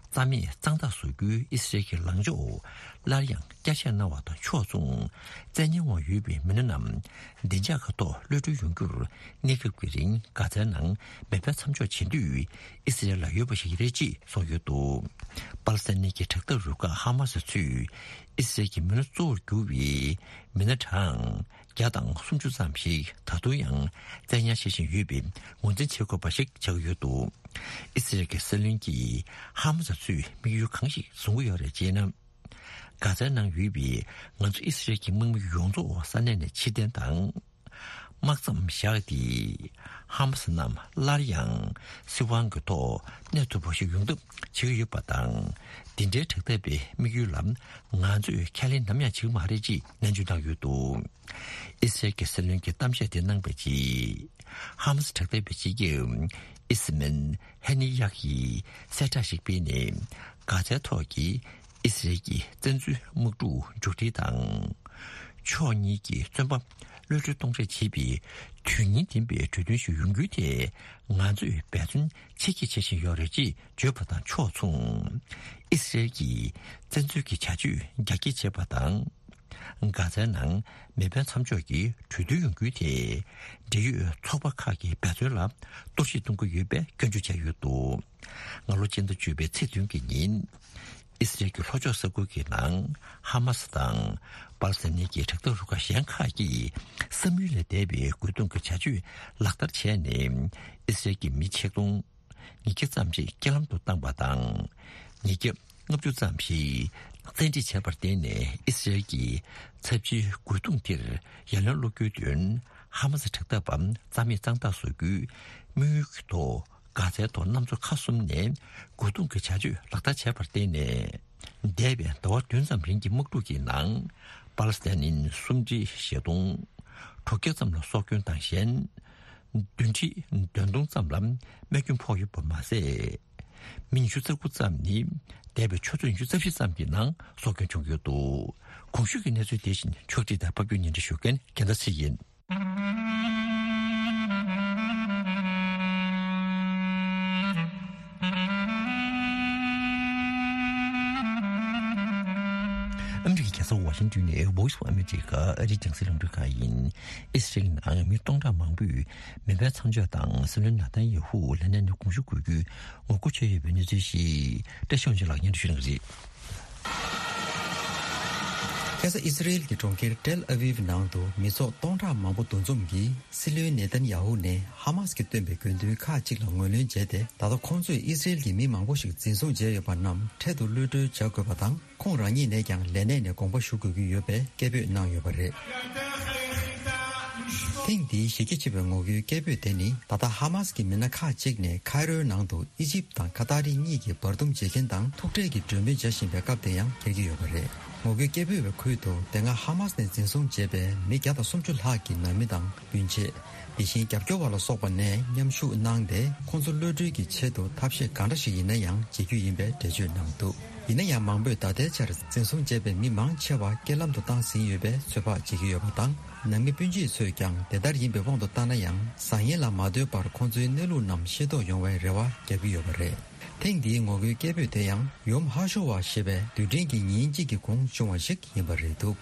རྩ་མེད་གཙང་དག་བཟོ་རྒྱུའི་ཨི་སི་རལ་གྱི་ལངས་ཕྱོགས་སླར་ཡང་བསྐྱར་བཤད་གནང་བ་དང་ཕྱོགས་མཚུངས། བཙན་ཉར་འོག་ཡོད་པའི་མི་སྣ་རྣམས་བདེ་འཇགས་ཀྱི་ཐོག་གློད་གྲོལ་ཡོང་རྒྱུར། གནས་སྐབས་ཀྱི་རིང་གྷ་ཛའི་ནང་མེ་འཕེན་མཚམས་འཇོག་བྱེད་འདོད་ཨི་སི་རལ་ལ་ཡོད་པ་ཞིག་རེད་ཅེས་གསུངས་ཡོད་འདུག་པ་ལི་སི་ཐན་གྱི་དྲག་འཐབ་རུ་ཁག་ཧ་མ་སི་ཚོས་ཨི་སི་རལ་གྱི་མི་སྣ་གཙོ་བོར་གྱུར་བའི་མི་སྣ་གྲངས་བརྒྱ་དང་སུམ་ཅུ་ཙམ་ཞིག་ད་དུང་ཡང་བཙན་ཉར་བྱེད་བཞིན་ཡོད་པའི་ངོས་འཛིན་བྱེད་དགོས་པ་ཞིག་ཆགས་ཀྱི་ཡོད་འདུག་ཨི་སི་རལ་གྱི་སྲིད་བློན་གྱིས་ཧ་མ་སི་ཚོས་དམིགས་ཡུལ་གང་ཞིག་བཟུང་གི་ཡོད་རེད་ཅེ་ན། གྷ་ཛའི་ནང་ཡོད་པའི་ང་ཚོ་ཨི་སི་རལ་གྱི་དམག་མི་ཡོངས་རྫོགས་ས་གནས་ནས་ཕྱིར་འཐེན་དང་། དམག་མཚམས་བཞག་སྟེ། ཧ་མ་སི་རྣམས་སླར་ཡང་སྲིད་དབང་གི་ཐོག་གནས་ཐུབ་པ་ཞིག་ཡོང་ཐབས་བྱེད་ཀྱི་ཡོད་པ་དང་། འདི་འདྲའི་དྲག་འཐབ་པའི་དམིགས་ཡུལ་ལ་ང་ཚོས་ཁས་ལེན་ནམ་ཡང་བྱེད་ཀྱི་མ་རེད་ཅེས་ནན་བརྗོད་གནང་ཡོད་འདུག་ཨི་སི་རལ་གྱི་སྲིད་བློན་གྱིས་གཏམ་བཤད་དེ་གནང་བའི་རྗེས། ཧ་མ་སི་དྲག་འཐབ་པའི་སྤྱི་ཁྱབ་ཨི་སི་མན་ཧེ་ནི་ཡག་གིས་གསལ་བསྒྲགས་ཤིག་སྤེལ་ནས། གྷ་ཛའི་ཐོག་གི་ཨི་སི་རལ་གྱི་བཙན་འཛུལ་དམག་འཁྲུག་མཇུག་སྒྲིལ་དང་། ཕྱོགས་གཉིས་ཀྱི་བཙོན་པ་གློད་གྲོལ་གཏོང་རེས་བྱེད་པའི་དོན་སྙིང་ལྡན་པའི་གྲོས་མཐུན་ཞིག་ཡོང་རྒྱུའི་ཐད་ང་ཚོས་འབད་བརྩོན་ཆེ་བསྐྱེད་བྱེད་བཞིན་ཡོད་རེད་ཅེས་བརྗོད་པ་དང་ཕྱོགས་མཚུངས། ཨི་སི་རལ་གྱིས་བཙན་འཛུལ་གྱི་བྱ་སྤྱོད་རྒྱ་སྐྱེད་བྱས་པ་དང་། གྷ་ཛའི་ནང་མེ་འཕེན་མཚམས་འཇོག་གི་གྲོས་མཐུན་ཡོང་རྒྱུའི་ཐད། འབྲེལ་ཡོད་ཚོགས་པ་ཁག་གི་འབད་བརྩོན་ལ་གཏོར་བཤིག་གཏོང་གི་ཡོད་པའི་སྐྱོན་བརྗོད་བྱས་ཡོད་འདུག་སྔ་ལོ་སྤྱི་ཟླ་བཅུ་པའི་ཚེས་བདུན་གྱི་ཉིན། ཨི་སི་རལ་གྱི་ལྷོ་ཕྱོགས་ས་ཁུལ་གྱི་ནང་ཧ་མ་སི་དང་པ་ལི་སི་ཐན་གྱི་དྲག་འཐབ་རུ་ཁག་གཞན་ཁག་གིས་བསམ་ཡུལ་ལས་འདས་པའི་རྒོལ་རྡུང་གི་བྱ་སྤྱོད་ལག་བསྟར་བྱས་ནས། ཨི་སི་རལ་གྱི་མི་ཆིག་སྟོང་ཉིས་བརྒྱ་ཙམ་ཞིག་རྐྱེན་ལམ་དུ་བཏང་པ་དང་། ཉིས་བརྒྱ་ལྔ་བཅུ་ཙམ་ཞིག་བཙན་ཁྲིད་བྱས་པར་བརྟེན་ནས། ཨི་སི་རལ་གྱི་ཚབས་ཆེའི་རྒོལ་རྡུང་དེར་ཡ་ལན་སློག་རྒྱུའི་དོན། ཧ་མ་སི་དྲག་འཐབ་པ་རྩ་མེད་གཙང་དག་བཟོ་རྒྱུའི་དམིགས་ཡུལ་གྱི་ཐོག་གྷ་ཛའི་ཐོག་གནམ་མཚོ་ཁ་གསུམ་ནས་རྒོལ་རྡུང་གི་བྱ་སྤྱོད་ལག་བསྟར་བྱས་པར་བརྟེན་ནས། འདས་པའི་ཟླ་བ་བདུན་ཙམ་རིང་གི་དམག་འཁྲུག་གི་ནང་པ་ལི་སི་ཐན་ནི་སུམ་ཁྲི་བཞི་སྟོང་དྲུག་བརྒྱ་ཙམ་ལ་སྲོག་སྐྱོན་དང་གཞན། བདུན་ཁྲི་བདུན་སྟོང་ཙམ་ལ་རྨས་སྐྱོན་ཕོག་ཡོད་པ་མ་ཟད། མི་ཉི་ཤུ་རྩ་དགུ་ཙམ་ནི་འདས་པའི་ཆུ་ཚོད་ཉི་ཤུ་རྩ་བཞི་ཙམ་གྱི་ནང་སྲོག་སྐྱོན་བྱུང་ཡོད་འདུག་གོང་ཞུས་ཀྱི་གནས་ཚུལ་དེ་བཞིན་ཕྱོགས་སྒྲིག་དང་ཕབ་སྒྱུར་སྙན་སྒྲོན་ཞུ་མཁན་རྒྱལ་མཚན་ཚེ་རིང་ཡིན། ཨ་མི་རི་ཀའི་རྒྱལ་ས་ཝ་ཤིང་ཏོན་ནས་Voice of America ཨ་རིའི་རྒྱང་སྲིང་རླུང་འཕྲིན་ཁང་ཡིན། ཨི་སི་རེལ་ནང་མི་སྟོང་ཕྲག་མང་པོས་མེ་འཕེན་མཚམས་འཇོག་དང་སྲིད་བློན་ནཱ་ཐན་ཡ་ཧུ་ལས་གནས་ནས་དགོངས་ཞུ་དགོས་རྒྱུའི་ངོ་རྒོལ་བྱས་ཡོད་པའི་གནས་ཚུལ་ཞིག་བཀྲ་ཤིས་དབང་ཕྱུག་ལགས་སྙན་སྒྲོན་ཞུ་གནང་གི་རེད། ཁ་སང་ཨི་སི་རེལ་གྱི་གྲོང་ཁྱེར་ཏེལ་ཨ་བིབ་ནང་དུ་མི་ཚོགས་སྟོང་ཕྲག་མང་པོ་འདུ་འཛོམས་ཀྱིས་སྲིད་བློན་ནེ་ཐན་ཡ་ཧུ་ནས་ཧ་མཱས་ཀྱིས་བཏོན་པའི་དགོས་འདུན་ཁག་ཅིག་ལ་ངོས་ལེན་བྱས་ཏེ། ད་ལྟ་ཁོང་ཚོས་ཨི་སི་རེལ་གྱི་མི་མང་པོ་ཞིག་འཛིན་བཟུང་བྱས་ཡོད་པ་རྣམས་འཕྲལ་དུ་གློད་གྲོལ་བྱ་དགོས་པ་དང་། ཁོང་རང་ཉིད་ནས་ཀྱང་ལས་གནས་ནས་དགོངས་པ་ཞུ་དགོས་ཀྱི་ཡོད་པའི་སྐད་འབོད་གནང་ཡོད་པ་རེད། ཐེངས་འདིའི་གཞི་རྒྱ་ཆེ་བའི་ངོ་རྒོལ་སྐད་འབོད་དེ་ནི། ད་ལྟ་ཧ་མཱས་ཀྱི་མི་སྣ་ཁག་ཅིག་ནས་ཁའི་རོའི་ནང་དུ་ཨི་ཇིབ་དང་ཁ་ཏར་གཉིས་ཀྱི་བར་འདུམ་བྱེད་མཁན་དང་ཐུག་འཕྲད་ཀྱི་གྲོས་མོལ་བྱ་བཞིན་པའི་སྐབས་དེ་ཡང་འཁེལ་གྱི་ཡོད་པ་རེད། ངོ་རྒོལ་སྐད་འབོད་པའི་ཁུལ་དུ་དེ་སྔ་ཧ་མཱས་ནས་འཛིན་བཟུང་བྱས་པའི་མི་བརྒྱ་དང་སུམ་ཅུ་ལྷག་གི་ནང་མི་དང་སྤུན་མཆེད། དེ་བཞིན་རྒྱབ་སྐྱོར་བ་ལ་སོགས་པ་ནས་མཉམ་ཞུགས་གནང་སྟེ། ཁོང་ཚོ་གློད་གྲོལ་གྱི་ཆེད་དུ་ཐབས་ཤེས་གང་འདྲ་ཞིག་ཡིན་ན་ཡང་བྱེད་རྒྱུ་ཡིན་པའི་འགྲེལ་བརྗོད་གནང་འདུག་ཡིན་ན་ཡང་མང་པོས་ད་ལྟའི་ཆར་འཛིན་བཟུང་བྱས་པའི་མི་མང་ཆེ་བ་རྐྱེན་ལམ་དུ་བཏང་ཟིན་ཡོད་པའི་ཚོད་དཔག་བྱེད་ཀྱི་ཡོད་པ་དང་། ནང་མི་སྤུན་མཆེད་ཚོས་ཀྱང་དེ་ལྟར་ཡིན་པའི་དབང་དུ་བཏང་ན་ཡང་བཟང་ངན་ལ་མ་ལྟོས་པར་ཁོང་ཚོའི་གནས་ལུགས་རྣམས་ཤེས་རྟོགས་ཡོང་བའི་རེ་བ་བརྒྱབ་ཀྱི་ཡོད་པ་རེད། ཐེངས་འདིའི་ངོ་རྒོལ་སྐད་འབོད་དེ་ཡང་ཡོམ་ཧ་ཤོ་ཝ་ཞེས་པའི་དུས་དྲན་གྱི་ཉིན་གཅིག་གི་གོང་བྱུང་བ་ཞིག་ཡིན་པ་རེད་འདུག་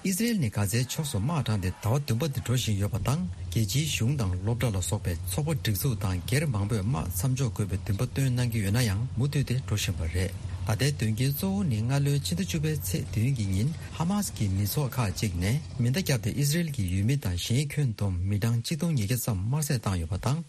ཨི་སི་རེལ་ནས་གྷ་ཛའི་ཕྱོགས་སུ་དམག་དྲངས་ཏེ་ཟླ་བ་བདུན་པ་འདི་འགྲོ་བཞིན་ཡོད་པ་དང་། རྒྱལ་སྤྱིའི་གཞུང་དང་སློབ་གྲྭ་ལ་སོགས་པའི་ཚོགས་པ་སྒྲིག་འཛུགས་དང་སྒེར་མང་པོས་དམག་མཚམས་འཇོག་དགོས་པའི་འདུན་པ་བཏོན་གནང་གི་ཡོད་ན་ཡང་མུ་མཐུད་དེ་འགྲོ་བཞིན་པ་རེད། ད་ལྟའི་དོན་རྐྱེན་གཙོ་བོ་ནི་སྔ་ལོའི་ཕྱི་ཟླ་བཅུ་པའི་ཚེས་བདུན་གྱི་ཉིན་ཧ་མཱས་ཀྱི་མི་ཚོགས་ཁག་ཅིག་ནས་མེ་མདའ་བརྒྱབ་སྟེ་ཨི་སི་རེལ་གྱི་ཡུལ་མི་དང་གཞན་ཁྱོན་བསྡོམས་མི་གྲངས་གཅིག་སྟོང་ཉིས་བརྒྱ་ཙམ་དམར་བསད་བཏང་ཡོད་པ་དང་།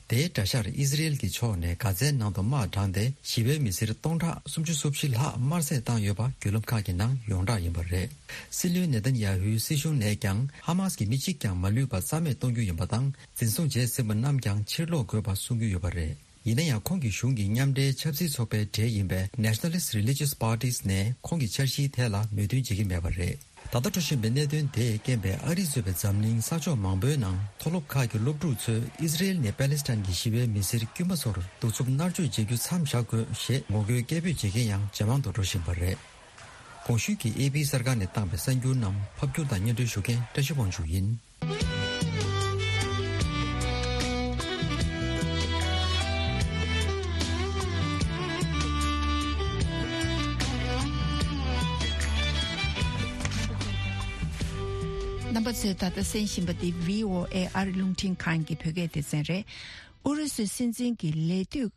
དེའི་དགྲ་ཤར་ཨི་སི་རེལ་གྱི་ཕྱོགས་ནས་གྷ་ཛའི་ནང་དུ་དམག་དྲངས་ཏེ་ཞི་བའི་མི་སེར་སྟོང་ཕྲག་སུམ་ཅུ་སོ་བཞི་ལྷག་དམར་བསད་བཏང་ཡོད་པ་བརྒྱུད་ལམ་ཁག་གི་ནང་ཡོངས་གྲགས་ཡིན་པ་རེད། སྲིད་བློན་ནེ་ཐན་ཡ་ཧུའི་སྲིད་གཞུང་ནས་ཀྱང་ཧ་མཱས་ཀྱི་མི་གཅིག་ཀྱང་མ་ལུས་པ་རྩ་མེད་གཏོང་རྒྱུ་ཡིན་པ་དང་། འཛིན་བཟུང་བྱས་ཟིན་པ་རྣམས་ཀྱང་ཕྱིར་སློག་དགོས་པ་གསུང་གི་ཡོད་པ་རེད། ཡིན་ན་ཡང་ཁོང་གི་གཞུང་གི་མཉམ་འབྲེལ་ཆབ་སྲིད་ཚོགས་པའི་གྲས་ཡིན་པའི་Nationalist Religious Parties ནས་ཁོང་གི་འཆར་གཞིའི་ཐད་ལ་མོས་མཐུན་བྱེད་ཀྱི་མེད་པ་རེད། ད་ལྟ་འགྲོ་བཞིན་པའི་གནད་དོན་དེས་རྐྱེན་པས་ཨ་རི་གཙོས་པའི་འཛམ་གླིང་ས་ཕྱོགས་མང་པོའི་ནང་མཐོ་སློབ་ཁག་གི་སློབ་ཕྲུག་ཚོས་ཨི་སི་རེལ་ནས་པ་ལེ་སི་ཐན་གྱི་ཞི་བའི་མི་སེར་དཀྱུས་མ་ཚོར་གདུག་རྩུབ་མནར་གཅོད་བྱེད་རྒྱུ་མཚམས་བཞག་དགོས་ཞེས་ངོ་རྒོལ་སྐད་འབོད་བྱེད་མཁན་ཡང་ཇེ་མང་དུ་འགྲོ་བཞིན་པ་རེད། གོང་ཞུས་ཀྱི་ཨེ་པི་གསར་ཁང་ནས་བཏང་པའི་གསར་འགྱུར་རྣམས་ཕབ་སྒྱུར་དང་སྙན་སྒྲོན་ཞུ་མཁན་བཀྲ་ཤིས་དབང་ཕྱུག་ཡིན། རྣམ་པ་ཚོས་ད་ལྟ་གསན་བཞིན་པ་འདི་བྷི་ཨོ་ཨེ་ཨ་རི་རླུང་འཕྲིན་ཁང་གི་བོད་སྐད་སྡེ་ཚན་རེད། ཨུ་རུ་སུའི་སྲིད་འཛིན་གྱི་ལས་དུས་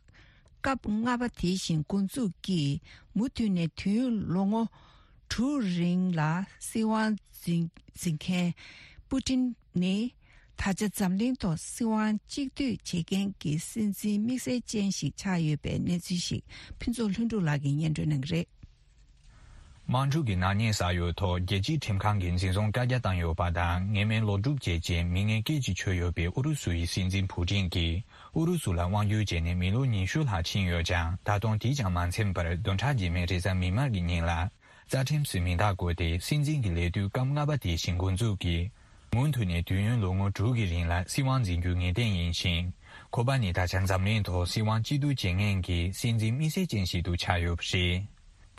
སྐབས་ལྔ་པ་དེ་བཞིན་འགོ་འཛུགས་ཀྱིས་མུ་མཐུད་ནས་དུས་ཡུན་ལོ་ངོ་དྲུག་རིང་ལ་སྲིད་དབང་འཛིན་འཛིན་མཁན་པུ་ཏིན་ནི། ད་ཆ་འཛམ་གླིང་ཐོག་སྲིད་དབང་གཅིག་སྡུད་བྱེད་མཁན་གྱི་སྲིད་འཛིན་དམིགས་བསལ་ཅན་ཞིག་ཆགས་ཡོད་པའི་གནས་ཚུལ་ཞིག་ཕུན་ཚོགས་ལྷུན་གྲུབ་ལགས་ཀྱིས་སྙན་སྒྲོན་གནང་གི་རེད། དམག་འཁྲུག་གི་ནག་ཉེས་བསགས་ཡོད་ཐོག་རྒྱལ་སྤྱིའི་ཁྲིམས་ཁང་གིས་འཛིན་བཟུང་བཀའ་རྒྱ་བཏང་ཡོད་པ་དང་། ངན་སྨྲས་ལོག་སྒྲུབ་བྱས་རྗེས་མི་ངན་སྐད་ཀྱིས་ཆོད་ཡོད་པའི་ཨུ་རུ་སུ་ཡི་སྲིད་འཛིན་ཕུ་ཏིན་གྱིས་ཨུ་རུ་སུ་ལ་དབང་བསྒྱུར་བྱས་ནས་མི་ལོ་ཉི་ཤུ་ལྷག་ཕྱིན་ཡོད་ཀྱང་། ད་དུང་དེས་ཀྱང་མ་ཚིམས་པར་བདུན་ཕྲག་རྗེས་མའི་རེས་གཟའ་མིག་དམར་གྱི་ཉིན་ལ། རྩ་ཁྲིམས་སུ་མིང་རྟགས་བཀོད་དེ་སྲིད་འཛིན་གྱི་ལས་དུས་སྐབས་ལྔ་པ་དེ་བཞིན་འགོ་འཛུགས་ཀྱིས། མུ་མཐུད་ནས་དུས་ཡུན་ལོ་ངོ་དྲུག་གི་རིང་ལ་སྲིད་དབང་འཛིན་རྒྱུ་ངེས་གཏན་ཡིན་ཞིང་། ཁོ་པ་ནི་ད་ཆ་འཛམ་གླིང་ཐོག་སྲིད་དབང་གཅིག་སྡུད་བྱེད་མཁན་གྱི་སྲིད་འཛིན་དམིགས་བསལ་ཅན་ཞིག་ཏུ་ཆགས་ཡོད་པ་རེད།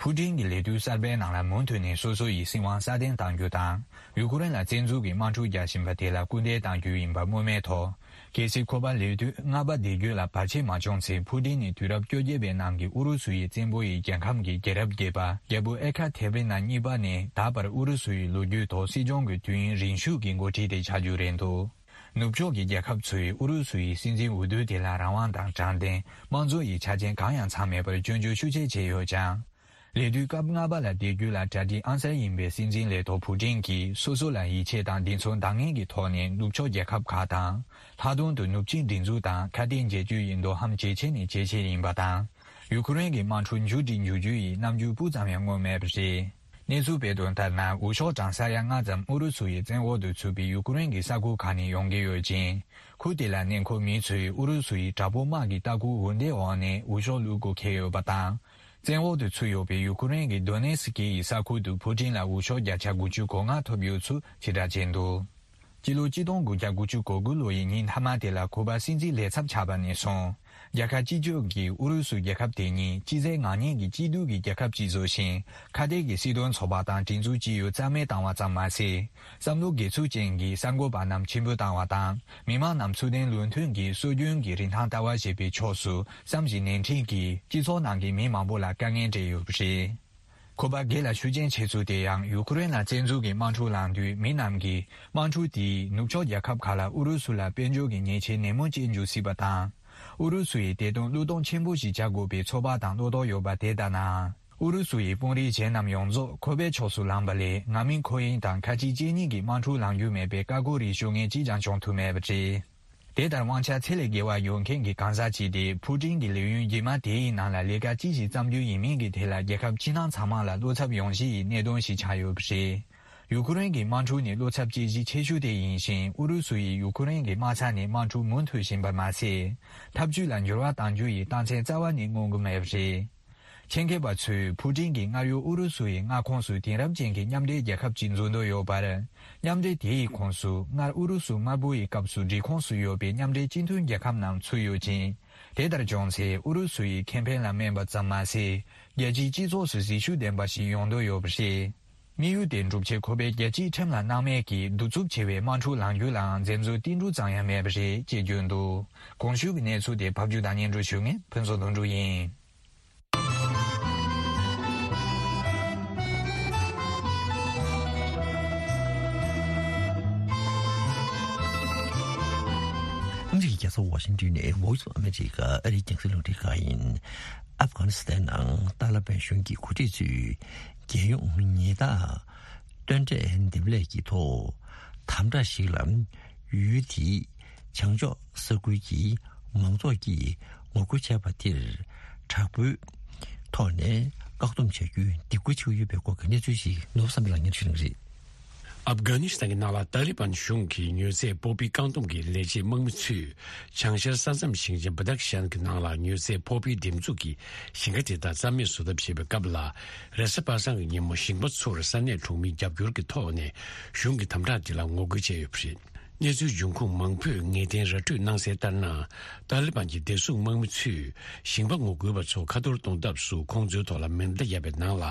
ཕུ་ཏིན་གྱི་ལས་དུས་གསར་པའི་ནང་ལ་མུ་མཐུད་ནས་སོ་སོ་ཡི་སྲིད་དབང་སྲ་བརྟན་གཏང་རྒྱུ་དང་། ཡུ་ཀེ་རེན་ལ་བཙན་འཛུལ་གྱིས་དམག་འཁྲུག་རྒྱག་བཞིན་པ་དེ་ལ་སྐུལ་འདེད་གཏང་རྒྱུ་ཡིན་པ་སྨོས་མེད་ཐོག་གལ་སྲིད་ཁོ་པ་ལས་དུས་ལྔ་པ་སྡེ་བརྒྱད་ལ་བར་ཆད་མ་བྱུང་ཚེ། ཕུ་ཏིན་ནི་དུས་རབས་བཅོ་བརྒྱད་པའི་ནང་གི་ཨུ་རུ་སུ་ཡི་བཙན་པོ་ཡི་རྒྱལ་ཁམས་ཀྱི་རྒྱལ་རབས་བརྒྱད་པ་རྒྱལ་པོ་ཨེ་ཁ་ཐེ་རི་ན་གཉིས་པ་ནས་ད་བར་ཨུ་རུ་སུ་ཡི་ལོ་རྒྱུས་ཐོག་སྲིད་སྐྱོང་གི་དུས་ཡུན་རིང་ཤོས་ཀྱི་འགོ་ཁྲིད་དེ་ཆགས་རྒྱུ་རེད་འདུག། ནུབ་ཕྱོགས་ཀྱི་རྒྱལ་ཁབ་ཚོས་ཨུ་རུ་སུ་ཡི་སྲིད་འཛིན་འོས་བསྡུ་དེ་ལ་རང་དབང་དང་དྲང་བདེན། དམངས་གཙོ་ཡི་ཆ་རྐྱེན་གང་ཡང་ཚང་མེད་པར་སྐྱོན་བརྗོད་ཤུགས་ཆེ་བྱས་ཡོད་ཀྱང་། ལས་དུས་སྐབས་ལྔ་པ་ལ་སྡེ་བརྒྱད་ལ་གྲ་སྒྲིག་ཨང་གསར་ཡིན་པའི་སྲིད་འཛིན་ལས་ཐོག་ཕུ་ཀྲིན་གྱིས་སོ་སོ་ལ་ཡིད་ཆེས་དང་བདེན་འཚོལ་འདང་ངེས་ཀྱི་ཐོག་ནས་ནུབ་ཕྱོགས་རྒྱལ་ཁབ་ཁག་དང་། ལྷག་དོན་དུ་ནུབ་ཆིངས་སྒྲིག་འཛུགས་དང་ཁ་གཏད་འཇལ་རྒྱུ་ཡི་འདོད་ཧམ་ཇེ་ཆེ་ནས་ཇེ་ཆེ་ཡིན་པ་དང་། ཡུ་ཁུ་རེན་གྱི་དམག་འཁྲུག་མཇུག་སྒྲིལ་འགྱུར་རྒྱུ་ཡི་རྣམ་འགྱུར་སྤུ་ཙམ་ཡང་མངོན་མེད་པ་རེད། གནས་ཚུལ་སྤེལ་དོན་ལྟར་ན། འོས་ཤོག་གྲངས་ས་ཡ་ལྔ་ཙམ་ཨུ་རུ་སུ་ཡི་བཙན་འོག་ཏུ་ཚུད་པའི་ཡུ་ཁུ་རེན་གྱི་ས་ཁུལ་ཁག་ནས་ཡོང་གི་ཡོད་ཅིང་། ཁུལ་དེ་ལ་གནས་འཁོད་མི་ཚོས་ཨུ་རུ་སུ་ཡི་དྲག་པོ་དམག་གི་ལྟ་སྐུལ་འོས་འདེམས་འོག་ནས་འོས་ཤོག་བླུག་དགོས་འཁེལ་ཡོད་པ་དང་། བཙན་འོག་ཏུ་ཚུད་ཡོད་པའི་ཡུ་ཁུ་རེན་གྱི་དོ་ནེ་སི་ཀི་ཡི་ས་ཁུལ་དུ་ཕུ་ཀྲིན་ལ་འོས་ཤོག་བརྒྱ་ཆ་དགུ་བཅུ་གོ་ལྔ་ཐོབ་ཡོད་ཚུལ་དྲིལ་བསྒྲགས་བྱས་འདུག། སྤྱི་ལོ་གཅིག་སྟོང་དགུ་བརྒྱ་དགུ་བཅུ་གོ་དགུ་ལོ་ཡི་ཉིན་མཐའ་མ་དེ་ལ་ཁུ་པ་སྲིད་འཛིན་ལས་ཚབ་ཆགས་པ་ནས་བཟུང་། རྒྱལ་ཁབ་སྤྱི་སྤྱོད་ཀྱིས་ཨུ་རུ་སུ་རྒྱལ་ཁབ་དེ་ཉིད་སྤྱི་ཚེ་ངར་ཉེན་གྱི་སྐྱིད་སྡུག་གི་རྒྱལ་ཁབ་ཅིག་བཟོ་ཞིང་། ཁ་གཏད་ཀྱི་སྲིད་དོན་ཚོགས་པ་དང་སྒྲིག་འཛུགས་སྤྱི་ཡོངས་རྩ་མེད་བཏང་བ་ཙམ་མ་ཟད། བསམ་བློ་དགེ་ཚུལ་ཅན་གྱི་གསར་འགོད་པ་རྣམས་ཆེན་པོ་བཏང་བ་དང་། མི་མང་རྣམས་ཚུལ་ལྡན་ལུགས་མཐུན་གྱི་སྲོལ་རྒྱུན་གྱི་རིན་ཐང་ལྟ་བ་ཞེས་པའི་ཕྱོགས་སུ་བསམ་བཞིན་ནན་ཏན་གྱིས་སྤྱི་ཚོགས་ནང་གི་མི་མང་པོ་ལ་དཀའ་ངལ་སྤྲད་ཡོད་པ་རེད། ཁོ་པ་སྒེར་ལ་ཤུགས་རྐྱེན་ཆེ་ཚུལ་དེ་ཡང་ཡུ་ཁུ་རེན་ལ་བཙན་འཛུལ་གྱི་དམག་འཁྲུག་ལངས་དུས་མི་རྣམས་ཀྱིས་དམག་འཁྲུག་དེས་ནུབ་ཕྱོགས་རྒྱལ་ཁབ་ཁག་ལ་ཨུ་རུ་སུ་ལ་དཔལ་འབྱོར་གྱི་ཉེས་ཆད་ནན་མོ་བཅད་འཇུག་སྲིད་པ་དང་། ཨུ་རུ་སུ་ཡིས་བདེ་དོན་བློས་གཏོང་ཆེན་པོ་ཞིག་བྱ་དགོས་པའི་ཚོད་དཔག་དང་བློ་དོགས་ཡོད་པ་དེ་ལྟར་ན། ཨུ་རུ་སུ་ཡི་དཔོན་རིགས་གཞན་རྣམས་ཡོངས་རྫོགས་ཁོ་པའི་ཕྱོགས་སུ་ལངས་པ་ལས། ང་མིན་ཁོ་ཡིན་དང་ཁ་གཅིག་གཅིག་གཉིས་ཀྱི་དམག་འཁྲུག་ལངས་རྒྱུ་མེད་པའི་བཀའ་བཀོད་རིགས་ཤོད་མཁན་གཅིག་ཀྱང་བྱུང་ཐུབ་མེད་པ་རེད། དེ་ལྟར་དབང་ཆ་ཚད་ལས་བརྒལ་བ་ཡོད་མཁན་གྱི་གང་ཟག་ཅིག་སྟེ། ཕུ་ཀྲིན་གྱི་ལས་ཡུན་རྗེས་མ་དེའི་ནང་ལ་ལས་ཀ་ཅི་ཞིག་བརྩམ་རྒྱུ་ཡིན་མིན་གྱི་ཐད་ལ་རྒྱལ་ཁབ་ཕྱི་ནང་ཚང་མ་ལ་བློ་འཚབ་ཡོང་གཞི་ཡི་གནད་དོན་ཞིག་ཆགས་ཡོད་པ་རེད། ཡུ་ཁུ་རེན་གྱི་དམག་འཁྲུག་ནི་བློ་འཚབ་སྐྱེ་གཞི་ཆེ་ཤོས་དེ་ཡིན་ཞིང་། ཨུ་རུ་སུ་ཡིས་ཡུ་ཁུ་རེན་གྱི་དམག་ས་ནས་དམག་འཁྲུག་མུ་མཐུད་བཞིན་པ་མ་ཟད། འཐབ་ཇུས་ལ་འགྱུར་བ་གཏང་རྒྱུ་ཡི་རྟགས་མཚན་རྩ་བ་ནས་མངོན་གྱི་མེད་པ་རེད། ཆེད་མཁས་པ་ཚོས་ཕུ་ཀྲིན་གྱིས་སྔར་ཡོད་ཨུ་རུ་སུ་ཡི་མངའ་ཁོངས་སུ་དེང་རབས་ཅན་གྱི་མཉམ་འབྲེལ་རྒྱལ་ཁབ་ཅིག་འཛུགས་འདོད་ཡོད་པར། མཉམ་འབྲེལ་དེ་ཡི་ཁོངས་སུ་སྔར་ཨུ་རུ་སུ་དམར་པོ་ཡི་སྐབས་སུ་སྒྲིག་ཁོངས་སུ་ཡོད་པའི་མཉམ་འབྲེལ་སྤྱི་མཐུན་རྒྱལ་ཁབ་རྣམས་ཚུད་ཡོད་ཅིང་། དེ་ལྟར་བྱུང་ཚེ་ཨུ་རུ་སུ་ཡི་ཁེ་ཕན་ལ་སྨན་པ་ཙམ་མ་ཟད། རྒྱལ་སྤྱིའི་སྤྱི་ཚོགས་སུ་གཟི་ཤུགས་ལྡན་པ་ཞིག་ཡོང་འདོད་ཡོད་པ་རེད། དམིགས་ཡུལ་དེ་འགྲུབ་ཆེད་ཁོ་པས་རྒྱལ་སྤྱིའི་ཁྲིམས་ལ་སྣང་མེད་ཀྱིས་གདུག་རྩུབ་ཆེ་བའི་དམག་འཁྲུག་ལངས་རྒྱུ་ལའང་འཛེམ་ཟོན་ཏིལ་འབྲུ་ཙམ་ཡང་མེད་པ་རེད་ཅེས་བརྗོད་འདུག། གོང་ཞུས་ཀྱི་གནས་ཚུལ་དེ་ཕབ་སྒྱུར་དང་སྙན་སྒྲོན་ཞུ་མཁན་ཕུན་ཚོགས་དོན་གྲུབ་ཡིན། ཨ་མི་རི་ཀའི་རྒྱལ་ས་ཝ་ཤིང་ཏོན་ནས་Voice of America ཨ་རིའི་རྒྱང་སྲིང་རླུང་འཕྲིན་ཁང་ཡིན། ཨབ་གྷ་ནི་སི་ཐན་ནང་ཏཱ་ལི་བན་གཞུང་གི་འགོ་ཁྲིད་ཚོས་རྒྱལ་ཡོངས་ཉེས་དག་སྟོན་འབྲས་འདེམས་ལས་ཀྱི་ཐོག་དམ་དྲག་ཞིག་ལ་ཡུལ་དེའི་བྱང་ཕྱོགས་ས་ཁུལ་གྱི་མང་ཚོགས་ཀྱིས་ངོ་རྒོལ་བྱས་པ་དེར་དྲག་པོའི་ཐོག་ནས་བཀག་སྡོམ་བྱ་རྒྱུའི་སྡིགས་སྐུལ་བྱེད་ཀྱི་ཡོད་པའི་སྐོར་གྱི་གནས་ཚུལ་ཞིག་ནོར་བུ་བསམ་འཕེལ་ལགས་སྙན་ཞུ་གནང་གི་རེད། ཨབ་གྷ་ནི་སི་ཐན་གྱི་ནང་ལ་ཏཱ་ལི་བན་གཞུང་གིས་མྱོས་རྫས་སྤོག་པའི་བཀག་སྡོམ་གྱི་ལས་བྱེད་དམག་མི་ཚོས་བྱང་ཤར་ས་མཚམས་ཞིང་ཆེན་བ་དག་ཤན་གྱི་ནང་ལ་མྱོས་རྫས་སྤོག་པའི་འདེབས་འཛུགས་ཀྱི་ཞིང་ཁ་དེ་དག་རྩ་མེད་བཟོ་ཐབས་བྱེད་པའི་སྐབས་ལ། རེས་གཟའ་པ་སངས་ཀྱི་ཉིན་མོ་ཞིང་པ་ཚོར་ས་གནས་གྲོང་མིའི་རྒྱབ་སྐྱོར་གྱི་ཐོག་ནས་གཞུང་གི་དམ་དྲག་དེ་ལ་ངོ་རྒོལ་བྱས་ཡོད་པ་རེད། གནས་ཚུལ་འབྱུང་ཁུངས་མང་པོས་ངེས་གཏན་ར་སྤྲོད་གནང་གསལ་ལྟར་ན། ཏཱ་ལི་བན་གྱི་བདེ་སྲུང་དམག་མི་ཚོས་ཞིང་པ་ངོ་རྒོལ་བ་ཚོ་ཁ་ཐོར་གཏོང་ཐབས་སུ་ཁོང་ཚོའི་ཐོག་ལ་མེ་མདའ་བརྒྱབ་པའི་ནང་ལ་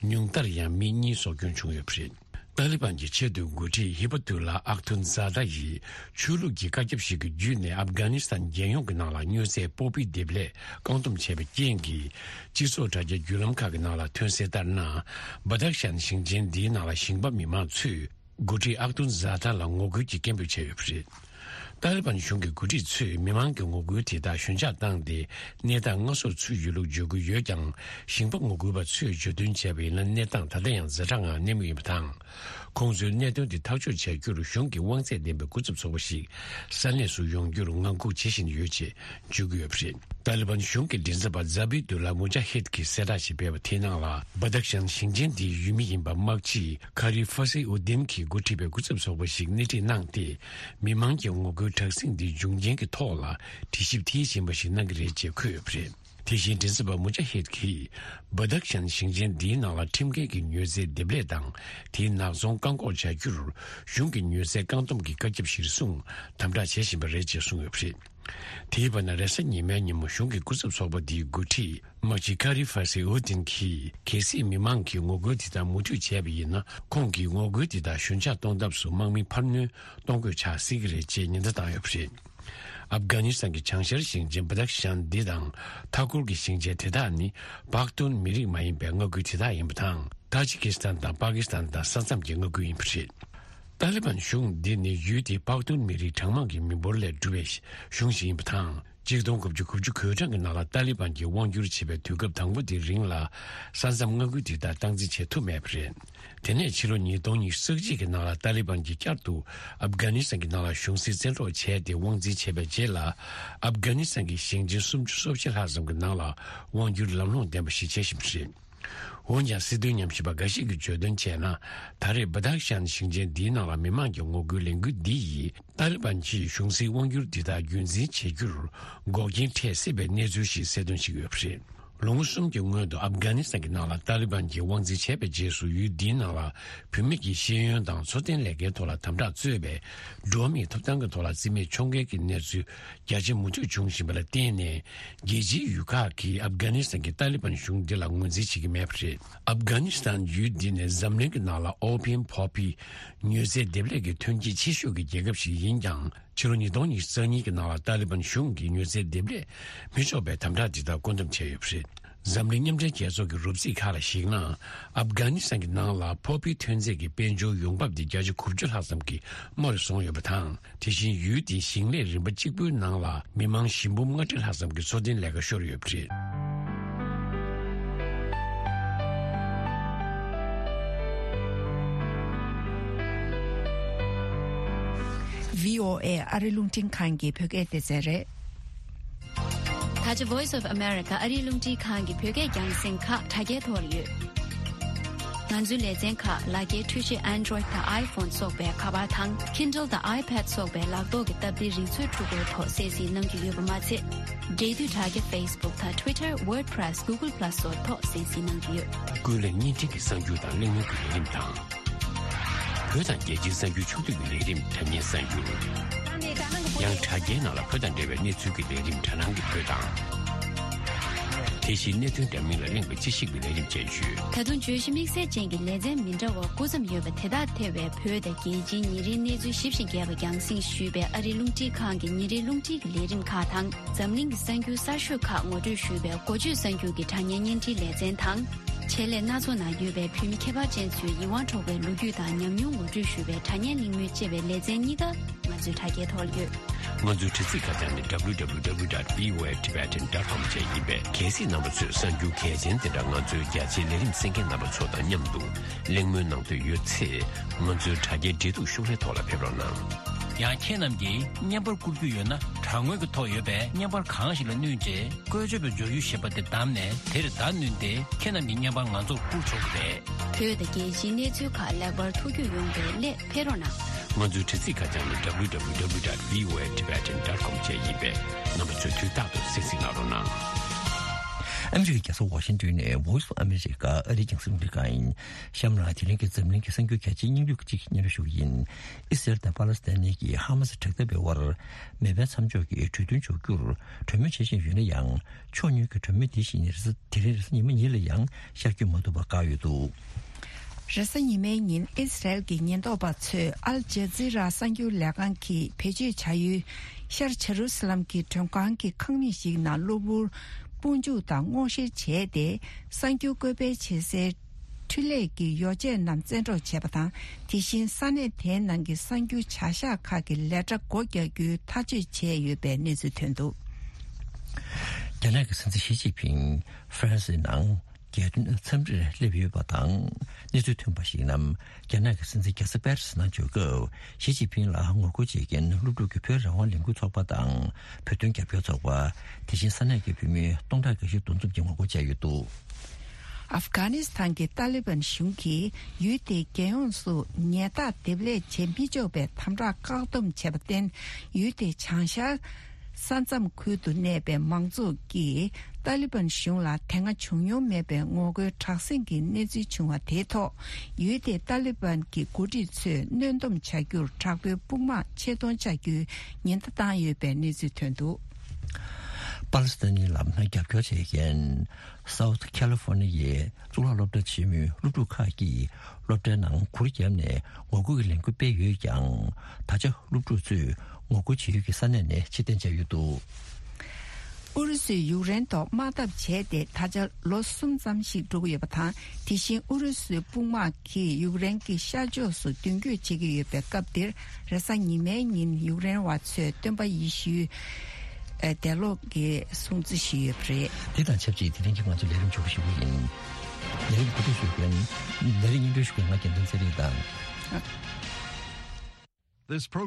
ཉུང་མཐར་ཡང་མི་གཉིས་སྲོག་སྐྱོན་བྱུང་ཡོད་པ་རེད། ཏཱ་ལི་བན་གྱི་ཆེས་མཐོའི་འགོ་ཁྲིད་ཧི་བ་ཏུ་ལ་ཨག་ཐུན་ཛ་ད་ཡིས་ཆོས་ལུགས་ཀྱི་བཀའ་ཁྱབ་ཞིག་གི་བརྒྱུད་ནས་ཨབ་གྷ་ནི་སི་ཐན་རྒྱལ་ཡོངས་ཀྱི་ནང་ལ་མྱོས་རྫས་སྤོག་པའི་འདེབས་ལས་བཀག་སྡོམ་བྱས་པའི་རྐྱེན་གྱིས། སྤྱི་ཚོགས་དྲ་རྒྱ་བརྒྱུད་ལམ་ཁག་གི་ནང་ལ་ཐོན་གསལ་ལྟར་ན། བ་དག་ཤན་ཞིང་ཆེན་འདིའི་ནང་ལ་ཞིང་པ་མི་མང་ཚོས། འགོ་ཁྲིད་ཨག་ཏུན་ཛ་ཐ་ལ་ངོ་རྒོལ་གྱི་སྐད་འབོད་བྱས་ཡོད་པ་རེད། ཏཱ་ལི་བན་གཞུང་གི་འགོ་ཁྲིད་ཚོས་མི་མང་གི་ངོ་རྒོལ་དེ་དག་ཞོད་འཇགས་བཏང་སྟེ་གནས་སྟངས་སྔ་སོར་ཚུད་ཡོད་ལུགས་བརྗོད་ཀྱི་ཡོད་ཀྱང་། ཞིང་པ་ངོ་རྒོལ་བ་ཚོས་བརྗོད་དོན་བྱས་པ་ཡིན་ན་གནས་སྟངས་ད་ལྟ་ཡང་ཛ་དྲག་ངང་གནས་མུས་ཡིན་པ་དང་། ཁོང་ཚོས་གནད་དོན་དེ་ཐག་གཅོད་བྱ་རྒྱུར་གཞུང་གི་དབང་ཚད་ལྡན་པའི་སྐུ་ཚབ་ཚོགས་པ་ཞིག་ས་གནས་སུ་ཡོང་རྒྱུར་ངང་སྒུག་བྱེད་བཞིན་ཡོད་ཅེས་བརྗོད་ཀྱི་ཡོད་པ་རེད། ཏཱ་ལི་བན་གཞུང་གི་མགྲིན་ཚབ་པ་ཛ་བི་དུ་ལ་མུ་ཇ་ཧིད་ཀྱིས་གསལ་བསྒྲགས་ཤིག་སྤེལ་བ་དེའི་ནང་ལ། བ་དག་ཤན་ཞིང་ཆེན་དེའི་ཡུལ་མི་ཡིན་པ་དམག་སྤྱི་ཁ་རི་ཧྥ་སི་ཨུ་དིན་གྱིས་འགོ་ཁྲིད་པའི་སྐུ་ཚབ་ཚོགས་པ་ཞིག་སྣེ་ཁྲིད་གནང་སྟེ། མི་མང་གི་ངོ་རྒོལ་དྲག་ཟིང་འདིའི་འབྱུང་རྐྱེན་གྱི་ཐོག་ལ་དྲི་ཞིབ་མཐིལ་ཕྱིན་པ་ཞིག་གནང་གི་རེད་ཅེས་འཁོད་ཡོད་པ་རེད། དེ་བཞིན་མགྲིན་ཚབ་པ་མུ་ཇ་ཧིད་ཀྱིས། བ་དག་ཤན་ཞིང་ཆེན་འདིའི་ནང་ལ་ཁྲིམས་འགལ་གྱི་མྱོས་རྫས་འདེབས་ལས་དང་། དེའི་ནག་ཚོང་བཀག་འགོག་བྱ་རྒྱུར། གཞུང་གི་མྱོས་རྫས་བཀག་སྡོམ་གྱི་བཀའ་ཁྱབ་གཞིར་བཟུང་དམ་དྲག་བྱེད་བཞིན་པ་རེད་ཅེས་གསུངས་ཡོད་པ་རེད། དེའི་བར་ན་རེས་གཟའ་ཉི་མའི་ཉིན་མོ་གཞུང་གི་སྐུ་ཚབ་ཚོགས་པ་འདིའི་འགོ་ཁྲིད་དམག་སྤྱི་ཁ་རི་ཧྥ་སི་ཨུ་དིན་གྱིས། གལ་སྲིད་མི་མང་གིས་ངོ་རྒོལ་འདི་དག་མུ་མཐུད་བྱས་པ་ཡིན་ན། ཁོང་གིས་ངོ་རྒོལ་འདི་དག་ཞོད་འཇགས་གཏོང་ཐབས་སུ་དམག་མི་འཕར་སྣོན་གཏོང་དགོས་ཆགས་སྲིད་ཀྱི་རེད་ཅེས་ཉེན་བརྡ་བཏང་ཡོད་པ་རེད། ཨབ་གྷ་ནི་སི་ཐན་གྱི་བྱང་ཤར་ཞིང་ཆེན་བ་དག་ཤན་འདི་དང་མཐའ་འཁོར་གྱི་ཞིང་ཆེན་དེ་དག་ནི་པག་ཏུན་མི་རིགས་མ་ཡིན་པའི་མངའ་ཁུལ་དེ་དག་ཡིན་པ་དང་། ཏཱ་ཇི་ཀི་སི་ཐན་དང་པ་ཀི་སི་ཐན་དང་ས་མཚམས་ཀྱི་མངའ་ཁུལ་ཡིན་པ་རེད། ཏཱ་ལི་བན་གཞུང་འདི་ནི་ཡུལ་དེའི་པག་ཏུན་མི་རིགས་གྲངས་མང་གི་མི་འབོར་ལས་གྲུབ་པའི་གཞུང་ཞིག་ཡིན་པ་དང་། གཅིག་སྟོང་དགུ་བརྒྱ་དགུ་བཅུ་གོ་གྲངས་ཀྱི་ནང་ལ་ཏཱ་ལི་བན་གྱིས་དབང་བསྒྱུར་བྱས་པའི་དུས་སྐབས་དང་པོ་དེའི་རིང་ལ་ས་མཚམས་མངའ་ཁུལ་དེ་དག་སྟངས་འཛིན་བྱེད་ཐུབ་མེད་པ་རེད། དེ་ནས་ཕྱི་ལོ་ཉིས་སྟོང་ཉི་ཤུ་རྩ་གཅིག་གི་ནང་ལ་ཏཱ་ལི་བན་གྱིས་བསྐྱར་དུ་ཨབ་གྷ་ནི་སི་ཐན་གྱི་ནང་ལ་གཞུང་སྲིད་བཙན་འཕྲོག་བྱས་ཏེ་དབང་འཛིན་བྱས་པའི་རྗེས་ལ། ཨབ་གྷ་ནི་སི་ཐན་གྱི་ཞིང་ཆེན་སུམ་ཅུ་སོ་བཞི་ལྷག་ཙམ་གྱི་ནང་ལ་དབང་བསྒྱུར་ལམ་ལྷོང་ལྡན་པ་ཞིག་བྱེད་བཞིན་པ་རེད། འོན་ཀྱང་། སྲིད་དོན་ཉམས་ཞིབ་པ་འགའ་ཞིག་གིས་བརྗོད་དོན་བྱས་ན། ད་རེས་བ་དག་ཤན་ཞིང་ཆེན་འདིའི་ནང་ལ་མི་མང་གི་ངོ་རྒོལ་ལས་འགུལ་འདི་ཡིས། ཏཱ་ལི་བན་གྱིས་གཞུང་སྲིད་དབང་བསྒྱུར་འདི་དག་རྒྱུན་འཛིན་བྱེད་རྒྱུར་འགོག་རྐྱེན་འཕྲད་སྲིད་པའི་གནས་ཚུལ་ཞིག་གསལ་སྟོན་བྱེད་ཀྱི་ཡོད་པ་རེད། ལོ་ངོ་གསུམ་གྱི་སྔོན་དུ་ཨབ་གྷ་ནི་སི་ཐན་གྱི་ནང་ལ་ཏཱ་ལི་བན་གྱིས་དབང་འཛིན་བྱས་པའི་རྗེས་སུ། ཡུལ་འདིའི་ནང་ལ་བུད་མེད་ཀྱི་ཤེས་ཡོན་དང་འཚོ་རྟེན་ལས་འགན་ཐོག་ལ་དམ་དྲག་གཙོས་པའི་འགྲོ་བ་མིའི་ཐོབ་ཐང་གི་ཐོག་ལ་རྩིས་མེད་ཕྱོགས་འགལ་གྱི་གནས་ཚུལ་རྒྱ་ཆེ་མུ་མཐུད་འབྱུང་བཞིན་པ་ལ་བརྟེན་ནས། རྒྱལ་སྤྱིའི་ཡུལ་ཁག་གིས་ཨབ་གྷ་ནི་སི་ཐན་གྱི་ཏཱ་ལི་བན་གཞུང་འདི་ལ་ངོས་འཛིན་བྱེད་ཀྱི་མེད་པ་རེད། ཨབ་གྷ་ནི་སི་ཐན་ཡུལ་འདི་ནི་འཛམ་གླིང་གི་ནང་ལ་ཨོ་པིམ་པོ་པི་མྱོས་རྫས་འདེབས་ལས་ཀྱི་ཐོན་སྐྱེད་ཆེ་ཤོས་ཀྱི་རྒྱལ་ཁབ་ཞིག་ཡིན་ཀྱང་། ཕྱི་ལོ་ཉིས་སྟོང་ཉི་ཤུ་རྩ་གཉིས་ཀྱི་ནང་ལ་ཏཱ་ལི་བན་གཞུང་གིས་མྱོས་རྫས་འདེབས་ལས་མི་ཆོག་པའི་དམ་དྲག་འདི་དག་བཀོད་འདོམས་བྱས་ཡོད་པ་རེད། འཛམ་གླིང་མཉམ་འབྲེལ་རྒྱལ་ཚོགས་ཀྱི་རོབ་རྩིས་ཁག་ལ་གཞིགས་ན། ཨབ་གྷ་ནི་སི་ཐན་གྱི་ནང་ལ་པོ་པི་ཐོན་རྫས་ཀྱི་དཔལ་འབྱོར་ཡོང་འབབ་དེ་བརྒྱ་ཆ་དགུ་བཅུ་ལྷག་ཙམ་གྱིས་དམའ་རུ་སོང་ཡོད་པ་དང་། དེ་བཞིན་ཡུལ་དེའི་ཞིང་ལས་རིམ་པ་གཅིག་པུའི་ནང་ལ་མི་མང་བཞི་འབུམ་ལྔ་ཁྲི་ལྷག་ཙམ་གྱི་འཚོ་རྟེན་ལས་ཀ་ཤོར་ཡོད་པ་རེད། བྷི་ཨོ་ཨེ་ཨ་རི་རླུང་འཕྲིན་ཁང་གི་བོད་སྐད་སྡེ་ཚན་རེད། ད་ཆ་Voice of America ཨ་རིའི་རླུང་འཕྲིན་ཁང་གི་བོད་སྐད་རྒྱང་སྲིང་ཁག་དྲ་རྒྱའི་ཐོག་ལ་ཡོད། ང་ཚོའི་ལེ་ཚན་ཁག་ལག་འཁྱེར་འཕྲུལ་ཆས་Android དང་iPhone སོགས་པའི་ཁ་པར་དང་Kindle དང་iPad སོགས་པའི་ལག་ཐོག་གི་སྟབས་བདེའི་རིག་མཛོད་འཕྲུལ་འཁོར་ཐོག་གསན་གཟིགས་གནང་རྒྱུ་ཡོད་པ་མ་ཚད། འབྲེལ་མཐུད་དྲ་རྒྱ་Facebook དང་Twitter, WordPress, Google Plus སོགས་ཐོག་གསན་གཟིགས་གནང་རྒྱུ་ཡོད། ཀུན་གླེང་བརྙན་འཕྲིན་གྱི་གསར་འགྱུར་དང་གླེང་མོལ་གྱི་ལས་རིམ་དང་། བོད་དང་རྒྱལ་སྤྱིའི་གསར་འགྱུར་ཕྱོགས་བསྡུས་ཀྱི་ལས་རིམ་དྲ་བརྙན་གསར་འགྱུར། ཡང་དྲ་རྒྱའི་ནང་ལ་བོད་དང་འབྲེལ་བའི་གནས་ཚུལ་གྱི་ལས་རིམ་དྲ་སྣང་གི་བོད་དང་། དེ་བཞིན་གནད་དོན་འདྲ་མིན་ལ་གླེང་བའི་དཔྱད་ཞིབ་ཀྱི་ལས་རིམ་བཅས་ཡོད། ད་དུང་བརྗོད་གཞི་དམིགས་བསལ་ཅན་གྱི་ལེ་ཚན་མི་འདྲ་བ་དགུ་ཙམ་ཡོད་པ་དེ་དག་ཐེ་བའི་བོད་དང་རྒྱལ་སྤྱིའི་ཉིན་རེའི་གནས་ཚུལ་ཞིབ་ཅིང་རྒྱས་པ་རྒྱང་སྲིང་ཞུས་པའི་ཨ་རིའི་རླུང་འཕྲིན་ཁང་གི་ཉིན་རེའི་རླུང་འཕྲིན་གྱི་ལས་རིམ་ཁག་དང་། འཛམ་གླིང་གི་གསར་འགྱུར་གསར་ཤོས་ཁག་ངོ་སྤྲོད་ཞུས་པའི་འགོ་བརྗོད་གསར་འགྱུར་གྱི་དྲ་བརྙན་བརྙན་འཕྲིན་ལེ་ཚན་དང་། ཆེད་ལས་སྣ་ཚོགས་ནང་ཡོད་པའི་བོད་མི་ཁྱད་པར་ཅན་ཚོའི་ཡིད་དབང་འཕྲོག་པའི་ལོ་རྒྱུས་དང་ཉམས་མྱོང་ངོ་སྤྲོད་ཞུ་བའི་དྲ་བརྙན་གླེང་མོལ་བཅས་པའི་ལེ་ཚན་གཉིས་ཀ་ང་ཚོའི་དྲ་རྒྱའི་ཐོག་ལ་ཡོད། ང་ཚོའི་དྲ་ཚིགས་ཁ་བྱང་ནི་www.voatibetan.com བཅས་ཡིན་པས། གལ་སྲིད་རྣམ་པ་ཚོས་གསར་འགྱུར་གལ་ཆེན་དེ་འདྲ་ང་ཚོའི་རྒྱ་ཆེའི་ལས་རིམ་གསན་མཁན་རྣམ་པ་ཚོ་དང་མཉམ་དུ་གླེང་མོལ་གནང་འདོད་ཡོད་ཚེ། ང་ཚོའི་དྲ་རྒྱའི་འབྲེལ་གཏུག་ཤོག་ལྷེ་ཐོག་ལ་ཕེབས་རོགས་གནང་། ཡང་ཁྱེད་རྣམས་ཀྱིས་བརྙན་པར་བསྐུར་རྒྱུ་ཡོད་ན། དྲ་ངོས་ཀྱི་ཐོག་ཡོད་པའི་བརྙན་པར་གང་ཞིག་ལ་བསྣུན་རྗེས། བཀོལ་སྤྱོད་པའི་འབྱོར་ཡུལ་ཞེས་པ་དེ་བདམས་ནས། དེར་བརྡ་བསྣུན་ཏེ། ཁྱེད་རྣམས་ཀྱི་བརྙན་པར་ང་ཚོར་བསྐུར་ཆོག་གི་རེད། བོད་དང་རྒྱལ་སྤྱིའི་གནས་ཚུལ་ཁག་ལེགས་པར་ཐུགས་རྒྱུས་ཡོང་བའི་སླད་ཕེབས་རོགས་གནང་། ང་ཚོའི་དྲ་ཚིགས་ཁ་བྱང་ནི་www.voatibetan.com བཅས་ཡིན་པས། རྣམ་པ་ཚོས་དུས་རྟག་ཏུ་གསན་གཟིགས་གནང་རོགས་གནང་། ཨ་མི་རི་ཀའི་རྒྱལ་ས་ཝ་ཤིང་ཏོན་ནས་Voice of America ཨ་རིའི་རྒྱང་སྲིང་རླུང་འཕྲིན་ཁང་ཡིན། གཤམ་ལ་དེ་རིང་གི་འཛམ་གླིང་གི་གསར་འགྱུར་གལ་ཆེའི་སྙིང་བསྡུས་ཀྱི་གཅིག་སྙན་སྒྲོན་ཞུ་གི་ཡིན། ཨི་སི་རལ་དང་པ་ལེ་སི་ཐན་གྱི་ཧ་མ་སི་དྲག་འཐབ་པའི་དབར་མེ་འཕེན་མཚམས་འཇོག་གི་གྲོས་མཐུན་འཇོག་རྒྱུར་གྲོས་མོལ་བྱེད་བཞིན་ཡོད་ན་ཡང་། ཕྱོགས་གཉིས་ཀྱི་གྲོས་མོལ་འདི་བཞིན་རེས་གཟའ་དེ་རིང་རེས་གཟའ་ཉི་མ་ཉིན་ལ་ཡང་ཤར་བསྐྱོད་མ་ཐུབ་པར་བཀག་ཡོད་འདུག་རེས་གཟའ་ཉི་མའི་ཉིན་ཨི་སི་རལ་གྱི་ཉེན་རྟོག་པ་ཚོས་ཨལ་ཇ་ཛི་ར་གསར་འགྱུར་ལས་ཁང་གིས་བེད་སྤྱོད་བྱ་ཡུལ་ཤར་ཇེ་རུ་སི་ལམ་གྱི་མགྲོན་ཁང་གི་ཁང་མིག་ཞིག་ནང་གློ་བུར་དཔུང་འཇུག་དང་སྔོག་བཤེར་བྱས་ཏེ། གསར་འགྱུར་བཀོད་སྤེལ་བྱེད་སའི་འཕྲུལ་ལས་ཀྱི་ཡོ་བྱད་རྣམས་བཙན་འཕྲོག་བྱས་པ་དང་། དེ་བཞིན་ས་གནས་དེའི་ནང་གི་གསར་འགྱུར་བྱ་གཞག་ཁག་གི་ལས་གྲྭ་སྒོ་རྒྱག་རྒྱུའི་ཐག་གཅོད་བྱས་ཡོད་པའི་གནས་ཚུལ་ཐོན་འདུག་རྒྱ་ནག་གི་སྲིད་འཛིན་ཞི་ཅིན་ཕིང་ཧྥ་རན་སིའི་ནང་རྒྱལ་དོན་འཚམས་འདྲིར་སླེབས་ཡོད་པ་དང་། གནས་ཚུལ་ཐོན་པ་ཞིག་ནང་། རྒྱ་ནག་གི་སྲིད་འཛིན་རྒྱལ་ས་པེ་རི་སི་ནང་འབྱོར་སྐབས། ཞི་ཅིན་ཕིང་ལ་ངོ་རྒོལ་བྱེད་མཁན་སློབ་ཕྲུག་གི་བོད་རང་དབང་ལས་འགུལ་ཚོགས་པ་དང་། བོད་དོན་རྒྱབ་སྐྱོར་ཚོགས་པ། དེ་བཞིན་ས་གནས་ཀྱི་བོད་མི་སྟོང་ཕྲག་འགའ་ཤས་འདུ་འཛོམས་ཀྱིས་ངོ་རྒོལ་བྱས་ཡོད་འདུག་ཨབ་གྷ་ནི་སི་ཐན་གྱི་ཏཱ་ལི་བན་གཞུང་གིས་ཡུལ་དེའི་རྒྱལ་ཡོངས་སུ་ཉལ་ཐ་འདེབས་ལས་བྱེད་མི་ཆོག་པའི་དམ་དྲག་བཀག་སྡོམ་བྱས་པར་བརྟེན། ཡུལ་དེའི་བྱང་ཤར་ས་མཚམས་ཁུལ་དུ་གནས་པའི་མང་ཚོགས་ཀྱིས་ཏཱ་ལི་བན་གཞུང་ལ་དེ་སྔ་བྱུང་མྱོང་མེད་པའི་ངོ་རྒོལ་དྲག་ཟིང་གི་གནས་ཚུལ་བྱུང་བ་དེའི་ཐོག་ཡུལ་དེའི་ཏཱ་ལི་བན་གྱི་འགོ་ཁྲིད་ཚོས་གནོན་སྡོམ་བྱ་རྒྱུར་དྲག་པོའི་དཔུང་དམག་ཆེད་གཏོང་བྱ་རྒྱུའི་ཉེན་བརྡ་བཏང་ཡོད་པའི་གནས་ཚུལ་ཐོན་འདུག་པ་ལི་སི་ཐན་ནི་ལམ་ལྷོང་རྒྱབ་སྐྱོར་བྱེད་མཁན། South California ཡའི་གཙུག་ལག་སློབ་གྲྭ་ཆེན་མོའི་སློབ་ཕྲུག་ཁག་གིས་སློབ་གྲྭའི་ནང་གུར་བརྒྱབ་ནས་ངོ་རྒོལ་གྱི་ལས་འགུལ་སྤེལ་ཡོད་ཀྱང་། ད་ཆ་སློབ་ཕྲུག་ཚོས་ ངོ་རྒོལ་བྱེད་ཡུལ་གྱི་ས་གནས་ནས་ཕྱིར་འཐེན་བྱས་ཡོད་འདུག། ཨུ་རུ་སུས་ཡུཀ་རེན་ཐོག་དམག་འཐབ་བྱས་ཏེ་ད་ཆ་ལོ་གསུམ་ཙམ་ཞིག་འགྲོ་གི་ཡོད་པ་དང་། དེ་བཞིན་ཨུ་རུ་སུའི་དཔུང་དམག་གིས་ཡུཀ་རེན་གྱི་ཤར་ཕྱོགས་སུ་མདུན་སྐྱོད་བྱེད་ཀྱི་ཡོད་པའི་སྐབས་འདིར། རེས་གཟའ་ཉི་མའི་ཉིན་ཡུཀ་རེན་བ་ཚོས་སྟོན་པ་ཡེ་ཤུའི་ཨེ་འདས་ལོག་གི་སྲུང་བརྩི་ཞུས་ཡོད་པ་རེད། དེ་དང་ཆབས་ཅིག་དེ་རིང་གི་ང་ཚོའི་ལས་རིམ་མཇུག་ཞུ་གི་ཡིན། ལས་རིམ་གོ་སྒྲིག་ཞུ་མཁན། ལས་རིམ་སྙན་སྒྲོན་ཞུ་མཁན་ང་རྒྱལ་མཚན་ཚེ་རིང་དང་། This program